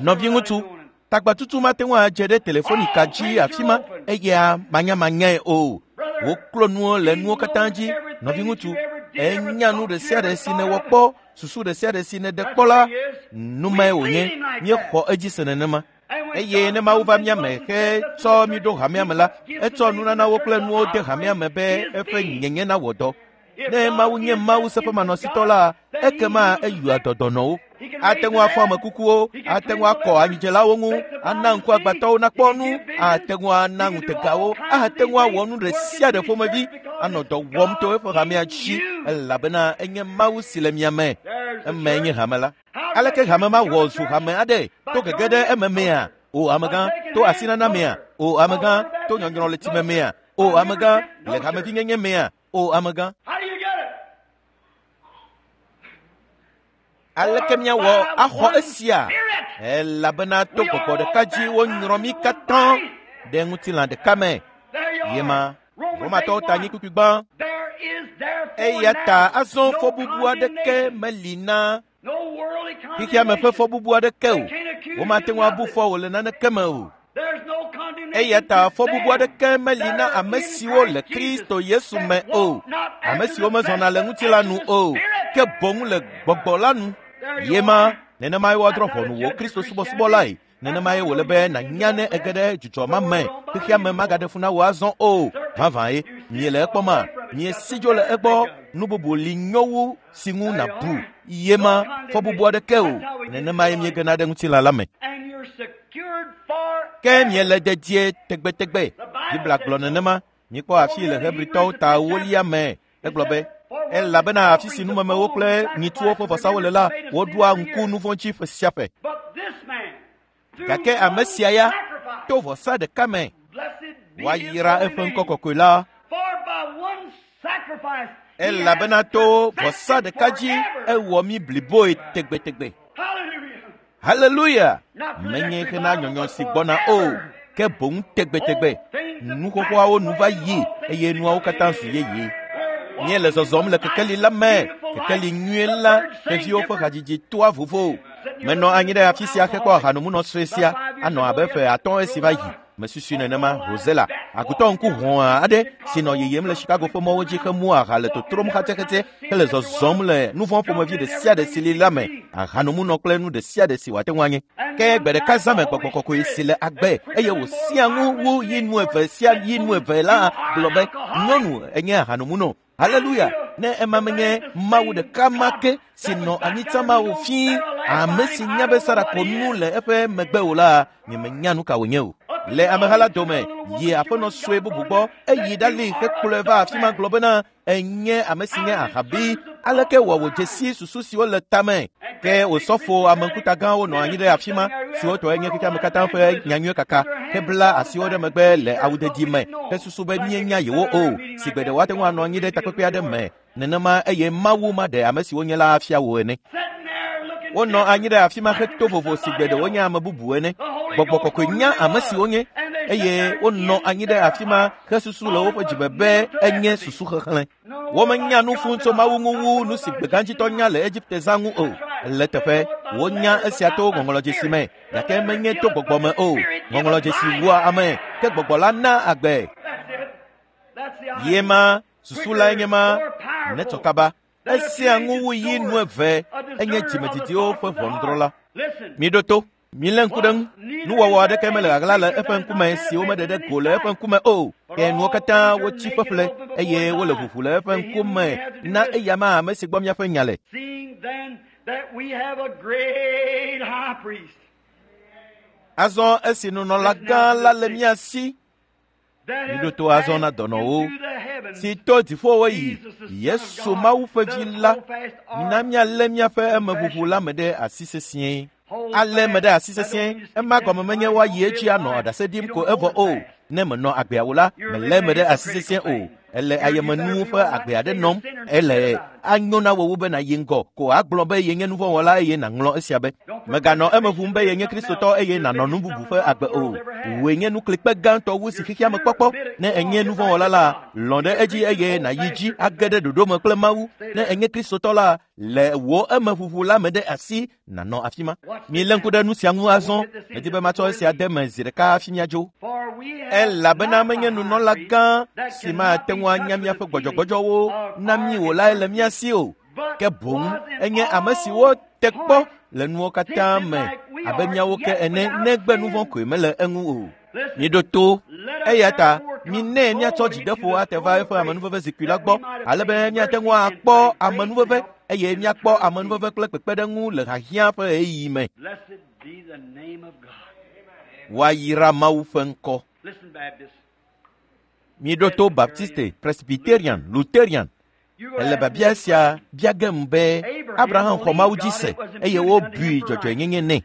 Nɔviŋutsu, tagbatutu mate ŋu adze ɖe telefonika dzi afi ma eya manyamanyae o. Woklɔ nuwo le nuwo katã dzi. Nɔviŋutsu, enya nu ɖe sia ɖe si nèwɔ kpɔ, susu ɖe sia ɖe si nèɖe kpɔ la, numae wònye. Míexɔ edzi se nenema. Eye ne Mawu va mía me hetsɔ mí ɖo hamea me la, etsɔ nunanawo kple nuwo de hamea me be eƒe nyenye nawɔ dɔ. Ne Mawu nye Mawu seƒemanɔsitɔ la, ekema eyɔa dɔdɔnɔwo. Ate ŋu afɔ ame kukuwo, ate ŋu akɔ anyidzelawo ŋu, ana ŋku agbatɔwo nakpɔ nu, ate ŋu ana ŋutegawo, ate ŋu awɔ nu ɖe sia ɖe ƒomevi, anɔ dɔ wɔm to eƒe hamea dzi, elabena enye Mawu si le mia me. Emae nye hame la. Aleke hame ma wɔ zu hame aɖe? To gege ɖe eme mea? O amegã, to asinana mea? O amegã, to nyɔnyrɔ le tsime mea? O amegã, le hamevinyenye mea? O amegã. Aleke míawɔ axɔ esia? Elabena to gbɔgbɔ ɖeka dzi wonyrɔ mí katã ɖe ŋutilã ɖeka me. Yema Romatɔwo ta anyi kpukpui gbã. Eya ta azɔ fɔbubu aɖeke meli na xexea me ƒe fɔbubu aɖeke o. Womate ŋu abu fɔ wò le naneke me o. Eya ta fɔbubu aɖeke meli na ame siwo le Kristo Yesu me o, ame siwo mezɔna le ŋutilã nu o, ke boŋ le gbɔgbɔ la nu. Yema nenemae woadrɔ̃ ʋɔnu wò Kristo subɔsubɔlae. Nenemae wòle be nànya ne ege ɖe dzudzɔ ma me. Xexea me magaɖe fu na wò azɔ o. Vavãe, miele ekpɔma, miesi dzo le egbɔ. Nu bubu li nyo wu si ŋu nàbu. Yema fɔbubu aɖeke o. Nenemae miegena ɖe ŋutilã la me. Ke miele dedie tegbetegbe. Biblia gblɔ nenema. Mikpɔ afi le Hebritɔwo ta ewolia me. Egblɔ be, elabena afi si numemewo kple nyitsuwo ƒe vɔsawo le la, woɖoa ŋku nu vɔ̃ dzi ƒe sia ƒe. Gake ame sia ya to vɔsa ɖeka me, woayra eƒe ŋkɔ kɔkɔe la. Elabena to vɔsa ɖeka dzi ewɔ mí bliboe tegbetegbe. Haleluya! Menye hena nyɔnyɔ si gbɔna o, ke boŋ tegbetegbe. Nu xoxoawo nu va yi eye nuawo katã zu yeye. Míele zɔzɔm le kekeli la me, kekeli nyuie la, xeviwo ƒe hadzidzi toa vovo. Menɔ anyi ɖe afi sia hekpɔ ahanomunɔ sue sia anɔ abe ƒe atɔ̃ esi va yi. Mesusui nenema Rosella, agutɔ ŋku hɔ̃a aɖe si nɔ yiyim le Chicago ƒe mɔwo dzi hemu aha le totrom xatsɛxatsɛ hele zɔzɔm le nu vɔ̃ ƒomevi ɖe sia ɖe si li la me, ahanomunɔ kple nu ɖe sia ɖe si wòate ŋu anye. Ke gbe ɖeka zã me gbɔgbɔ kɔkɔe si le agbe eye wòsia ŋu wu yi nu eve sia yi nu eve la gblɔ be, nyɔnu enye ahanomunɔ. Haleluya! Ne ema menye Mawu ɖeka ma ke si nɔ anyi tsã ma wò fii, ame si nya be Sara ko nu le eƒe megbe o la, nyemenya nu ka wònye o. Le ameha la dome, yi aƒenɔ sue bubu gbɔ, eyi ɖali hekplɔe va afi ma gblɔ bena, enye ame si nye ahabi. Aleke wɔ wòdze si susu siwo le tame? Ke wòsɔfo ameŋkuta gãwo nɔ anyi ɖe afi ma, siwo tɔe nye xexea me katã ƒe nyanyui kaka, hebla asiwo ɖe megbe le awudedi me, hesusu be míenya yewo o, si gbe ɖe woate ŋu anɔ anyi ɖe takpekpe aɖe me. Nenema eye Mawu maɖe ame siwo nye la afia wò ene. Wonɔ anyi ɖe afi ma heto vovo si gbe ɖe wonye ame bubu ene. Gbɔgbɔ kɔkɔe nya ame siwo nye, eye wonɔ anyi ɖe afi ma hesusu le woƒe dzime be enye susu xexlẽ. Womenya nu fũ tso Mawu ŋu wu nu si gbegãdzitɔ nya le Egipte zã ŋu o. Le teƒe, wonya esia to ŋɔŋlɔdzesi me, gake menye to gbɔgbɔ me o. Ŋɔŋlɔdzesi wua ame, ke gbɔgbɔ la na agbe. Yema susu lae nye ma, netsɔ kaba. Esia ŋu wu yi nu eve, enye dzimedidiwo ƒe ʋɔnudrɔ̃la. Miɖo to, milé ŋku ɖe ŋu. Nuwɔwɔ aɖeke mele ɣaɣla le eƒe ŋkume si womeɖe ɖe go le eƒe ŋkume o. Ke nuwo katã wotsi ƒeƒle eye wole ʋuʋu le eƒe ŋkume na eya ma ame si gbɔ míaƒe nya le. Azɔ esi nunɔla gã la le mía si, miɖo to azɔ na dɔnɔwo si to dziƒowo yi, Yesu Mawu ƒe vi la, mina míalé míaƒe emeʋuʋu la me ɖe asi sesĩe. Ale me ɖe asi sesĩe, ema gɔme menye woayi edzi anɔ ɖase ɖim ko evɔ o. Ne menɔ agbea o la, melé me ɖe asi sesĩe o. Ele ayemenuwo ƒe agbe aɖe nɔm. Ele anyo na wò wu be nàyi ŋgɔ ko agblɔ be yenye nuvɔ̃wɔla eye nàŋlɔ esia be. Mèganɔ eme ʋum be yenye Kristotɔ eye nànɔ nu bubu ƒe agbe o. Wòe nye nuklikpe gãtɔ wu si xexea me kpɔkpɔ. Ne ènye nuvɔ̃wɔla la, lɔ̃ ɖe edzi eye nàyi dzi age ɖe ɖoɖo me kple Mawu. Ne ènye Kristotɔ la, le wò emeʋuʋu la me ɖe asi nànɔ afi ma. Milé ŋku ɖe nu sia ŋu azɔ. Medi be matsɔ esia de me zi ɖeka hafi míadzo. Elabena menye nunɔla gã si mate ŋu anya míaƒe gbɔdzɔgbɔdzɔwo na mí o lae le mía si o, ke boŋ enye ame si wote kpɔ le nuwo katã me abe míawo ke ene, negbe nu vɔ̃ koe mele eŋu o. Miɖo to, eya ta minɛ míatsɔ dzideƒo ate va eƒe amenuveve zikpui la gbɔ, ale be míate ŋu akpɔ amenuveve eye míakpɔ amenuveve kple kpekpeɖeŋu le hiahiã ƒe ɣeyiɣi me. Woayra Mawu ƒe ŋkɔ. Miɖo to Baptiste, Presbyterian, Lutherian. Ele biabia sia bia gem be Abraham xɔ Mawu dzi se eye wobui dzɔdzɔenyenye nɛ.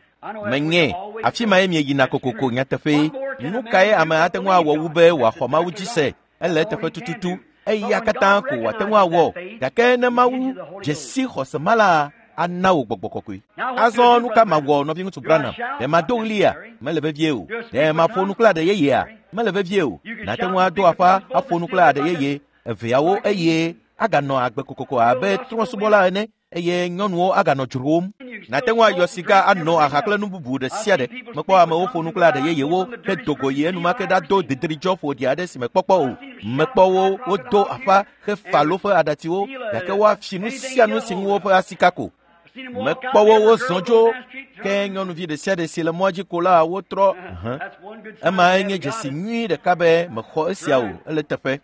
Menye afi mae mieyina kokoko nyateƒe. Nu kae ame ate ŋu awɔ wu be wòaxɔ Mawu dzi se? Ele eteƒe tututu. Eya katã ko wòate ŋu awɔ. Gake ne Mawu dze si xɔse ma la, ana wò gbɔgbɔ kɔkɔe. Azɔ nu ka mawɔ nɔviŋutsu Branham? Ɖe mado ɣlia? Mele vevie o. Ɖe maƒo nu kple aɖe yeyea? Mele vevie o. Nàte ŋu ado aƒa aƒo nu kple aɖe yeye eveawo eye aganɔ agbe kokoko abe trɔ̃subɔla ene eye nyɔnuwo aganɔ dzrom. Nàte ŋu ayɔ sika anɔ aha kple nu bubu ɖe sia ɖe. Mekpɔ amewo ƒo nu kple aɖe yeyewo hedo go yi enumake ɖado didridzɔ ƒoɖi aɖe si mekpɔkpɔ o. Mekpɔ wo wodo aƒa hefa woƒe aɖatsiwo gake woafi nu sia nu si ŋu woƒe asi ka ko. Mekpɔ wo wozɔ dzo ke nyɔnuvi ɖe sia ɖe si le mɔa dzi ko la wotrɔ. Ema enye dzesi nyui ɖeka be mexɔ esia o ele teƒe.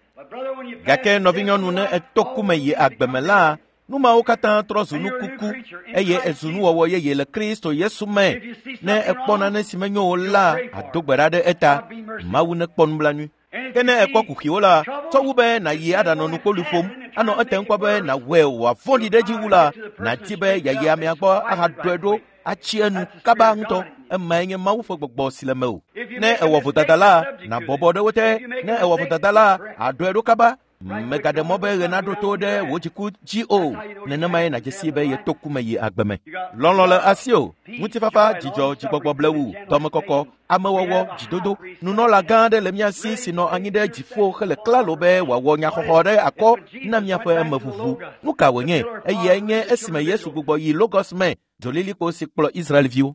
Gake nɔvinyɔnu ne eto ku me yi agbe me la, nu mawo katã trɔ zu nukuku eye ezu nuwɔwɔ yeye le Kristo Yesu me. Ne ekpɔ nane si menyo o la, ado gbe ɖa ɖe eta. Mawu nekpɔ nublanui. Ke ne ekpɔ kuxiwo la, tsɔ wu be nàyi aɖanɔ nukpoli ƒom, anɔ etem kpɔ be nàwɔe wòavɔ̃ɖi ɖe edzi wu la, nàdi be yeayi amea gbɔ ahaɖɔe ɖo atsi enu kaba ŋutɔ. Emae nye Mawu ƒe gbɔgbɔ si le mewò. Ne ewɔ vodada la, nàbɔbɔ ɖe wo te. Ne ewɔ vodada la, àɖɔe ɖo kaba. Mègaɖe mɔ be ɣe naɖo to ɖe wò dziku dzi o. Nenemae nàdze sii be yeto ku me yi agbe me. Lɔlɔ̃ le asiwò, ŋutifafa, dzidzɔ, dzigbɔgbɔ blewu, dɔmekɔkɔ, amewɔwɔ, dzidodo. Nunɔla gã aɖe le mía si si nɔ anyi ɖe dziƒo hele klalo be wòawɔ nyaxɔxɔ ɖe akɔ na míaƒe emeʋuʋu. Nu ka wònye? Eyae nye esime Yesu gbugbɔ yi Logos me, dzolilikpo si kplɔ Israelviwo,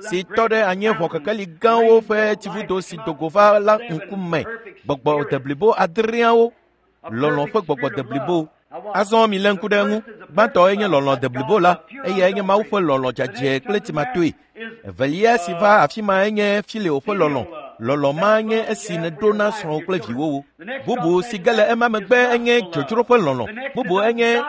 si tɔ ɖe anyieʋɔ kekeli gãwo ƒe tsivudo si do go va la ŋkume. Gbɔgbɔ deblibo adreawo, lɔlɔ̃ ƒe gbɔgbɔ deblibo. Azɔ milé ŋku ɖe eŋu. Gbãtɔe nye lɔlɔ̃ deblibo la, eyae nye Mawu ƒe lɔlɔ̃ dzadzɛ kple tsimatoe. Evelia si va afi mae nye Fileo ƒe lɔlɔ̃. Lɔlɔ̃ ma nye esi nèɖo na srɔ̃wò kple viwòwo. Bubu si ge le ema megbe enye dzodzro ƒe lɔlɔ̃. Bubu enye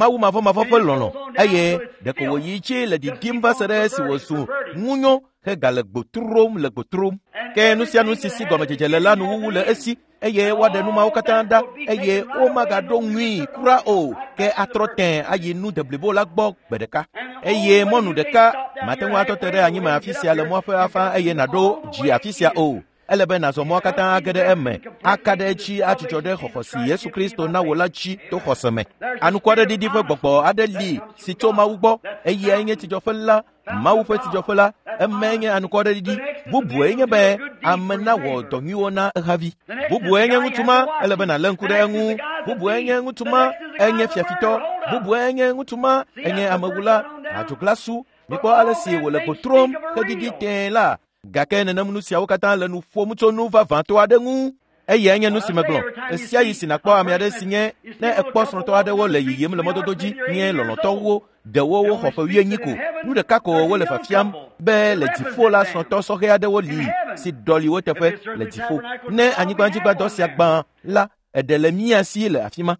Mawu mavɔmavɔ ƒe lɔlɔ̃ eye ɖeko wòyi dzi le didim va se ɖe esi wòzu ŋunyo hegale gbo trom le gbo trom. Ke nu sia nu si si gɔmedzedze le la nuwuwu le esi eye woaɖe nu mawo katã ɖa eye womagaɖo ŋui kura o ke atrɔ tẽ ayi nu deblibo la gbɔ gbe ɖeka. Eye mɔnu ɖeka mate ŋu atɔ te ɖe anyime afi sia le mɔa ƒe afã eye nàɖo dzi afi sia o. Ele be nàzɔ mɔa katã age ɖe eme, aka ɖe edzi adzudzɔ ɖe xɔxɔ si Yesu Kristo na wò la dzi to xɔse me. Anukwaɖeɖiɖi ƒe gbɔgbɔ aɖe li si tso Mawu gbɔ, eyae nye tsidzɔƒe la, Mawu ƒe tsidzɔƒe la, emae nye anukwaɖeɖiɖi. Bubue nye be ame nawɔ dɔ nyuiwo na ehavi. Bubue nye ŋutsu ma, ele be nàlé ŋku ɖe eŋu. Bubue nye ŋutsu ma, enye fiafitɔ. Bubue nye ŋutsu ma, enye amewula, adzoglasu. Mikpɔ ale si wòle go trom hedidi tẽe la. Gake nenem nu siawo katã le nu ƒom tso nu vavãtɔ aɖe ŋu. Eyae nye nu si megblɔ. Ɣe sia ɣi si nàkpɔ ame aɖe si nye ne ekpɔ srɔ̃tɔ aɖewo le yiyim le mɔdodo dzi nye lɔlɔ̃tɔwo, ɖewo woxɔ ƒe wuienyi ko. Nu ɖeka ko wole fiafiam be le dziƒo la srɔ̃tɔ sɔhɛ aɖewo li si ɖɔli wo teƒe le dziƒo. Ne anyigbadzigbadɔ sia gbã la, eɖe le mía si le afi ma.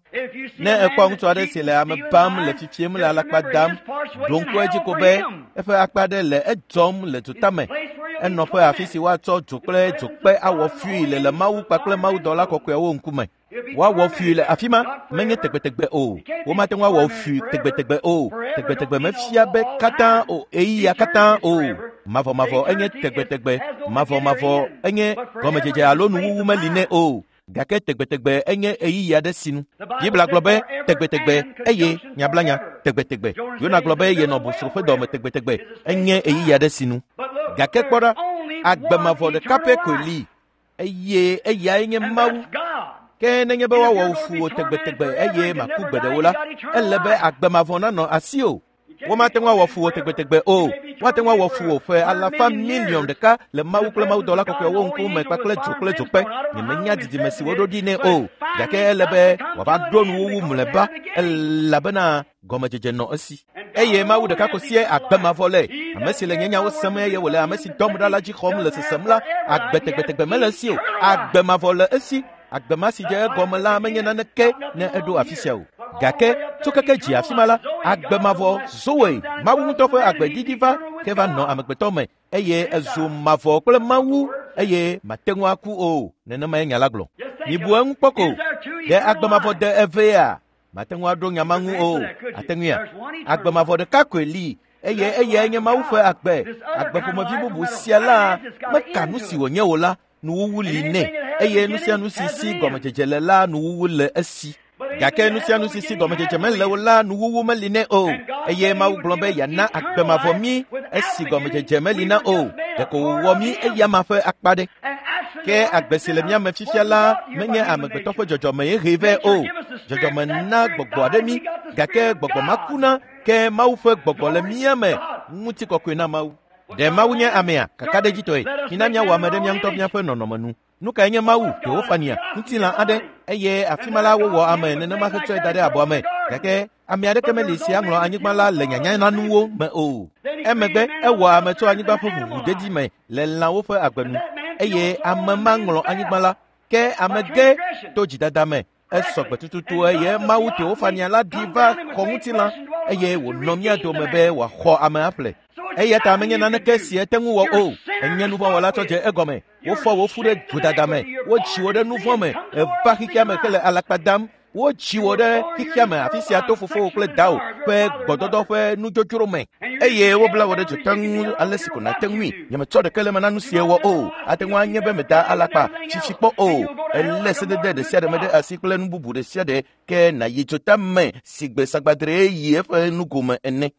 Ne ekpɔ ŋutsu aɖe si le ame bam le fifiem le alakpa dam, ɖo ŋku edzi ko be eƒe akpa ɖe le edzɔm le dzotame. Enɔƒe afi si woatsɔ dzo kple dzokpe awɔ fui le le Mawu kpakple mawudɔla kɔkɔeawo ŋkume. Woawɔ fui le afi ma menye tegbetegbe o. Womate ŋu awɔ fui tegbetegbe o. Tegbetegbe mefia be katã o, ɣeyiɣia katã o. Mavɔmavɔ enye tegbetegbe. Mavɔmavɔ enye gɔmedzedze alo nuwuwu meli nɛ o. Gake tegbetegbe enye ɣeyiɣi aɖe sinu. Biblia gblɔ be tegbetegbe eye nyablanya tegbetegbe. Yona gblɔ be yenɔ bosro ƒe dɔme tegbetegbe enye ɣeyiɣi aɖe sinu. Gake kpɔ ɖa, agbe mavɔ ɖeka pɛ koe li eye eyae nye Mawu. Ke nenye be woawɔ fu wò tegbetegbe eye màku gbe ɖe o la, ele be agbe mavɔ nanɔ asiwò. Womate ŋu awɔ fu wò tegbetegbe o. Woate ŋu awɔ fu wò ƒe alafa miliɔn ɖeka le Mawu kple mawudɔla kɔkɔewo ŋkume kpakple dzo kple dzokpe. Nyemenya didime si woɖo ɖi nɛ o. Gake ele be wòava ɖo nuwuwu mlɔeba elabena gɔmedzedze nɔ esi. Eye Mawu ɖeka ko sie agbe mavɔ le. Ame si le nye nyawo sem eye wòle ame si dɔm ɖa la dzi xɔm le sesem la, agbe tegbetegbe mele esi o. Agbe mavɔ le esi. Agbe ma si dze egɔme la menye naneke ne eɖo afi sia o. Gake tso keke dzi afi ma la, agbe mavɔ Zoe, Mawu ŋutɔ ƒe agbe didi va ke va nɔ amegbetɔ me eye ezu mavɔ kple Mawu eye mate ŋu aku o. Nenemae nya la gblɔ. Mibu eŋu kpɔ ko. Ɖe agbe mavɔ de evea? Mate ŋu aɖo nya ma ŋu o. Ate ŋuia? Agbe mavɔ ɖeka koe li eye eyae nye Mawu ƒe agbe. Agbe ƒomevi bubu sia la meka nu si wònye o la, nuwuwu li nɛ eye nu sia nu si si gɔmedzedze le la nuwuwu le esi. Gake nu sia nu si si gɔmedzedze mele o la nuwuwu meli nɛ o. Eye Mawu gblɔ be yeana agbe mavɔ mí esi gɔmedzedze meli na o. Ɖeko wòwɔ mí eyama ƒe akpa ɖe. Ke agbe si le mía me fifia la menye amegbetɔ ƒe dzɔdzɔme ye hee vɛ o. Dzɔdzɔme na gbɔgbɔ aɖe mí gake gbɔgbɔ ma kuna ke Mawu ƒe gbɔgbɔ le mía me. Ŋutikɔkɔe na Mawu. Ɖe Mawu nye amea kakaɖedzitɔe. Mina míawɔ ame ɖe mía ŋutɔ míaƒe nɔnɔme nu. Nu kae nye Mawu? Teofania, ŋutilã aɖe eye afi ma la wowɔ ame nenema hetsɔe da ɖe abɔa me. Gake ame aɖeke meli si aŋlɔ anyigba la le nyanyananuwo me o. Emegbe ewɔ ame tso anyigba ƒe ʋuʋudedi me le lãwo ƒe agbe nu eye ame ma ŋlɔ anyigba la. Ke ame ge to dzidada me. Esɔ gbe tututu eye Mawu Teofania la ɖi va xɔ ŋutilã eye wònɔ mía dome be wòaxɔ ame aƒle. Eya ta menye naneke si ete ŋu wɔ o. Enye nuvɔ̃wɔla tsɔ dze egɔme. Wofɔ wò fu ɖe vodada me. Wotsi wò ɖe nuvɔ̃ me. Eva xexea me hele alakpa dam. Wotsi wò ɖe xexea me afi sia to fofowò kple dawò ƒe gbɔdɔdɔ ƒe nudzodzro me. Eye wobla wò ɖe dzota ŋu ale si ko nàte ŋui. Nyemetsɔ ɖeke le eme na nu si ewɔ o. Ate ŋu anye be meda alakpa fifi kpɔ o. Elé sedede ɖe sia ɖe me ɖe asi kple nu bubu ɖe sia ɖe ke nàyi dzota me si gbe sagbadre yi eƒe nugome ene.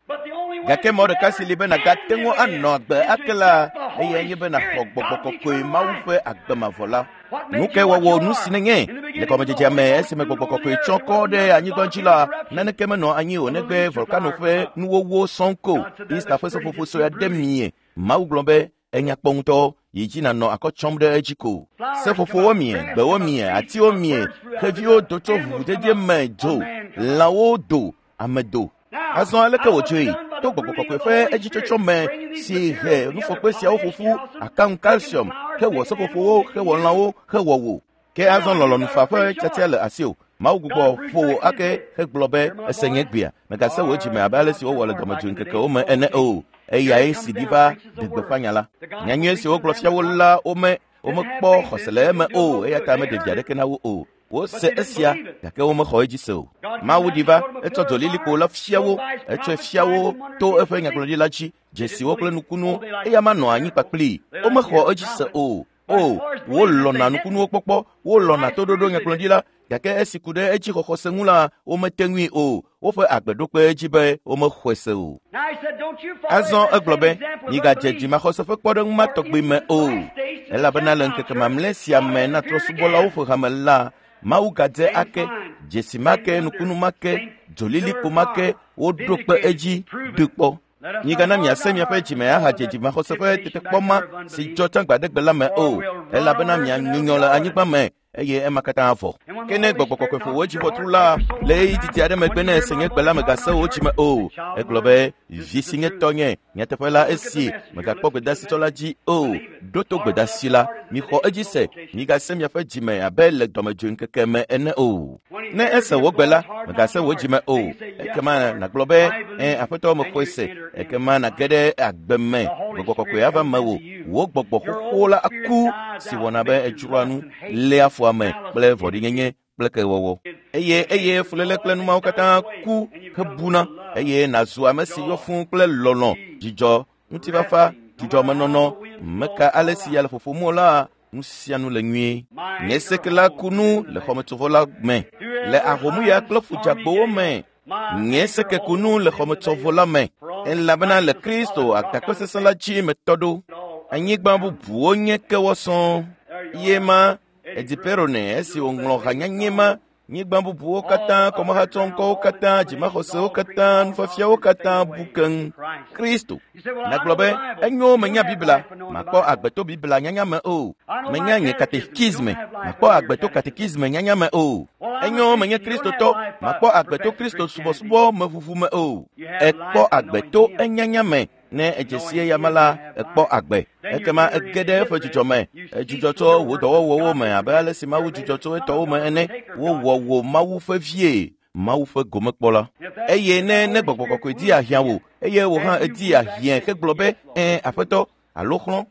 Gake mɔ ɖeka si li be nàgate ŋu anɔ agbe ake la eyae nye be nàxɔ gbɔgbɔ kɔkɔe Mawu ƒe agbe mavɔ la. Nu kae wɔwɔ nu si nenye? Le gɔmedzedzea me esime gbɔgbɔ kɔkɔe tsɔ kɔ ɖe anyigba dzi la, naneke menɔ anyi o negbe volkano ƒe nuwowó sɔŋ ko. Easter ƒe seƒoƒo sue aɖe mie. Mawu gblɔ be enya kpɔ ŋutɔ yi dzi nànɔ akɔ tsɔm ɖe edzi ko. Seƒoƒowo mie, gbewo mie, atiwo mie, xeviwo do tso ʋuʋudedie me dzo, lãwo do, ame do. Azɔ aleke wòdzɔe? To gbɔgbɔ kɔkɔe ƒe edzitsɔtsɔ me si he nufɔkpe siawo ƒoƒu, akaŋu calcium, hewɔ seƒoƒowo, hewɔ lãwo, hewɔ wò. Ke azɔ lɔlɔ̃nufa ƒe tiatia le asiwò. Mawu gbugbɔ ƒo wò ake hegblɔ be ese nye gbea. Mègase wò dzime abe ale si wowɔ le dɔmedzoe ŋkekewo me ene o. Eyae si ɖi va ɖe gbeƒã nya la. Nyanyui si wogblɔ fia wo la wome womekpɔ xɔse le eme o eya ta meɖe vi aɖeke na wo o. Wose esia gake womexɔ edzi se o. Mawu ɖi va etsɔ dzolilikpo la fia wo, etsɔe fia wo to eƒe nyagblɔɖila dzi, dzesiwo kple nukunuwo eya ma nɔ anyi kpakplii. Womexɔ edzi se o. O, wolɔ̃na nukunuwo kpɔkpɔ, wolɔ̃na toɖoɖo nyagblɔɖila gake esi ku ɖe edzi xɔxɔ se ŋu la, womete ŋui o. Woƒe agbe ɖo kpe edzi be womexɔe se o. Azɔ egblɔ be migadze dzimaxɔse ƒe kpɔɖeŋu ma tɔgbi me o. Elabena le ŋkeke mamlɛ sia me na trɔ̃subɔlawo ƒe hame la, Mawu gadze ake, dzesi ma ke, nukunu ma ke, dzolilikpo ma ke, woɖo kpe edzi ɖi kpɔ. Migana miase miaƒe dzime ahadze dzimaxɔse ƒe tetekpɔ ma si dzɔ tsã gbaɖegbe la me o, elabena mianyunyɔ le anyigba me eye ema katã vɔ. Ke ne gbɔgbɔ kɔkɔe ƒo wò dziʋɔtru la, le ɣeyiɣi didi aɖe megbe ne ese nye gbe la mègase wò dzime o. Egblɔ be, vi si nye tɔnye, nyateƒe la esi mègakpɔ gbedasitsɔ la dzi o. Ɖo to gbedasi la, mixɔ edzi se, migase miaƒe dzime abe le dɔmedzoe ŋkeke me ene o. Ne ese wò gbe la, mègase wò dzime o. Ekema nàgblɔ be, ẽ aƒetɔ mexɔe se. Ekema nàge ɖe agbe me, gbɔgbɔ kɔkɔe ava mewò. Wò gbɔgbɔ xoxo la aku si wɔna be edzroa nu, léa fu ame kple vɔ̃ɖinyenye kple kewɔwɔ. Eye eye fuléle kple numawo katã ku hebuna eye nàzu ame si yɔ fũu kple lɔlɔ̃, dzidzɔ, ŋutifafa, dzidzɔmenɔnɔ. Meka ale si ya le ƒoƒom o la, nu sia nu le nyuie. Nye seke la ku nu le xɔmetsovɔ la me, le ahomuya kple ƒudzagbowo me. Nye seke ku nu le xɔmetsovɔ la me, elabena le Kristo agakpe sesẽ la dzi metɔ ɖo. Anyigba bubuwo nye kewɔ sɔŋ. Ye ma Ediperone esi wòŋlɔ hanyanye ma, nyigba bubuwo katã, kɔmehatsɔŋkɔwo katã, dzimaxɔsewo katã, nufiafiawo katã bu keŋ. Kristo. Nàgblɔ be, enyo menya Biblia, makpɔ agbe to Biblia nyanya me o. Menya nye katekisme, makpɔ agbe to katekisme nyanya me o. Enyo menye Kristotɔ, makpɔ agbe to Kristo subɔsubɔ me ʋuʋu me o. Ekpɔ agbe to enyanya me. Ne edze si eya me la, ekpɔ agbe. Ekema ege ɖe eƒe dzidzɔ me. Edzudzɔ tso wò dɔwɔwɔwo me abe ale si Mawu dzudzɔ tso etɔwo me ene. Wowɔ wò Mawu ƒe vie, Mawu ƒe gomekpɔla. Eye ne ne gbɔgbɔ kɔkɔe di ahiã wò, eye wò hã edi ahiãe hegblɔ be, ẽ aƒetɔ, alo xlɔ̃.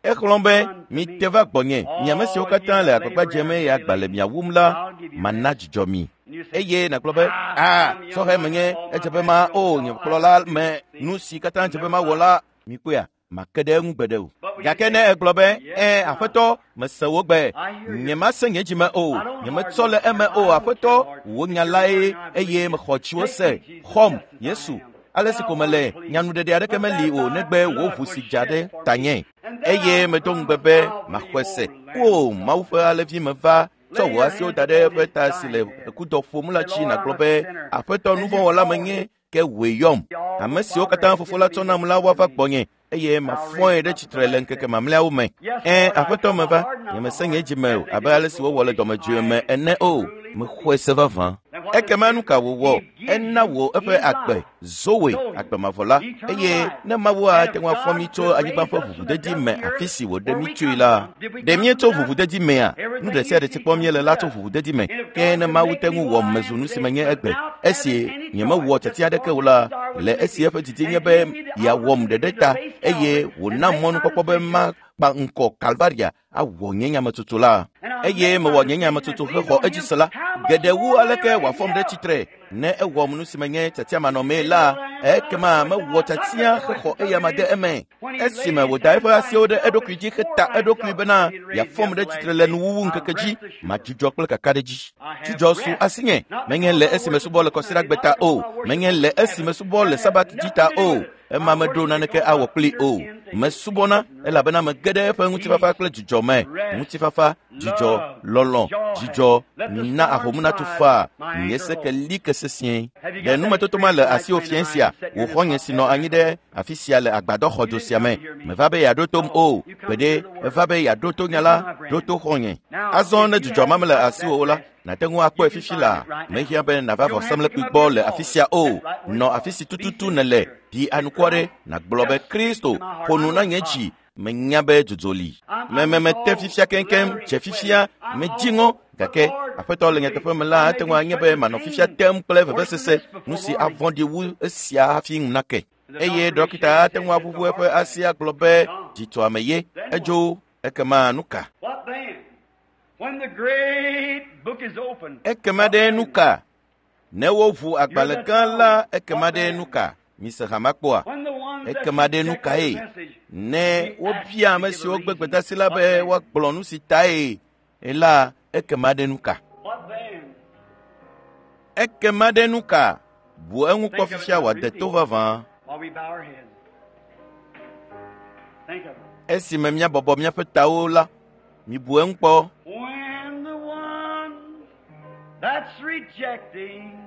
Exlɔ̃ be, mite va gbɔnye, mi ame siwo katã le agbagba dzem eye agba le mia wum la, mana dzidzɔ mi. Eye nàgblɔ be, aa, sɔhɛ menye, edze be ma o nye kplɔla me, nu si katã dze be mawɔ la, mikpɔea, make ɖe eŋu gbeɖe o. Gake ne egblɔ be, ẽ, Aƒetɔ, mese wò gbe, nyemase nye dzime o, nyemetsɔ le eme o, Aƒetɔ, wò nya lae eye mexɔ dziwò se. Xɔm, Yesu. Ale si ko mele, nyanuɖeɖe aɖeke meli o negbe wò ʋu si dza ɖe tanye. Eye medo ŋugbe be maxɔe se. O, Mawu ƒe alẽvi meva tsɔ wò asiwo da ɖe eƒe ta si le kudɔ ƒom la dzi nàgblɔ be, Aƒetɔ nuvɔ̃wɔla menye, ke wòe yɔm. Ame siwo katã Fofo la tsɔ nam la woava gbɔnye eye mafɔe ɖe tsitre le ŋkeke mamlɛawo me. Ẽ, Aƒetɔ meva, nyemese nye dzime o abe ale si wowɔ le dɔmedzoe me ene o. Mexɔe se vavã. Ekema nu ka wòwɔ? Ena wò eƒe agbe, Zoe, agbe mavɔ la. Eye ne Mawu ate ŋu afɔ mí tso anyigba ƒe ʋuʋudedi me afi si wòɖe mí tsoe la, ɖe míetso ʋuʋudedi mea? Nu ɖe sia ɖe si kpɔm míele la tso ʋuʋudedi me. Ke ne Mawu te ŋu wɔm mezu nu si menye egbe, esi nyemewɔ tiatia aɖeke o la, le esi eƒe didi nye be yeawɔm ɖeɖe ta eye wònam mɔnukpɔkpɔ be makpa ŋkɔ Kalvaria awɔ nye nyametsotso la. Eye mewɔ nye nyametsotso hexɔ edzi se la, geɖe wu aleke wòafɔm ɖe tsitre ne ewɔm nu si menye tiatiamanɔmee la, ekema mewɔ tiatia hexɔ eyama de eme. Esime wòda eƒe asiwo ɖe eɖokui dzi heta eɖokui bena yeafɔm ɖe tsitre le nuwuwu ŋkeke dzi, madzudzɔ kple kakaɖedzi. Dzudzɔ su asinye, menye le esime subɔ le kɔsiɖagbe ta o, menye le esime subɔ le Sabat dzi ta o, ema meɖo naneke awɔ kpli o. Mesubɔna elabena mege ɖe eƒe ŋutifafa kple dzidzɔ me. Ŋutifafa, dzidzɔ, lɔlɔ̃, dzidzɔ, mina ahomu natu faa, nye seke li ke sesĩe. Ɖe numetoto ma le asiwò fiẽ sia, wò xɔ̃nye si nɔ anyi ɖe afi sia le agbadɔxɔdzo sia me. Meva be yeaɖo tom o, gbeɖe eva be yeaɖo to nya la, ɖo to xɔ̃nye. Azɔ ne dzidzɔ ma mele asiwò o la, nàte ŋu akpɔe fifi la. Mehiã be nàva vɔsamlekpui gbɔ le afi sia o. Nɔ afi si tututu nèle, ɖi anukware, nàgblɔ be Kristo ƒo nu na nye dzi. Menya be dzodzo li. Mememete fifia keŋkeŋ, dze fifia, medzi ŋɔ, gake Aƒetɔ le nyateƒe me la ate ŋu anye be manɔ fifia tem kple vevesese, nu si avɔ̃ɖi wu esia hafi ŋu nake. Eye ɖɔkita ate ŋu aʋuʋu eƒe asi agblɔ be dzitɔame ye, edzo, ekema nu ka? Ekema ɖe nu ka? Ne woʋu agbalẽ gã la, ekema ɖe nu ka? Mise hama kpɔa? Ekema ɖe nu kae? Ne wobia ame siwo gbe gbedeasi la be woagblɔ nu si tae la, ekema ɖe nu ka? Ekema ɖe nu ka? Bu eŋu kpɔ fifia wòade to vavã. Esime míabɔbɔ míaƒe tawo la, mibu eŋu kpɔ. That's rejecting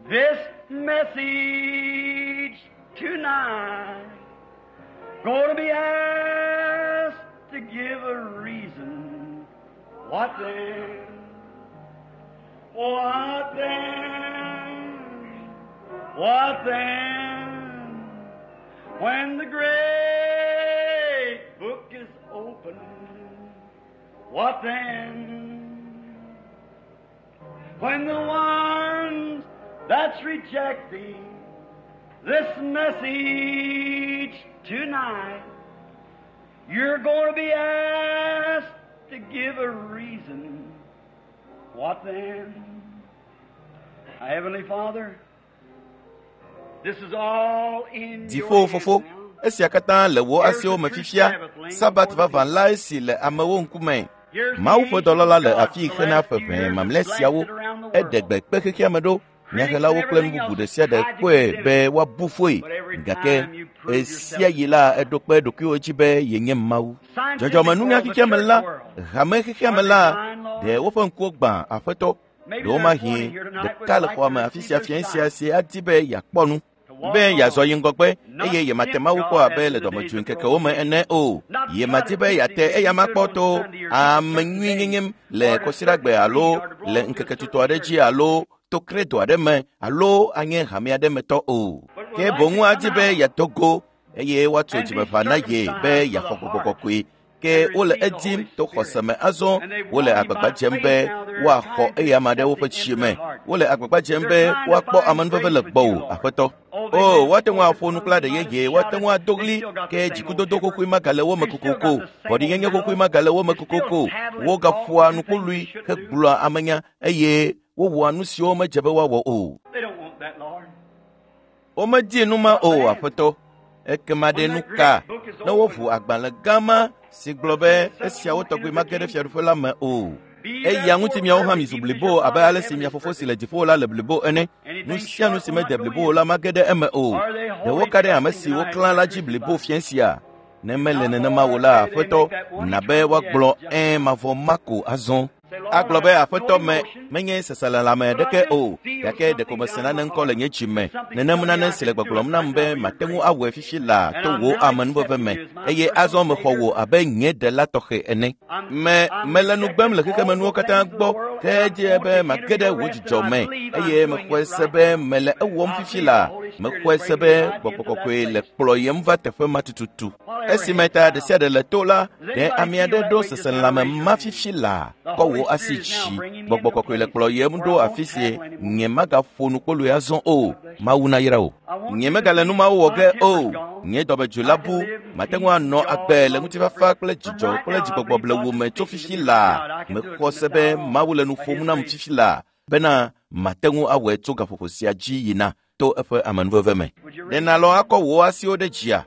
this message tonight. Going to be asked to give a reason. What then? What then? What then? When the great book is opened, what then? When the ones that's rejecting this message tonight, you're going to be asked to give a reason. What then? Our Heavenly Father, this is all in your Dziƒo hands fofo, now. esia katã le wò asiwo me fifia. Sabat vavã lae si le amewo ŋkume. Mawu ƒe dɔlɔla le afi xena ƒe ʋɛ mamlɛ siawo. Eɖe gbe kpe xexea me ɖo. Nyahelawo kple nu bubu ɖe sia ɖe kpɔe be woabu foe. Gake esia yi la eɖo kpe ɖokuiwo dzi be yenye Mawu. Dzɔdzɔmenunya xexea me la, hame xexea me la, ɖe woƒe ŋkuwo gbã Aƒetɔ. Ɖewomahi ɖeka le xɔa me afi sia fiẽ sia si adi be yeakpɔ nu be yeazɔ yi ŋgɔgbe eye yemate Mawu kpɔ abe le dɔmedzoe ŋkekewo me ene o. Yemadi be yeate eyama kpɔ to ame nyui nyenye le kɔsiɖagbe alo le ŋkeke tutɔ aɖe dzi alo to kredo aɖe me alo anye hame aɖe me tɔ o. Ke boŋu adi be yeado go eye woatso dzimeƒã na ye be yeaxɔ gbɔgbɔ kɔkɔe. Ke wole edim to xɔse me azɔ, wole agbagba dzem be woaxɔ eyama ɖe woƒe tsi me. Wole agbagba dzem be woakpɔ amenuveve le gbɔwò, Aƒetɔ. O, woate ŋu aƒo nu kple aɖe yeye, woate ŋu ado ɣli, ke dzikudodo xoxoe magale wo me kokoko, vɔ̃ɖinyenye xoxoe magale wo me kokoko. Wogaƒoa nukpoloe hegblɔa amenya eye wowɔa nu siwo medze be woawɔ o. They don't want that, Lord. Womedi nu ma o, Aƒetɔ. Ekema ɖe nu ka ne woʋu agbalẽ gã ma si gblɔ be esiawo tɔgbi mage ɖe fiaɖuƒe la me o. Eya ŋuti miawo hã mizu blibo abe ale si mia fofo si le dziƒo la le blibo ene. Nu sia nu si mede blibo o la mage ɖe eme o. Ɖe woka ɖe ame si woklã la dzi blibo fiẽ sia? Ne mele nenema o la, Aƒetɔ, na be woagblɔ ɛ̃ mavɔ ma ko azɔ. Agblɔ be Aƒetɔ me menye seselelãme ɖeke o, gake ɖeko mese nane ŋkɔ le nye dzi me. Nenem nane si le gbɔgblɔm nam be mate ŋu awɔe fifi laa to wò amenuveve me, eye azɔ mexɔ wò abe nye ɖela tɔxɛ ene. Me mele nu gbem le xexemenuwo katã gbɔ, ke edze be mage ɖe wò dzidzɔ me, eye mexɔe se be mele ewɔm fifi laa. Mexɔe se be gbɔgbɔ kɔkɔe le kplɔyem va teƒe ma tututu. Esime ta ɖe sia ɖe le to la, ɖe ame aɖe ɖo seselelãme ma fifi laa kɔ wò asi dzi. Gbɔgbɔ kɔkɔe le kplɔyem ɖo afi si nye magaƒo nu kpoloe azɔ o. Mawu nayra wò. Nye megale nu mawo wɔ ge o. Nye dɔmedzoe la bu. Mate ŋu anɔ agbe le ŋutifafa kple dzidzɔ kple dzigbɔgbɔ blewu me tso fifi laa. Mexɔ se be Mawu le nu ƒom nam fifi laa bena mate ŋu awɔe tso gaƒoƒo sia dzi yina to eƒe amenuveve me. Ɖe nàlɔ̃ akɔ wò asiwo ɖe dzia?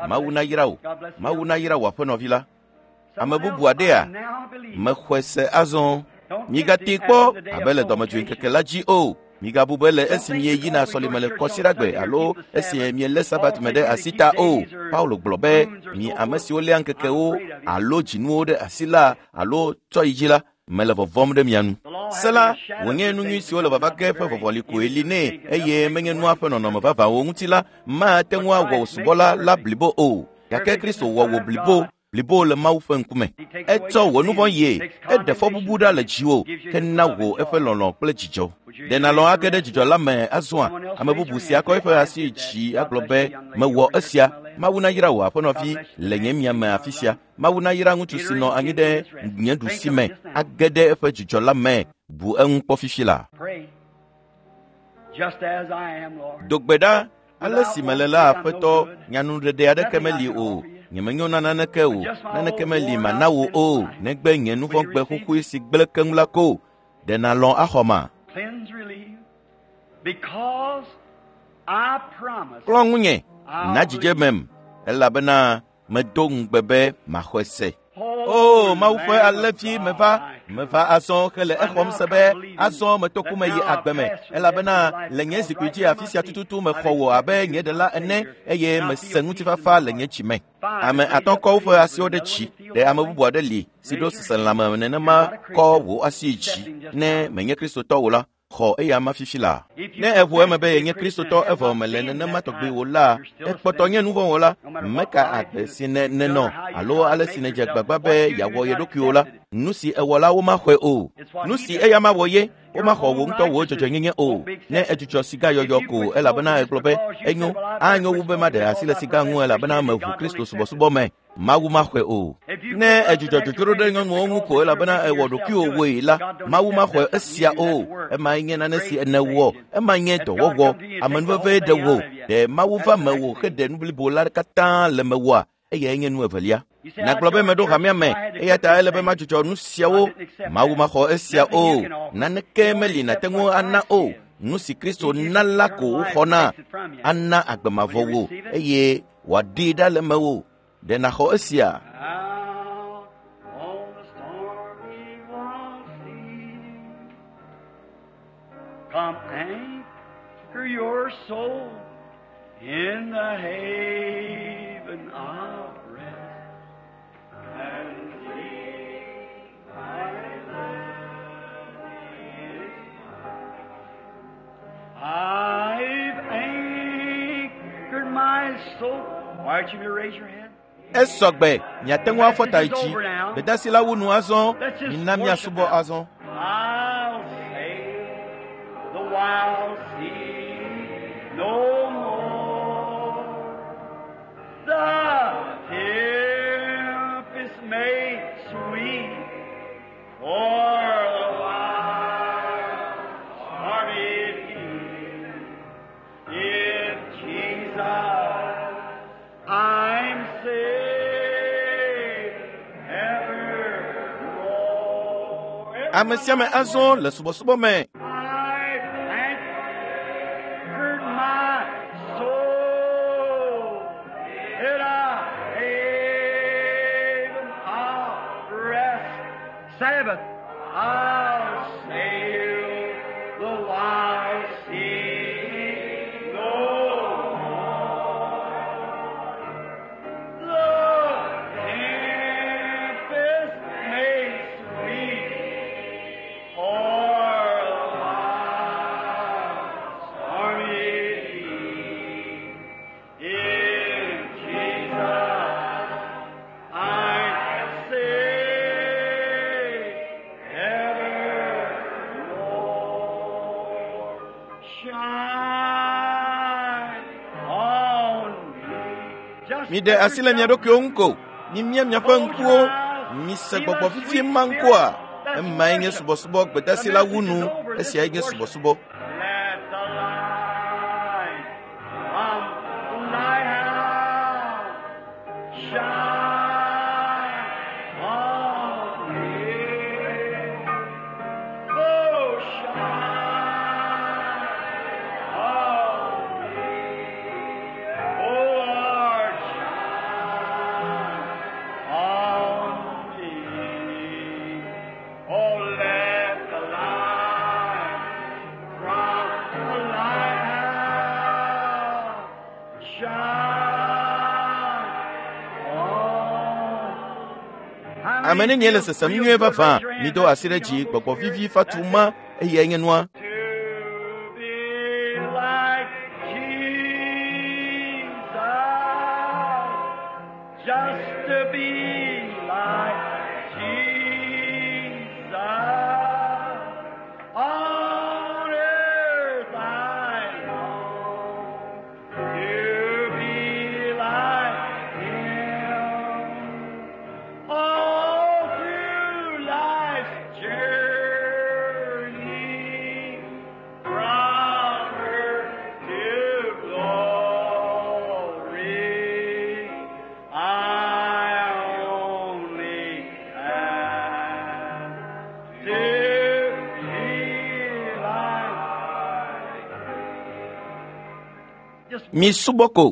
Mawu nayra wò. Mawu nayra wò aƒenɔvi la. Ame bubu aɖea? Mexɔe se azɔ. Migate kpɔ abe le dɔmedzoe ŋkeke la dzi o. Migabu be le esi mieyina sɔlime le kɔsiɖagbe alo esi mielé sabat me ɖe asi ta o. Paulo gblɔ be mi ame siwo léa ŋkekewo alo dzinuwo ɖe asi la alo tsɔ yi dzi la, mele vɔvɔm ɖe mia nu. Se la wònye nu nyui siwo le vava ge ƒe vɔvɔli koe li nɛ eye menye nua ƒe nɔnɔme vavãwo ŋuti la mate ŋu awɔ wò subɔla la blibo o. Gake Kristo wɔ wò blibo blibo le Mawu ƒe ŋkume. Etsɔ wò nu vɔ̃ yie, eɖe fɔbubu ɖa le dziwò, ke na wò eƒe lɔlɔ̃ kple dzidzɔ. Ɖe nàlɔ̃ age ɖe dzidzɔ la me azɔa? Ame bubu si akɔ eƒe asi dzi agblɔ be mewɔ esia. Mawu nayra wò aƒenɔvi le nye miame afi sia. Mawu nayra ŋutsu si nɔ anyi ɖe nye ɖusi me age ɖe eƒe dzidzɔ la me. Bu eŋu kpɔ fifi la. Do gbe ɖa ale si mele la, Aƒetɔ, nyanuɖeɖe aɖeke meli o. Nyemenyo na naneke o, naneke meli mana wò o, negbe nye nu vɔ̃ gbe xoxoe si gblẽ keŋ la ko. Ɖe nàlɔ̃ axɔ ma? Klɔ ŋunye, na dzidzemem, elabena medo ŋugbe be maxɔe se. O Mawu ƒe alẽvi, meva, meva azɔ hele exɔm se be azɔ meto ku me yi agbe me, elabena le nye zikpui dzi afi sia tututu mexɔ wò abe nye ɖela ene eye mese ŋutifafa le nye dzi me. Ame atɔ̃ kɔ woƒe asiwo ɖe dzi. Ɖe ame bubu aɖe li si ɖo seselelãme nenema kɔ wò asi dzi. Ne menye Kristotɔ o la, xɔ eya ma fifi la. Ne eʋu eme be yenye Kristotɔ evɔ mele nenema tɔgbi o la, ekpɔtɔ nye nu vɔ̃ wɔla. Meka agbe si ne nenɔ alo ale si nedze gbagba be yeawɔ ye ɖokui o la, nu si ewɔ la womaxɔe o. Nu si eya mawɔ ye, womaxɔ wò ŋutɔ wò dzɔdzɔenyenye o. Ne edzudzɔ siga yɔyɔ ko elabena egblɔ be enyo, anyo wu be maɖe asi le siga ŋu elabena meʋu Kristo subɔsubɔ me. Mawu maxɔe o. Ne edzudzɔ dzodzro ɖe nyɔnuwo ŋu ko elabena ewɔ ɖokuiwò woe la, Mawu maxɔe esia o. Emae nye nane si nèwɔ, ema nye dɔwɔwɔ. Amenuvevee ɖe wò. Ɖe Mawu va mewò heɖe nu blibo la katã le mewòa? Eyae nye nu evelia. Nàgblɔ be meɖo hamea me, eya ta ele be madzudzɔ nu siawo. Mawu maxɔ esia o. Naneke meli nàte ŋu ana o. Nu si Kristo na la ko woxɔna. Ana agbe mavɔ wò eye wòaɖee ɖa le mewò. Ɖe nàxɔ esia? Come anchor your soul in the haven of rest and see my land is mine. I've anchored my soul. Why don't you raise your hand? Esɔgbe, miate ŋu afɔ ta yi dzi. Gbedasi la wu nu azɔ, mina miasubɔ azɔ. I'll sail the wild sea no more. The tempest may sweep or the wild stormy sea. If Jesus, I'm saved evermore. Ame sia ame azɔ le subɔsubɔ me. I've anchored my soul I'll sail the wild sea no more. The tempest may sweep o'er the wild stormy sea. In Jesus I say evermore. Shine on me. Just Miɖe asi le mia ɖokuiwo ŋu ko. Mimia miaƒe ŋkuwo. Mise gbɔgbɔ vivie ma ŋkɔa. Emae nye subɔsubɔ gbedasi la wu nu. Esiae nye subɔsubɔ. Let the light from the lighthouse shine on me. Oh, shine on me. Oh, Lord, shine on me. Oh, let the light from the lighthouse shine on. Ame nenie le sesem nyuie vavã. Mido asi ɖe dzi gbɔgbɔ vivi fatu ma eyae nye nua. To be like Jesus, just to be like Jesus. On earth I long to be like Him. All through life's journey, from earth to glory, I only ask to be like. Just Mi subɔ ko.